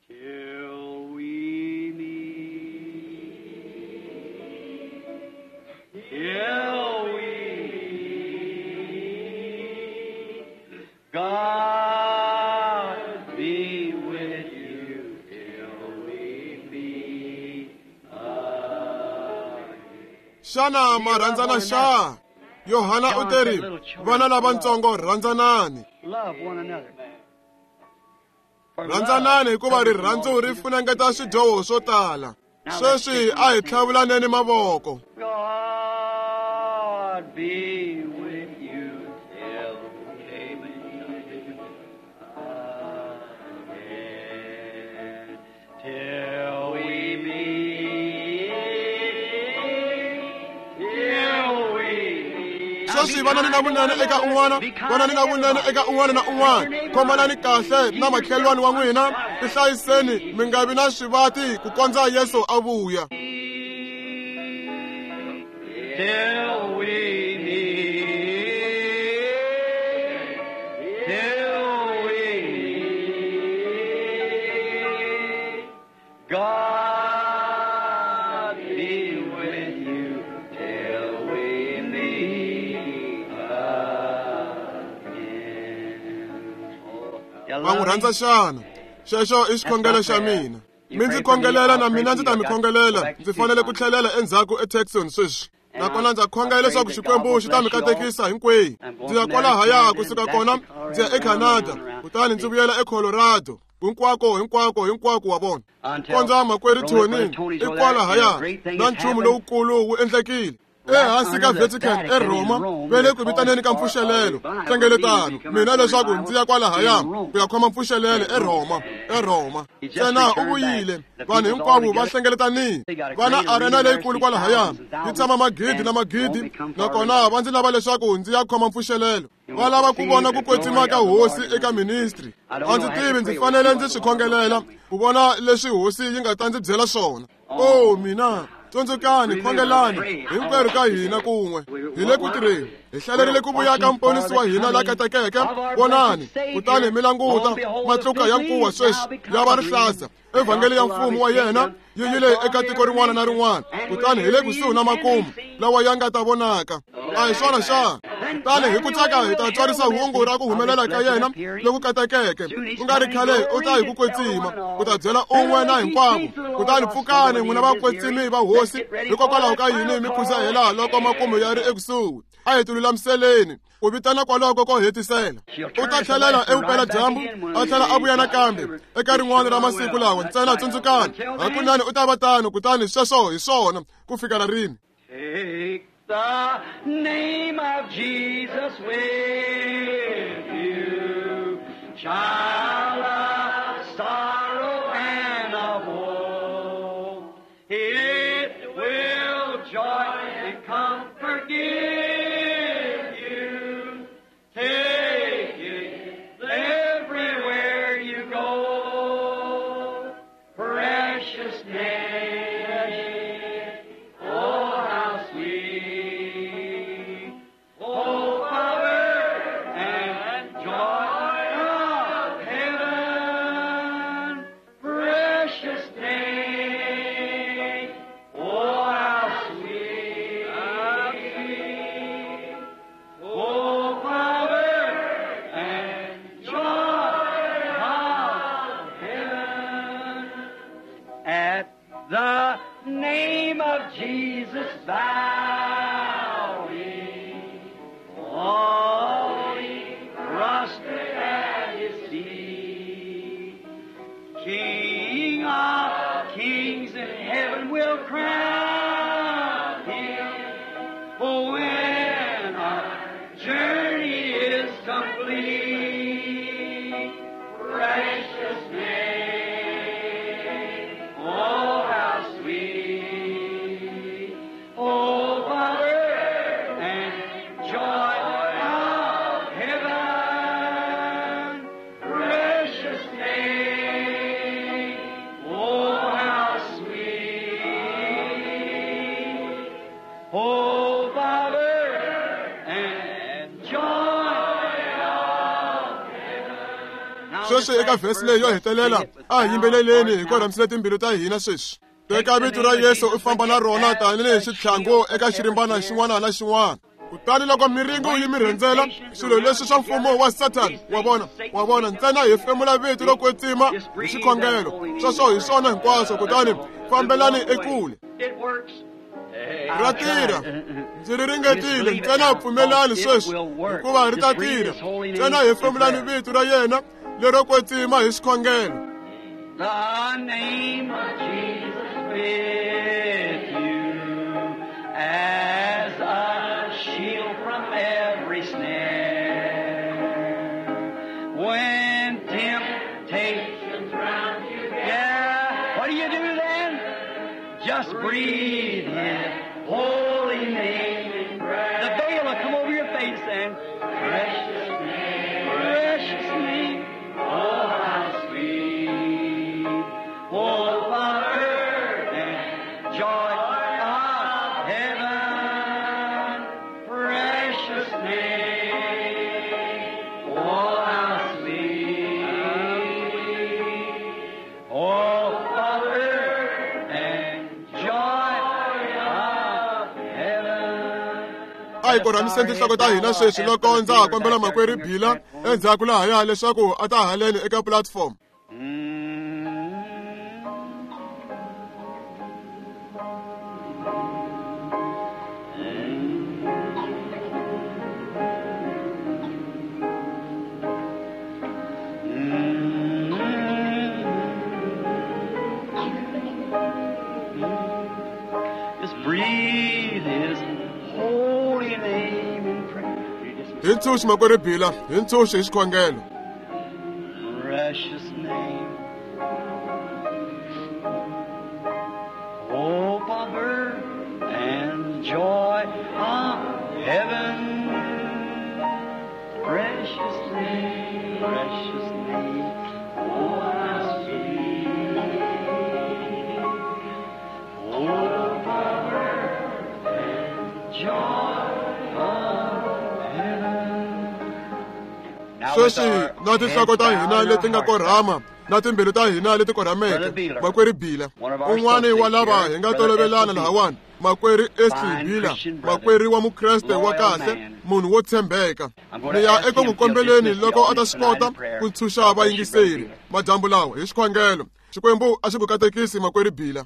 God be with you till we meet again. Xana ma rhandzana xa? Yohana u teri, vana lavatsongo rhandzanani. Love one another. Rhandzanani hikuva rirhandzu ri funengeta swidyoho swo tala. Sweswi a hi tlhavulaneni mavoko. God be with you till we meet again. Till we meet, till we meet. Sweswi vanani na vunene eka un'wana, vanani na vunene eka un'wana na un'wana. Khomanani kahle na makhelwani wa n'wina, tihlayiseni mi nga vi na swivati ku kondza Yesu a vuya. Till we meet, till we meet, God be with you till we meet again. Va n'wi rhandza xana? Xexo i xikhongelo xa mina. Mi ndzi khongelela na mina ndzi ta mi khongelela. Ndzi fanele ku tlhelela endzhaku eTucson sweswi. Nakona ndza khongela leswaku Xikwembu xi ta mi katekisa hinkwenu. Ndzi ya kwalahaya kusuka kona ndzi ya eCanada, kutani ndzi vuyela eColorado. Hinkwako hinkwako hinkwako wa vona. Kondza makwerhu Tony i kwalahaya na nchumu lowukulu wu endlekile. Ehansi ka Vatican eRoma va le ku vitaneni ka mpfuxelelo nhlengeletano mina leswaku ndzi ya kwalahaya ku ya khoma mpfuxelelo eRoma eRoma. Ntsena u vuyile vanhu hinkwavo va hlengeletanile va na arena leyikulu kwalahaya yi tshama magidi na magidi nakona va ndzi lava leswaku ndzi ya khoma mpfuxelelo. Va lava ku vona ku kwetsima ka hosi eka ministry. A ndzi tivi ndzi fanele ndzi swi khongelela ku vona leswi hosi yi nga ta ndzi byela swona. O mina tsundzukani, khongelani hinkwerhu ka hina kun'we. Hi le ku tirheni, hi hlalerile ku vuya ka mponisi wa hina la katekeke. Vonani kutani mi languta matluka ya nkuwa sweswi ya va rihlaza. Evhangeli ya mfumo wa yena yi yile eka tiko rin'wana na rin'wana, kutani hi le kusuhi na makumu lawa ya nga ta vonaka. A hi swona xana? Kutani hi ku tsaka hi ta tswarisa hungu ra ku humelela ka yena loku katekeke. Ku nga ri khale u ta hi ku kwetsima, u ta byela un'we na hinkwavo. Kutani pfukani n'wina vakwetsimi va hosi, hikokwalaho ka yini mi khuzahela loko makumu ya ri ekusuhi? A hi tilulamiseleni ku vitana kwaloko ko hetisela. U ta tlhelela evupeladyambu a tlhela a vuya nakambe eka rin'wana ra masiku lawa. Ntsena tsundzukani, hakunene u ta va tano. Kutani sweswo hi swona ku fikela rini. Take the name of Jesus with you, child of sorrow and of woe. It will joy and comfort give you. Take it everywhere you go. Precious name, oh how sweet. Oh, power and joy of heaven. name of Jesus bowing, falling prostrate at His feet. King of kings in heaven will crown Him, for when our journey is complete, precious name, oh how sweet, oh power and joy of heaven, precious name, oh how sweet, oh power and joy of heaven. Sweswi eka vhesi leyi yo hetelela a hi yimbeleleni hi korhamisile timbilu ta hina sweswi. Teka vito ra Yesu u famba na rona tanihi xitlhangu eka xirimbana xin'wana na xin'wana. Kutani loko miringo yi mi rhendzela, swilo leswi swa mfumo wa Satan, wa vona, wa vona, ntsena hi hefemula vito ro kwetsima hi xikhongelo. Sweswo hi swona hinkwaswo, kutani fambelani ekule. It works. Ra tirha. Ndzi ri ringetile, ntsena pfumelani sweswi, hikuva ri ta tirha. Ntsena hefemulani vito ra yena lero kwetsima hi xikhongelo. The name of Jesus with you as a shield from every snare. When temptations round you gather, what do you do then? Just breathe His holy name in prayer. The veil will come over your face and precious name, precious name, oh how sweet, oh power and joy of heaven, precious name, oh how sweet, oh power and joy of heaven. A hi korhamiseni tinhloko ta hina sweswi loko ndza ha kombela makwerhu Bila endzhaku lahaya leswaku a ta haleni eka platform. Just breathe His holy name in prayer. Hi ntshunxi makwerhu Bila, hi ntshunxi hi xikhongelo. Precious name, hope of earth and joy of heaven. Precious name, precious name, oh how sweet, hope of earth and joy of heaven. Now with Sweswi our na tinhloko ta heads hina bowed and leti our nga hearts korhama na timbilu ta hina leti korhameke, makwerhu Bila, un'wani wa lava hi nga tolovelana lahawani, makwerhu Esli Bila, makwerhu wa Mukreste wa kahle, munhu wo tshembeka. Ni ya eku n'wi kombeleni loko a ta swi kota ku ntshunxa vayingiseri madyambu lawa hi xikhongelo. Xikwembu a xi ku katekisi makwerhu Bila.